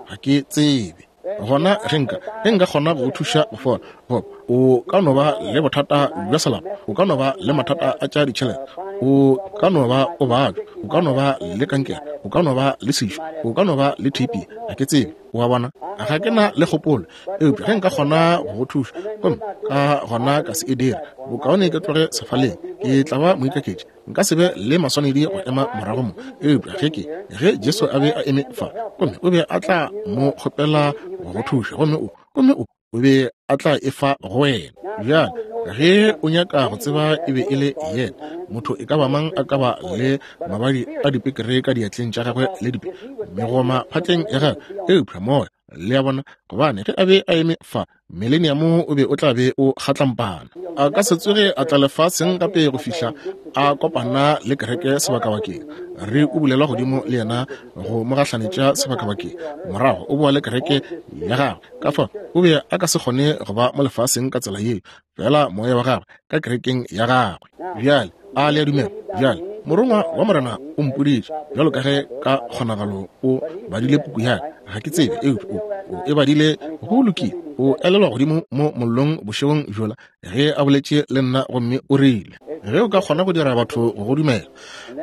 ga ke tsebe. Gona ge nka, ge nka kgona go go thuša go fola, goba o ka no ba le bothata bja selapa, o ka no ba le mathata a tša ditšhelete, o ka no ba o babja, o ka no ba le kankere, o ka no ba le sešo, o ka no ba le TB, ga ke tsebe, o a bona, ga ke na le kgopolo. Eupša ge nka kgona go go thuša, gomme ka gona ka se e dire, bokaone ke tloge sefaleng, ke tla ba moikaketši. Nka se be le maswanedi go ema morago mo. Eupša ge ke, ge Jesu a be a eme fa, gomme o be a tla mo kgopela go go thuša, gomme o, gomme o, o be a tla e fa go wena. Bjale, ge o nyaka go tseba e be e le yena, motho e ka ba mang a ka ba le mabadi a dipekere ka diatleng tša gagwe le dipe megoma phatleng ya gagwe, eupša moya. Le a bona? Gobane ge a be a eme fa, Mileniamo o be o tla be o kgatlampana. A ka se tsoge a tla lefaseng gape go fihla a kopana le kereke sebakabakeng. Re ubulelwa godimo le yena go mo gahlanetša sebakabakeng. Morago o boa le kereke ya gagwe. Ka fao o be a ka se kgone go ba mo lefaseng ka tsela yeo, feela moya wa gagwe ka kerekeng ya gagwe. Bjale, a le a dumela? Bjale, Morongwa wa Morena o mpoditše, bjalo ka ge ka kgonagalo o badile puku ya ka, ga ke tsebe, eupša o, o e badile. Go lokile. O elelwa godimo mo mollong bošegong bjola ge a boletše le nna gomme o rile, Ge o ka kgona go dira batho go go dumela,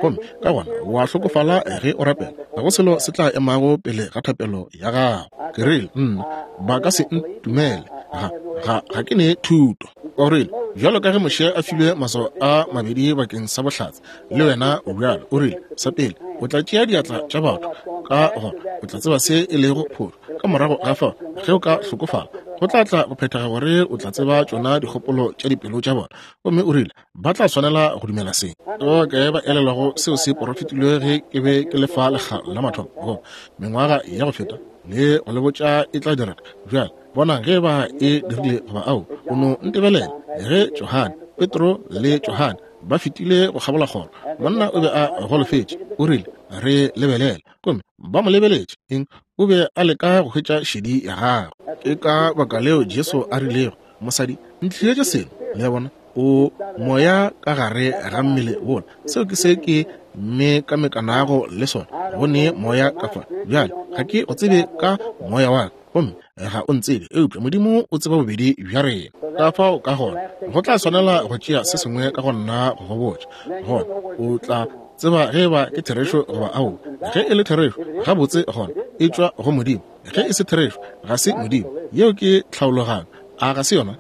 gomme ka gona wa hlokofala ge o rapela, ga go selo se tla emago pele ga thapelo ya gago. Ke rile, Nna, ba ka se ntumele. Ga, ga, ga ke ne thuto. O rile, Bjalo ka ge Moshe a filwe maswao a mabedi bakeng sa bohlatse, le wena o bjalo. O rile, Sa pele, o tla tšea diatla tša batho, ka gona o tla tseba se e lego phošo. Ka morago ga fao, ge o ka hlokofala, go tla tla go phethega gore o tla tseba tšona dikgopolo tša dipelo tša bona. Gomme o rile, Ba tla swanela go dumela se. O kae ba elelwago seo se porofetilwe ge ke be ke le fa lekga la mathomo, goba mengwaga ya go feta, le go le botša e tla direga? Bjale bonang ge ba e dirile goba ao. O no ntebelela. Ge Johane, Petro le Johane ba fetile go kgabola kgoro, monna o be a golofetše. O rile, Re lebelela. Gomme ba mo lebeletše. Eng? O be a leka go hwetša šedi ya gagwe. Ke ka baka leo Jesu a rilego, Mosadi, ntlišetše seno. Le a bona? O moya ka gare ga mmele wola. Seo ke se ke mekamekanago le sona, go ne moya ka fa. Bjale, ga ke go tsebe ka moya wa ka, gomme ga o ntsebe, eupša Modimo o tseba bobedi bja rena. Ka fao ka gona, go tla swanela go tšea se sengwe ka go nna go go botša. Gona o tla tseba ge eba ke therešo goba aowa. Ge e le therešo, gabotse gona e tšwa go Modimo. Ge e se therešo, ga se Modimo. Yeo ke tlhaologanyo, a ga se yona?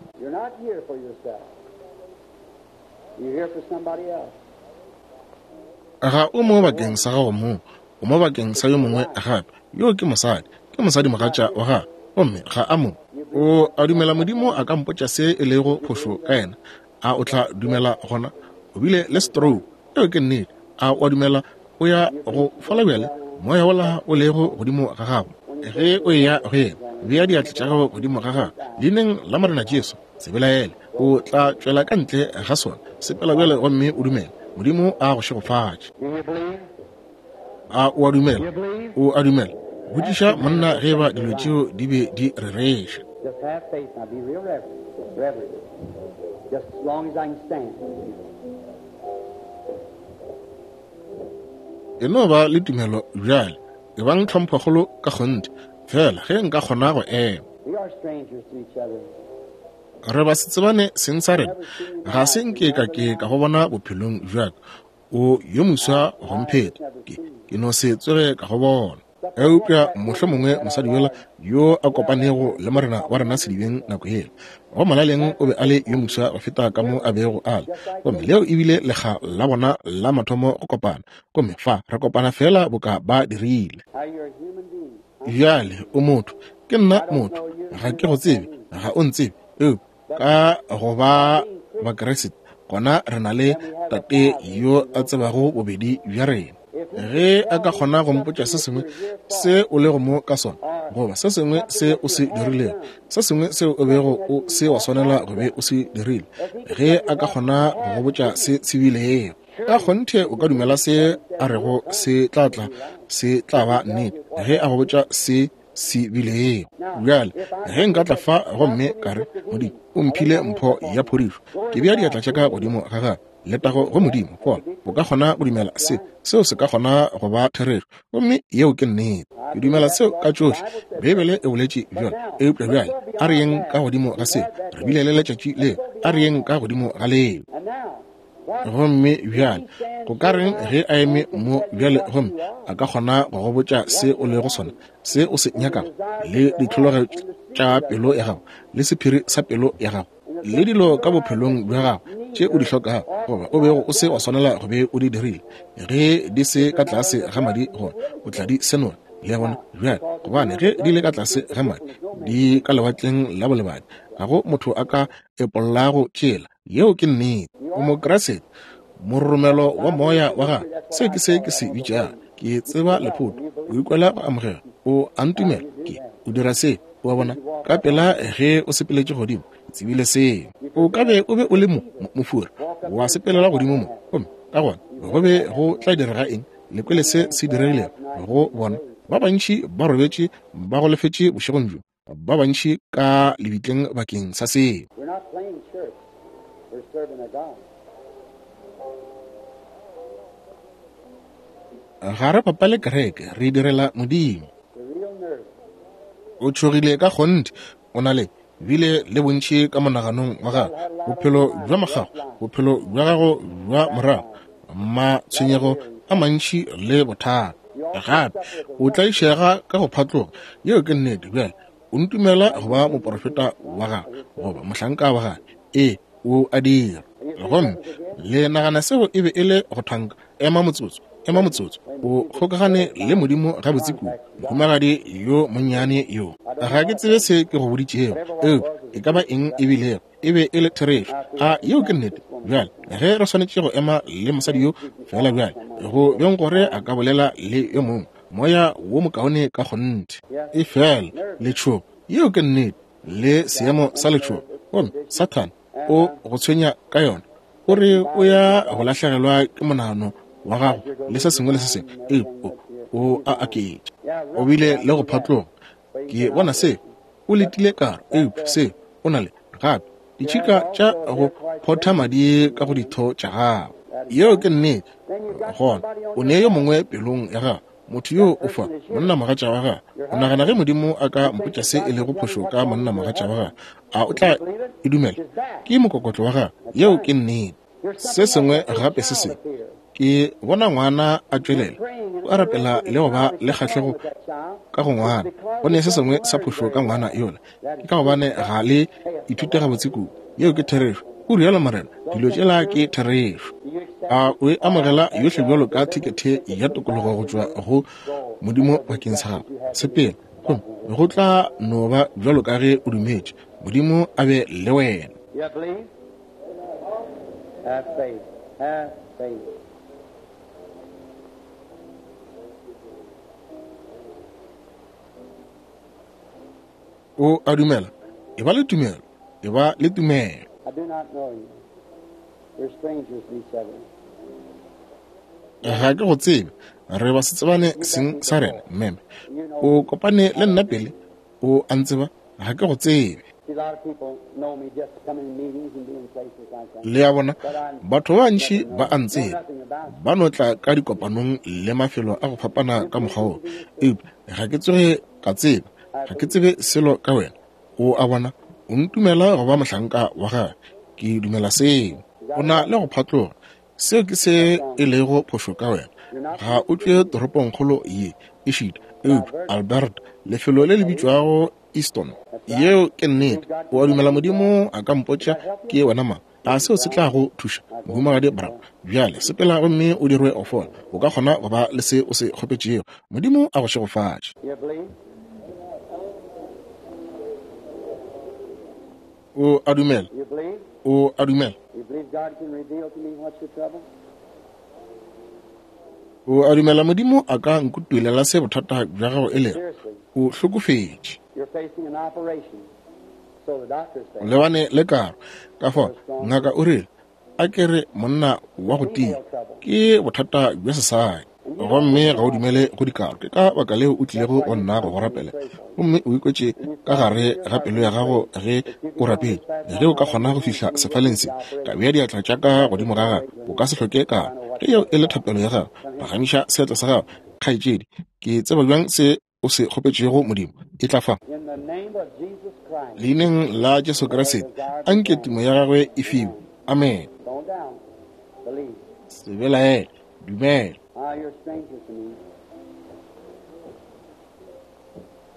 Ga o mo bakeng sa gago mong, o mo bakeng sa yo mongwe gape. Yoo ke mosadi, ke mosadimogatša wa gago, gomme ga a mo. O a dumela Modimo a ka mpotša se e lego phošo ka yena? A o tla dumela gona? O bile le stroke. Yeo ke nnete. A o a dumela o ya go fola bjale? Moya wola o lego godimo ga gago, ge o eya go yena, bea diatla tša gago godimo ga gagwe, Leineng la Morena Jesu, se belaele, o tla tšwela ka ntle ga sona. Sepela bjale gomme o dumele. Modimo a go šegofatše. A o a dumela? O a dumela? Botšiša monna ge eba dilo tšeo di be di rereša. Just have faith now. Be real reverent. Reverent. Just as long as I can stand. E no ba le tumelo bjale. Ebang tlhomphokgolo ka kgonthe, feela ge nka kgona go ema. We are strangers to each other. Re ba se tsebane seng sa rena. Ga se nke ka ke ka go bona bophelong bja ka. O yo moswa go mpheta. Ke, ke no se tsoge ka go bona. Eupša mohlomongwe mosadi yola yo a kopanego le Morena wa rena sedibeng nako yela, go molaleng o be a le yo moswa go feta ka mo a bego a le. Gomme leo e bile lekga la bona la mathomo go kopana. Gomme fa re kopana feela boka ba dirile. Bjale o motho, ke nna motho. Ga ke go tsebe, ga o ntsebe. Eupša ka go ba Bakriste, gona re na le Tate yo a tsebago bobedi bja rena. Ge a ka kgona go mpotša se sengwe se o lego mo ka sona, goba se sengwe se o se dirilego, se sengwe seo o bego o se wa swanela go be o se dirile, ge a ka kgona go go botša se se bilego, ka kgonthe o ka dumela se a rego se tla tla, se tla ba nnete, ge a go botša se se bilego. Bjale, ge nka tla fa gomme ka re, Modimo o mphile mpho ya phodišo, ke bea diatla tša ka godimo ga gagwe, letago go Modimo, gona o ka kgona go dumela se, seo se ka kgona go ba therešo. Gomme yeo ke nnete. Ke dumela seo ka tšohle. Beibele e boletše bjalo. Eupša bjale a re yeng ka godimo ga seo. Re bile le letšatši leo. A re yeng ka godimo ga leo. Gomme bjale, go ka reng ge a eme mo bjale gomme a ka kgona go go botša se o lego sona, se o se nyakago, le ditlhologelo tša pelo ya gago, le sephiri sa pelo ya gago, le dilo ka bophelong bja gago tše o di hlokago, goba o bego o se wa swanela go be o di dirile, ge di se ka tlase ga madi, gona o tla di senola. Le a bona? Bjale, gobane ge di le ka tlase ga madi, di ka lewatleng la bolebadi, ga go motho a ka epollago tšela. Yeo ke nnete. O Mokriste, mororomelo wa moya wa gago. Seo ke se ke se bitšago. Ke tseba lephoto. O ikwela go amogela. O a ntumela. Ke. O dira se, o a bona, ka pela ge o sepeletše godimo, ke tsebile seo. O ka be o be o le mo, mo, mofura, wa sepelela godimo mo, gomme ka gona go be go tla direga eng? Le kwele se se diregilego go bona. Ba bantši ba robetše ba golofetše bošegong bjo, ba bantši ka lebitleng bakeng sa seo. We're not playing church. We're serving a God. Ga re bapale kereke, re direla Modimo. The real nerve. O tšhogile ka kgonthe, o na le bile le bontši ka monaganong wa gago, bophelo bja mogago, bophelo bja gago bja morago, matshwenyego a mantši le bothata. Gape o tlaišega ka go phatloga. Yeo ke nnete. Bjale o ntumela go ba moporofeta wa gagwe goba mohlanka wa gagwe? Ee, o a dira. Gomme le nagana seo e be e le go thanka? Ema motsotso, ema motsotso. O kgokagane le Modimo gabotse kudu, mohumagadi yo monnyane yo. Ga ke tsebe se ke go boditšego, eupša e ka ba eng e bilego, e be e le therešo. A yeo ke nnete? Bjale, ge re swanetše go ema le mosadi yo feela bjale, go beng gore a ka bolela le yo mongwe, moya wo mokaone ka kgonthe. Efela letšhogo, yeo ke nnete, le seemo sa letšhogo, gomme Sathane o go tshwenya ka yona. O re o ya go lahlegelwa ke monagano wa gago le se sengwe le se sengwe, eupša o a aketša. O bile le go phatloga. Ke bona se. O letile karo, eupša se o na le gape ditšhika tša go photha madi ka go ditho tša gago. Yeo ke nnete. Gona o ne yo mongwe pelong ya gago, motho yo o fa monnamogatša wa gago. O nagana ge Modimo a ka mpotša se e lego phošo ka monnamogatša wa gago, a o tla e dumela? Ke mokokotlo wa gago. Yeo ke nnete. Se sengwe gape se sengwe, ke bona ngwana a tšwelela, o a rapela le go ba le kgahlego ka go ngwana. Go ne se sengwe sa phošo ka ngwana yola, ke ka gobane ga le ithute gabotse kudu. Yeo ke therešo. O rialo Morena, dilo tšela ke therešo. A o e amogela yohle bjalo ka thekethe ya tokologo go tšwa go Modimo bakeng sa gago? Sepela, gomme go tla no ba bjalo ka ge o dumetše. Modimo a be le wena. You believe? Have faith. Have faith. O a dumela? E ba le tumelo. E ba le tumelo. I do not know you. We're strangers to each other. Ga ke go tsebe. Re ba se tsebane seng sa rena, meme. O kopane le nna pele. O a ntseba? Ga ke go tsebe. See, a lot of people know me just to come in meetings and be in places like that. Le a bona, batho ba bantši ba a ntseba, ba no tla ka dikopanong le mafelo a go fapana ka mokgwa wo, eupša ga ke tsoge ka tseba, ga ke tsebe selo ka wena. O a bona, o ntumela go ba mohlanka wa gagwe. Ke dumela seo. O na le go phatloga. Seo ke se e lego phošo ka wena. Ga o tšwe toropongkgolo ye, ešita, eupša Alberta, lefelo le le bitšwago Easton. Yeo ke nnete. O a dumela Modimo a ka mpotša ke wena mang? A seo se tla go thuša, Mohumagadi Brown? Bjale sepela gomme o dirwe go fola. O ka kgona go ba le se o se kgopetšego. Modimo a go šegofatše. You believe? O a dumela? You believe? O a dumela? You believe God can reveal to me what's your trouble? O a dumela Modimo a ka nkutulela se bothata bja gago e lego? Seriously, O hlokofetše. you're facing an operation. So the doctor O says. lebane le karo. Ka fao, ngaka o rile, a ke re monna wa go tia, ke bothata bja sesadi. Gomme ga o dumele go dikaro. Ke ka baka leo o tlilego go nna go go rapela. Gomme o ikwetše ka gare ga pelo ya gago ge o rapetše. Ge o ka kgona go fihla sefaleng se, ka bea diatla tša ka godimo ga gago, o ka se hloke karo. Ge yeo e le thapelo ya gago, phagamiša seatla sa gago, kgaetšedi. Ke tseba bjang se o se kgopetšego Modimo? E tla fa. In the name of Jesus Christ, Leineng la Jesu Kriste, anke tumo ya gagwe e fiwe. Amen. don't doubt. Believe. Se belaele, dumela. Ah, you're a stranger to me.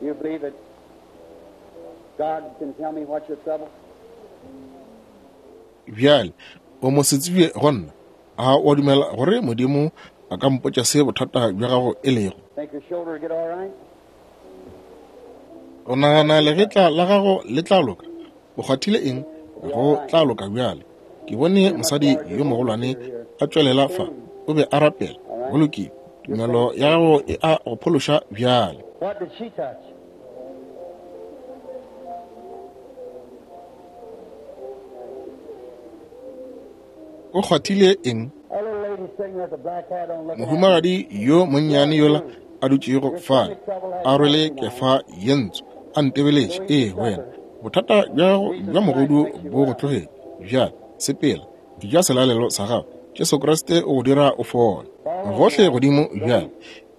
You believe that God can tell me what's your trouble? Bjale, o mo se tsebje go nna. A o a dumela gore Modimo a ka mpotša se bothata bja gago e lego? Think your shoulder will get all right? O nagana legetla la gago le tla loka? O kgwathile eng? Go tla loka bjale. Ke bone mosadi yo mogolwane a tšwelela fa. O be a rapela. Go lokile. Tumelo ya gago e a go phološa bjale. What did she touch? O kgwathile eng? Mohumagadi yo monnyane yola a dutšego fale, a rwele kefa ye ntsho, a ntebeletše. Ee, wena. Bothata bja gago bja mogodu bo go tlogetše. Bjale, sepela, eja selalelo sa gago. Jesu Kriste o go dira o fole. Gohle godimo bjale.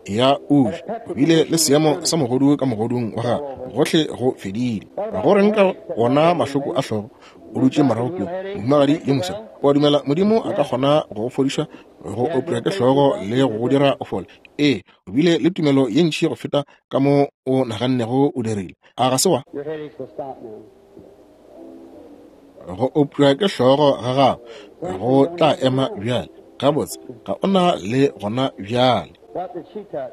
Ya o je. O bile le seemo sa mogodu ka mogodung wa gago. Gohle go fedile. Go reng ka wona mahloko a hlogo? O dutše morago kua, mohumagadi yo mofsa. O a dumela Modimo a ka kgona go go fodiša go opša ke hlogo le go go dira o fole? Ee, o bile le tumelo ye ntši go feta ka mo o nagannego o dirile. A ga se wa? Go opša ke hlogo ga gago go tla ema bjale. Gabotse, ga o na le gona bjale. What did she touch?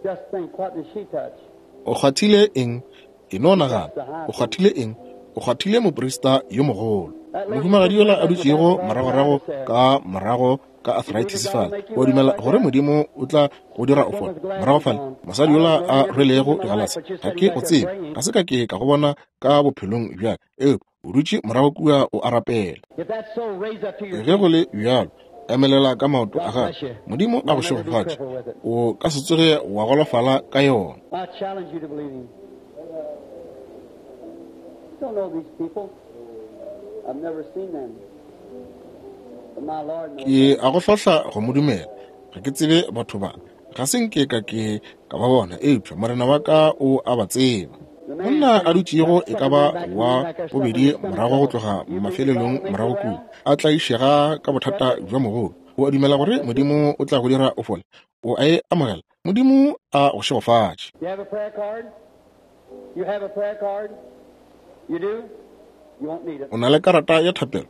Just think, what did she touch? O kgwathile eng? E no nagana, o kgwathile eng? O kgwathile moprista yo mogolo. Mohumagadi yola a dutšego moragorago ka morago ka arthritis fale, o dumela gore Modimo o tla go dira o fole? Morago fale, mosadi yola a rwelego digalase, ga ke go tsebe, ga se ka ke ka go bona ka bophelong bja ka, eupša o dutše morago kua o a rapela. Ge go le bjalo, emelela ka maoto a gago. Modimo a go šegofatše. O ka se tsoge wa golofala ka yona. I challenge you to believe him. Don't know these people. I've never seen them. But my Lord knows. Ke a go hlohla go mo dumela. Ga ke tsebe batho ba. Ga se nke ka ke ka ba bona, eupša Morena wa ka o a ba tseba. Monna a dutšego e ka ba wa bobedi morago go tloga mafelelong morago kua, a tlaišega ka bothata bja mogolo. O a dumela gore Modimo o tla go dira o fole? O a e amogela? Modimo a go šegofatše. You have a prayer card? You have a prayer card? You do? You won't need it. O na le karata ya thapelo?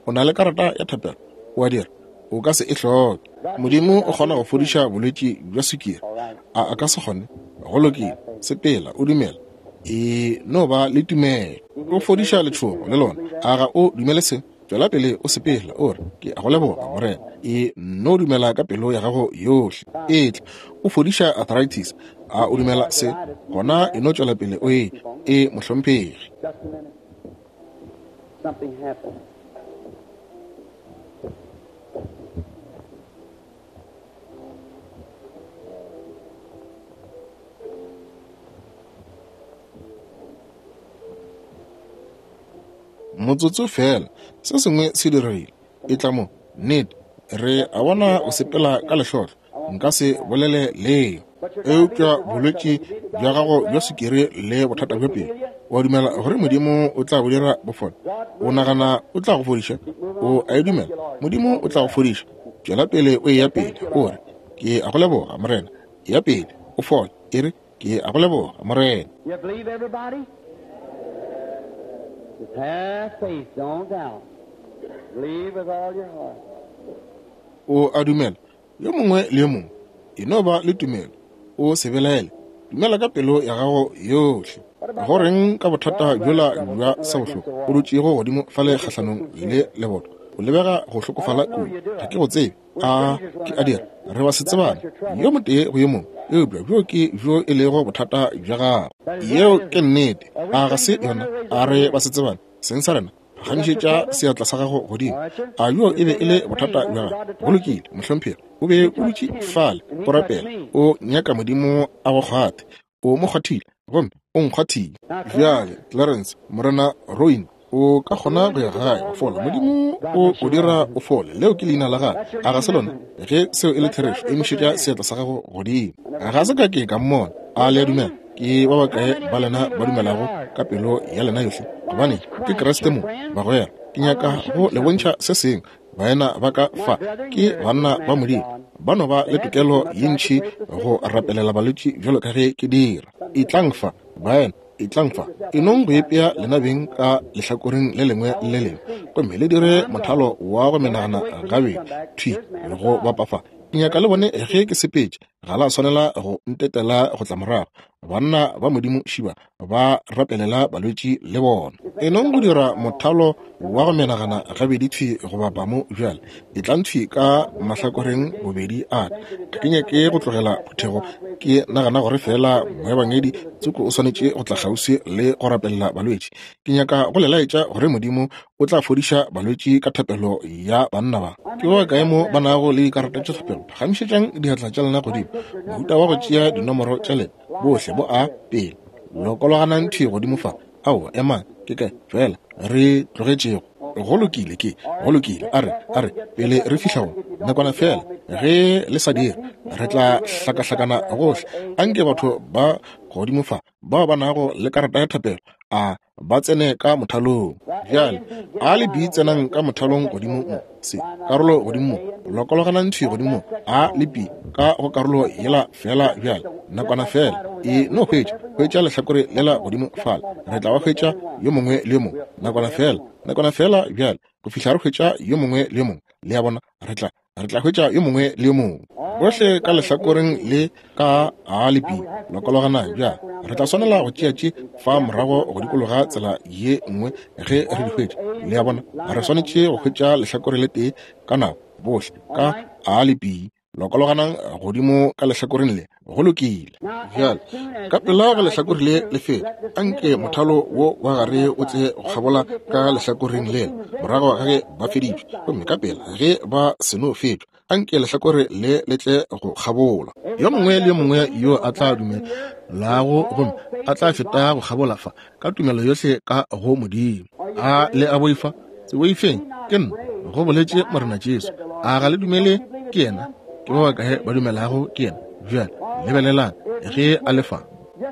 O na le karata ya thapelo? O a dira? O ka se e hloke. Modimo o kgona go fodiša bolwetši bja sukiri. A a ka se kgone? Go lokile. Sepela, o dumela. E no ba le tumelo. O fodiša letšhogo le lona. A ga o dumele se? Tšwela pele o sepela, o re, Ke a go leboga, Morena. E no dumela ka pelo ya gago yohle. Etla. O fodiša arthritis. A o dumela se? Gona e no tšwela pele o e. E, mohlomphegi. Just a minute. Something happened. Motsotso feela, se sengwe se diregile. Etla mo. Nnete, re a bona o sepela ka lehlotlo. Nka se bolele leo. Eupša bolwetši bja gago bja sukiri le bothata bja pelo, o a dumela gore Modimo o tla bo dira bo fole? O nagana o tla go fodiša? O a e dumela? Modimo o tla go fodiša. Tšwela pele o eya pele, o re, Ke a go leboga, Morena. Eya pele, o fole. E re, Ke a go leboga, Morena. You believe, everybody? Just have faith, don't doubt. Believe with all your heart. O a dumela? Yo mongwe le yo mongwe, e no ba le tumelo, o se belaele, dumela ka pelo ya gago yohle. Go reng ka bothata bjola bja sabohloko o dutšego godimo fale kgahlanong le leboto? O lebega go hlokofala kudu. Ga ke go tsebe. A ke a dira? Re ba se tsebane yo motee go yo mongwe, eupša bjo ke bjo e lego bothata bja gago. Yeo ke nnete. A ga se yona? A re ba se tsebane seng sa rena? Phagamišetša seatla sa gago godimo. A bjo e be e le bothata bja gago? Go lokile, mohlomphegi. O be o dutše fale o rapela, o nyaka Modimo a go kgwathe. O mo kgwathile, gomme o nkgwathile. Bjale, Clarence, Morena Royne, o ka kgona go ya gae wa fola. Modimo o o dira o fole. Leo ke leina la gagwe, a ga se lona? Ge seo e le therešo, emišetša seatla sa gago godimo. Ga se ka ke ka mmona. A le a dumela? Ke ba bakae ba lena ba dumelago ka pelo ya lena yohle? Gobane ke Kriste mo, bagwera. Ke nyaka go le bontšha se sengwe. Baena ba ka fa ke banna ba Modimo, ba no ba le tokelo ye ntši go rapelela balwetši bjalo ka ge ke dira. Etlang fa, baena, etlang fa. E nong go ipea lena beng ka lehlakoreng le lengwe le le lengwe, gomme le dire mothalo wa go menagana gabedi thwi go bapa fa. Ke nyaka le bone ge ke sepetše. Ga la swanela go ntetela go tla morago. Banna ba Modimo šiba ba rapelela balwetši le bona. E nong go dira mothalo wa go menagana gabedi thwi go bapa mo bjale. Etlang thwi ka mahlakoreng bobedi a ka. Ga ke nyake go tlogela phuthego ke nagana gore feela moebangedi tsoko o swanetše go tla kgauswi le go rapelela balwetši. Ke nyaka go le laetša gore Modimo o tla fodiša balwetši ka thapelo ya banna ba. Ke ba bakae mo ba nago le dikarata tša thapelo? Phagamišetšang diatla tša lena godimo. Mohuta wa go tšea dinomoro tša lena, bohle bo a pele. Lokologanang thwi godimo fa. Aowa, emang, ke kae feela re tlogetšego? Go lokile, ke, go lokile. A re, a re, pele re fihla go, nakwana feela, ge le sa dire, re tla hlakahlakana gohle. Anke batho ba godimo fa, bao ba nago le karata ya thapelo, a ba tsene ka mothalong. Bjale, A le B tsenang ka mothalong godimo mo, C karolo godimo mo, lokologanang thwi godimo mo, A le B ka go karolo yela feela bjale, nakwana feela. E no hwetša, hwetša lehlakore lela godimo fale, re tla ba hwetša yo mongwe le yo mongwe, nakwana feela, nakwana feela bjale, go fihla re hwetša yo mongwe le yo mongwe. Le a bona, re tla, re tla hwetša yo mongwe le yo mongwe. Bohle ka lehlakoreng le ka A le B, lokologanang bjale. Re tla swanela go tšea tše fa morago go dikologa tsela ye nngwe ge re di hwetša. Le a bona, re swanetše go hwetša lehlakore le tee ka nako, bohle ka A le B. Lokologanang godimo ka lehlakoreng le. Go lokile. Bjale, ka pela ge lehlakore le le feta, anke mothalo wo wa gare o tle go kgabola ka lehlakoreng lela, morago ga ge ba feditšwe. Gomme ka pela ge ba seno fetšwa, anke lehlakore le le tle go kgabola. Yo mongwe le yo mongwe yo a tla dumelago gomme a tla feta go kgabola fa, ka tumelo yohle ka go Modimo. A le a boifa? Se boifeng, ke nna, go boletše Morena Jesu. A ga le dumele ke yena? Ke ba bakae ba dumelago ke yena? Bjale lebelelang ge a le fa.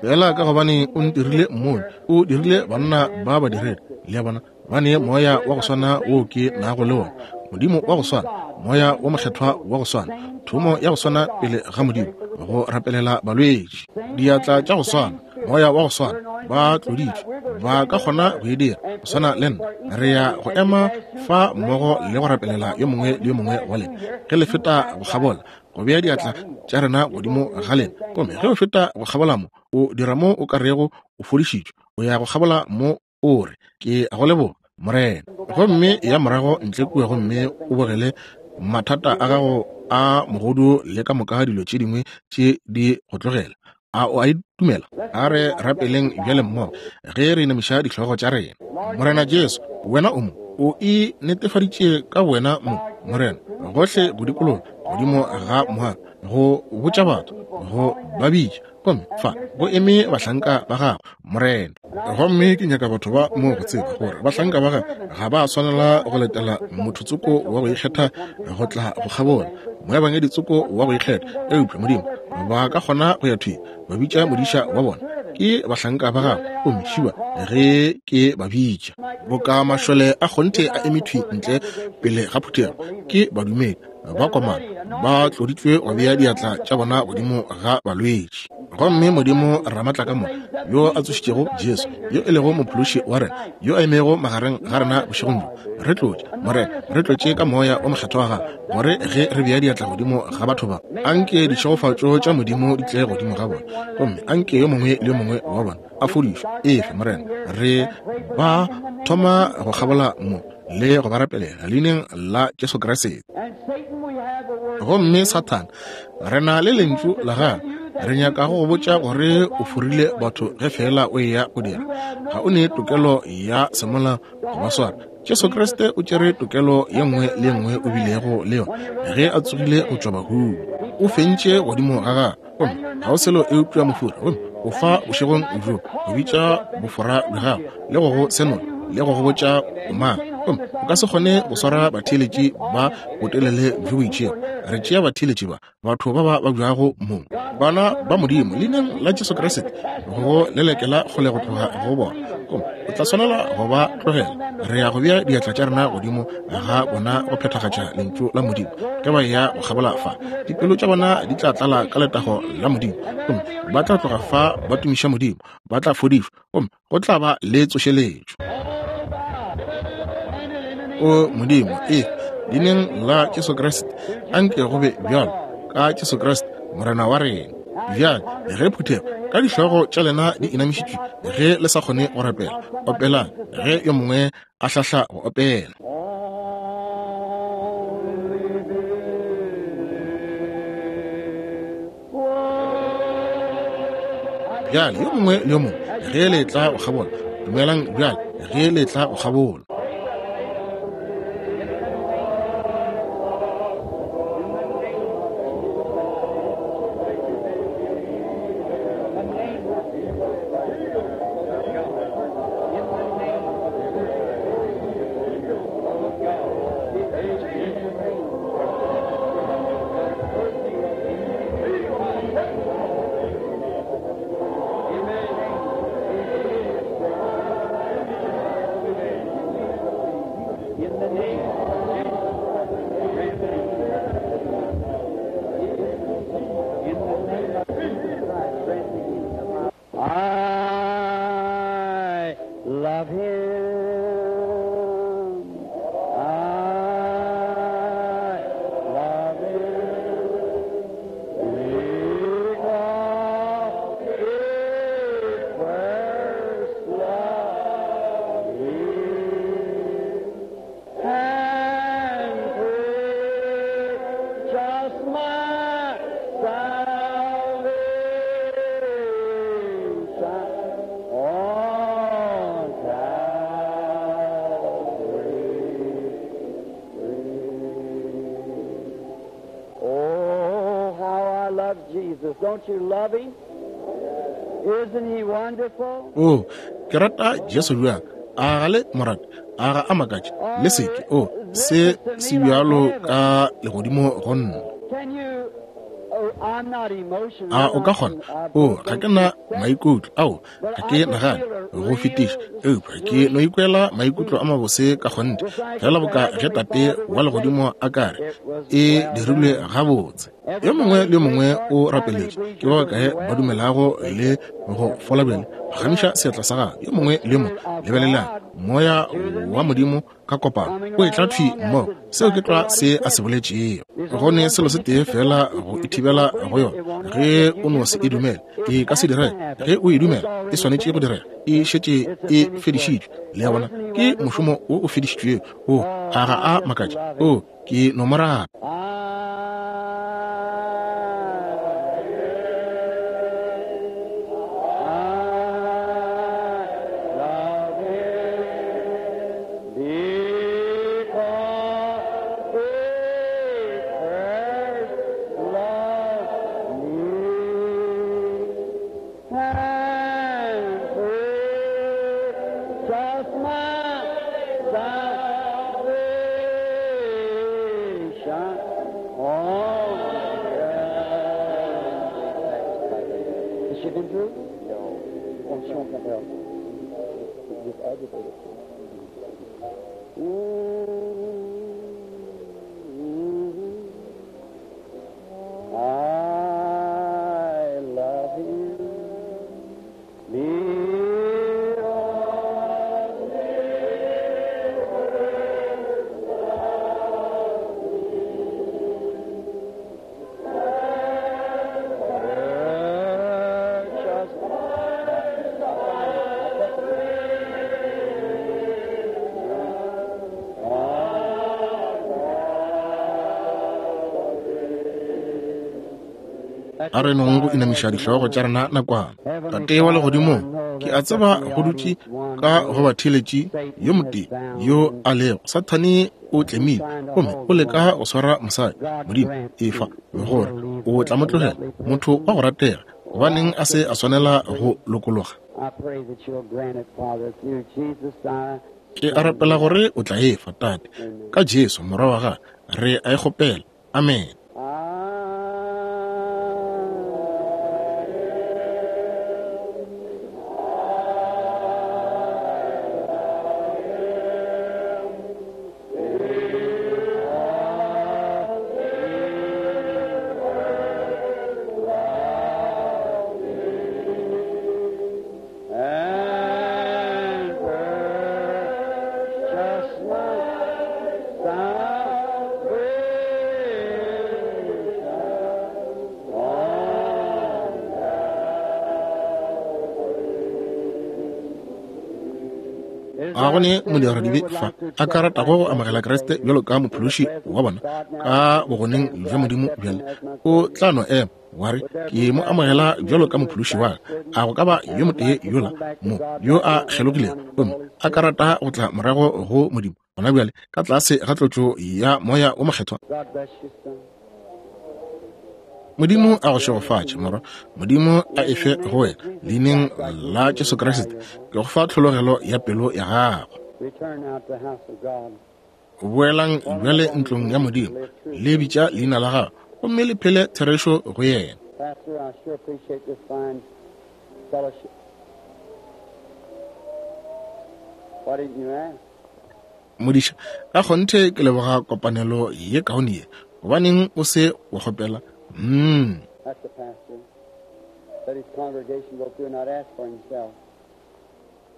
Fela ka gobane o ntirile mmoni, o dirile banna ba badiredi. Le a bona, ba ne moya wa go swana wo ke nago le wona, Modimo wa go swana, Moya wo Mokgethwa wa go swana, thomo ya go swana pele ga Modimo, go rapelela balwetši, diatla tša go swana, Moya wa go swana, ba tloditšwe, ba ka kgona go e dira go swana le nna. Re ya go ema fa mmogo le go rapelela yo mongwe le yo mongwe wa lena ge le feta go kgabola, go bea diatla tša rena godimo ga lena. Gomme ge o feta go kgabola mo, o dira mo o ka rego o fodišitšwe, o ya go kgabola mo o re, Ke a go leboga, Morena. Gomme ya morago ntle kua gomme o bogele mathata a gago a mogodu le ka moka dilo tše dingwe tše di go tlogela. A o a e dumela? A re rapeleng bjale mmogo ge re inamiša dihlogo tša rena. Morena Jesu, Wena o mo, o e netefaditše ka Wena mo, Morena, gohle go dikologa godimo ga moago, go botša batho, go ba bitša, Gomme fa go eme bahlanka ba Gago, Morena. Gomme ke nyaka batho ba mo go tseba gore bahlanka ba Gago ga ba swanela go letela motho tsoko wa go ikgetha go tla go kgabola, moebangedi tsoko wa go ikgetha, eupša, Modimo, ba ka kgona go ya thwi ba bitša modiša wa bona. Ke bahlanka ba Gago, gomme šiba ge ke ba bitša. Boka mašole a kgonthe a eme thwi ntle pele ga phuthego, ke badumedi. Ba komana, ba tloditšwe go bea diatla tša bona godimo ga balwetši. Gomme Modimo Ramatlakamoka, yo a tsošitšego Jesu, yo e lego Mophološi wa rena, yo a emego magareng ga rena bošegong bjo, re tlotše, Morena, re tlotše ka Moya wo Mokgethwa wa Gago, gore ge re bea diatla godimo ga batho ba, anke ditšhegofatšo tša Modimo di tle godimo ga bona, gomme anke yo mongwe le yo mongwe wa bona a fodišwe. Efe, Morena, re ba thoma go kgabola mo le go ba rapelela leineng la Jesu Kriste. Gomme Sathane, re na le lentšu la gago, re nyaka go go botša gore o forile batho ge feela o eya go dira. Ga o ne tokelo ya semolao go ba swara. Jesu Kriste o tšere tokelo ye nngwe le ye nngwe o bilego le yona ge a tsogile go tšwa bahung. O fentše godimo ga gagwe, gomme ga o selo eupša mofori, gomme o fa bošegong bjo go bitša bofora bja gago le go go senola le go go botša o mang, gomme o ka se kgone go swara batheeletši ba botelele bjo bo itšego. Re tšea batheeletši ba, batho ba ba babjago mo, bana ba Modimo, leineng la Jesu Kriste, go lelekela kgole go tloga go bona, gomme o tla swanela go ba tlogela. Re ya go bea diatla tša rena godimo ga bona go phethagatša lentšu la Modimo. Ge ba eya go kgabola fa, dipelo tša bona di tla tlala ka letago la Modimo, gomme ba tla tloga fa ba tumiša Modimo, ba tla fodišwa, gomme go tla ba le tsošeletšo. O Modimo, e leineng la Jesu Kriste, anke go be bjalo ka Jesu Kriste. Morena wa rena. Bjale, ge phuthego ka dihlogo tša lena di inamišitšwe, ge le sa kgone go rapela, opelang ge yo mongwe a hlahla go opela. Bjale, yo mongwe le yo mongwe, ge le tla go kgabola, dumelang bjale, ge le tla go kgabola. I love him. I love him. Because he first loved me and purchased my salvation on Calvary. Oh, how I love Jesus. Don't you love him? Isn't he wonderful? O, ke rata Jesu bjang. A ga le mo rate? A ga a makatše? Le seke. O, se se bjalo ka legodimo go nna. Can you? Oh, I'm not emotional. A o ka kgona? O, ga ke na maikutlo ao, ga ke nagane go fetiša, eupša ke no ikwela maikutlo a mabose ka kgonthe, fela boka ge Tate wa Legodimo a ka re, E dirilwe gabotse. Yo mongwe le yo mongwe o rapeletše. Ke ba bakae ba dumelago le go fola bjale? Phagamiša seatla sa gago. Yo mongwe le yo mongwe, lebelelang, Moya wa Modimo ka kopano o etla thwi mmogo. Seo ke tlwa se a se boletšego. Go ne selo se tee fela go e thibela go yona, ge o no se e dumele, e ka se direge. Ge o e dumela, e swanetše go direga. E šetše e fedišitšwe. Le a bona? Ke mošomo wo o fedišitšwego. O, a ga a makatše? O, ke no mo rata. Just my salvation on earth. Has she been through? No. Oh, she won't come well. Just agitated. Mm-hmm. I love him. A re nong go inamiša dihlogo tša rena nakwana. Tate wa Legodimong, ke a tseba go dutše ka go batheeletši yo motee yo a lego. Sathane o tlemile gomme o leka go swara mosadi. Modimo, efa gore o tla mo tlogela, motho wa go ratega. Gobaneng a se a swanela go lokologa? I pray that you'll grant it, Father, through Jesus thy Ke a rapela gore o tla efa, Tate, ka Jesu Morwa wa Gago, re a e kgopela. Amen. And purchase my salvation. A go ne modiradibe fa a ka ratago go amogela Kriste bjalo ka Mophološi wa bona ka bogoneng bja Modimo bjale? O tla no ema wa re, Ke mo amogela bjalo ka Mophološi wa ka. A go ka ba yo motee yola mo yo a kgelogilego gomme a ka rata go tla morago go Modimo gona bjale ka tlase ga tlotšo ya Moya wo Mokgethwa? Modimo a go šegofatše, morwa. Modimo a e fe go wena, leineng la Jesu Kriste. Ke go fa tlhologelo ya pelo ya gago. Boelang bjale ntlong ya Modimo, le bitša leina la gago, gomme le phele therešo go yena. Modiša, ka kgonthe ke leboga kopanelo ye kaone ye. Gobaneng o se wa kgopela? Mm.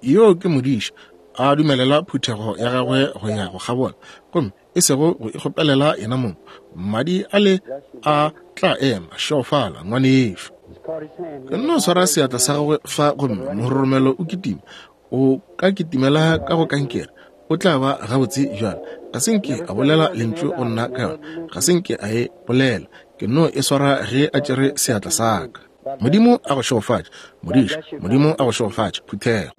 Yoo ke modiša, a dumelela phuthego ya gagwe go ya go kgabola, gomme e sego go ikgopelela yena mong. Madi a le a tla ema. Šegofala, ngwanešu. Ke nno swara seatla sa gagwe fa, gomme mororomelo o kitima. O ka kitimela ka go kankere, o tla ba gabotse bjale. Ga se nke a bolela lentšu go nna ka yona, ga se nke a e bolela. Ke no e swara ge a tšere seatla sa ka. Modimo a go šegofatše, modiša. Modimo a go šegofatše, phuthego.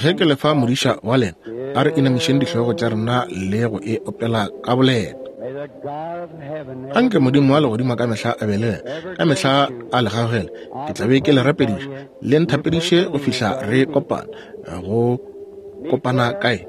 Ge ke le fa modiša wa lena, a re inamišeng dihlogo tša rena le go e opela ka boleta. Anke Modimo wa legodimo ka mehla a be le lena, ka mehla a le gaugele. Ke tla be ke le rapediša, le nthapediše go fihla re kopana. Go kopana kae?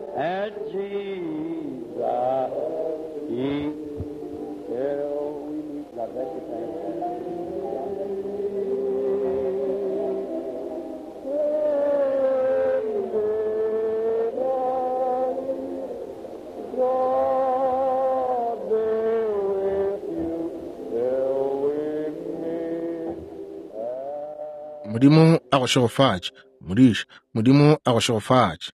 Modimo a go šegofatše, modiša. Modimo a go šegofatše.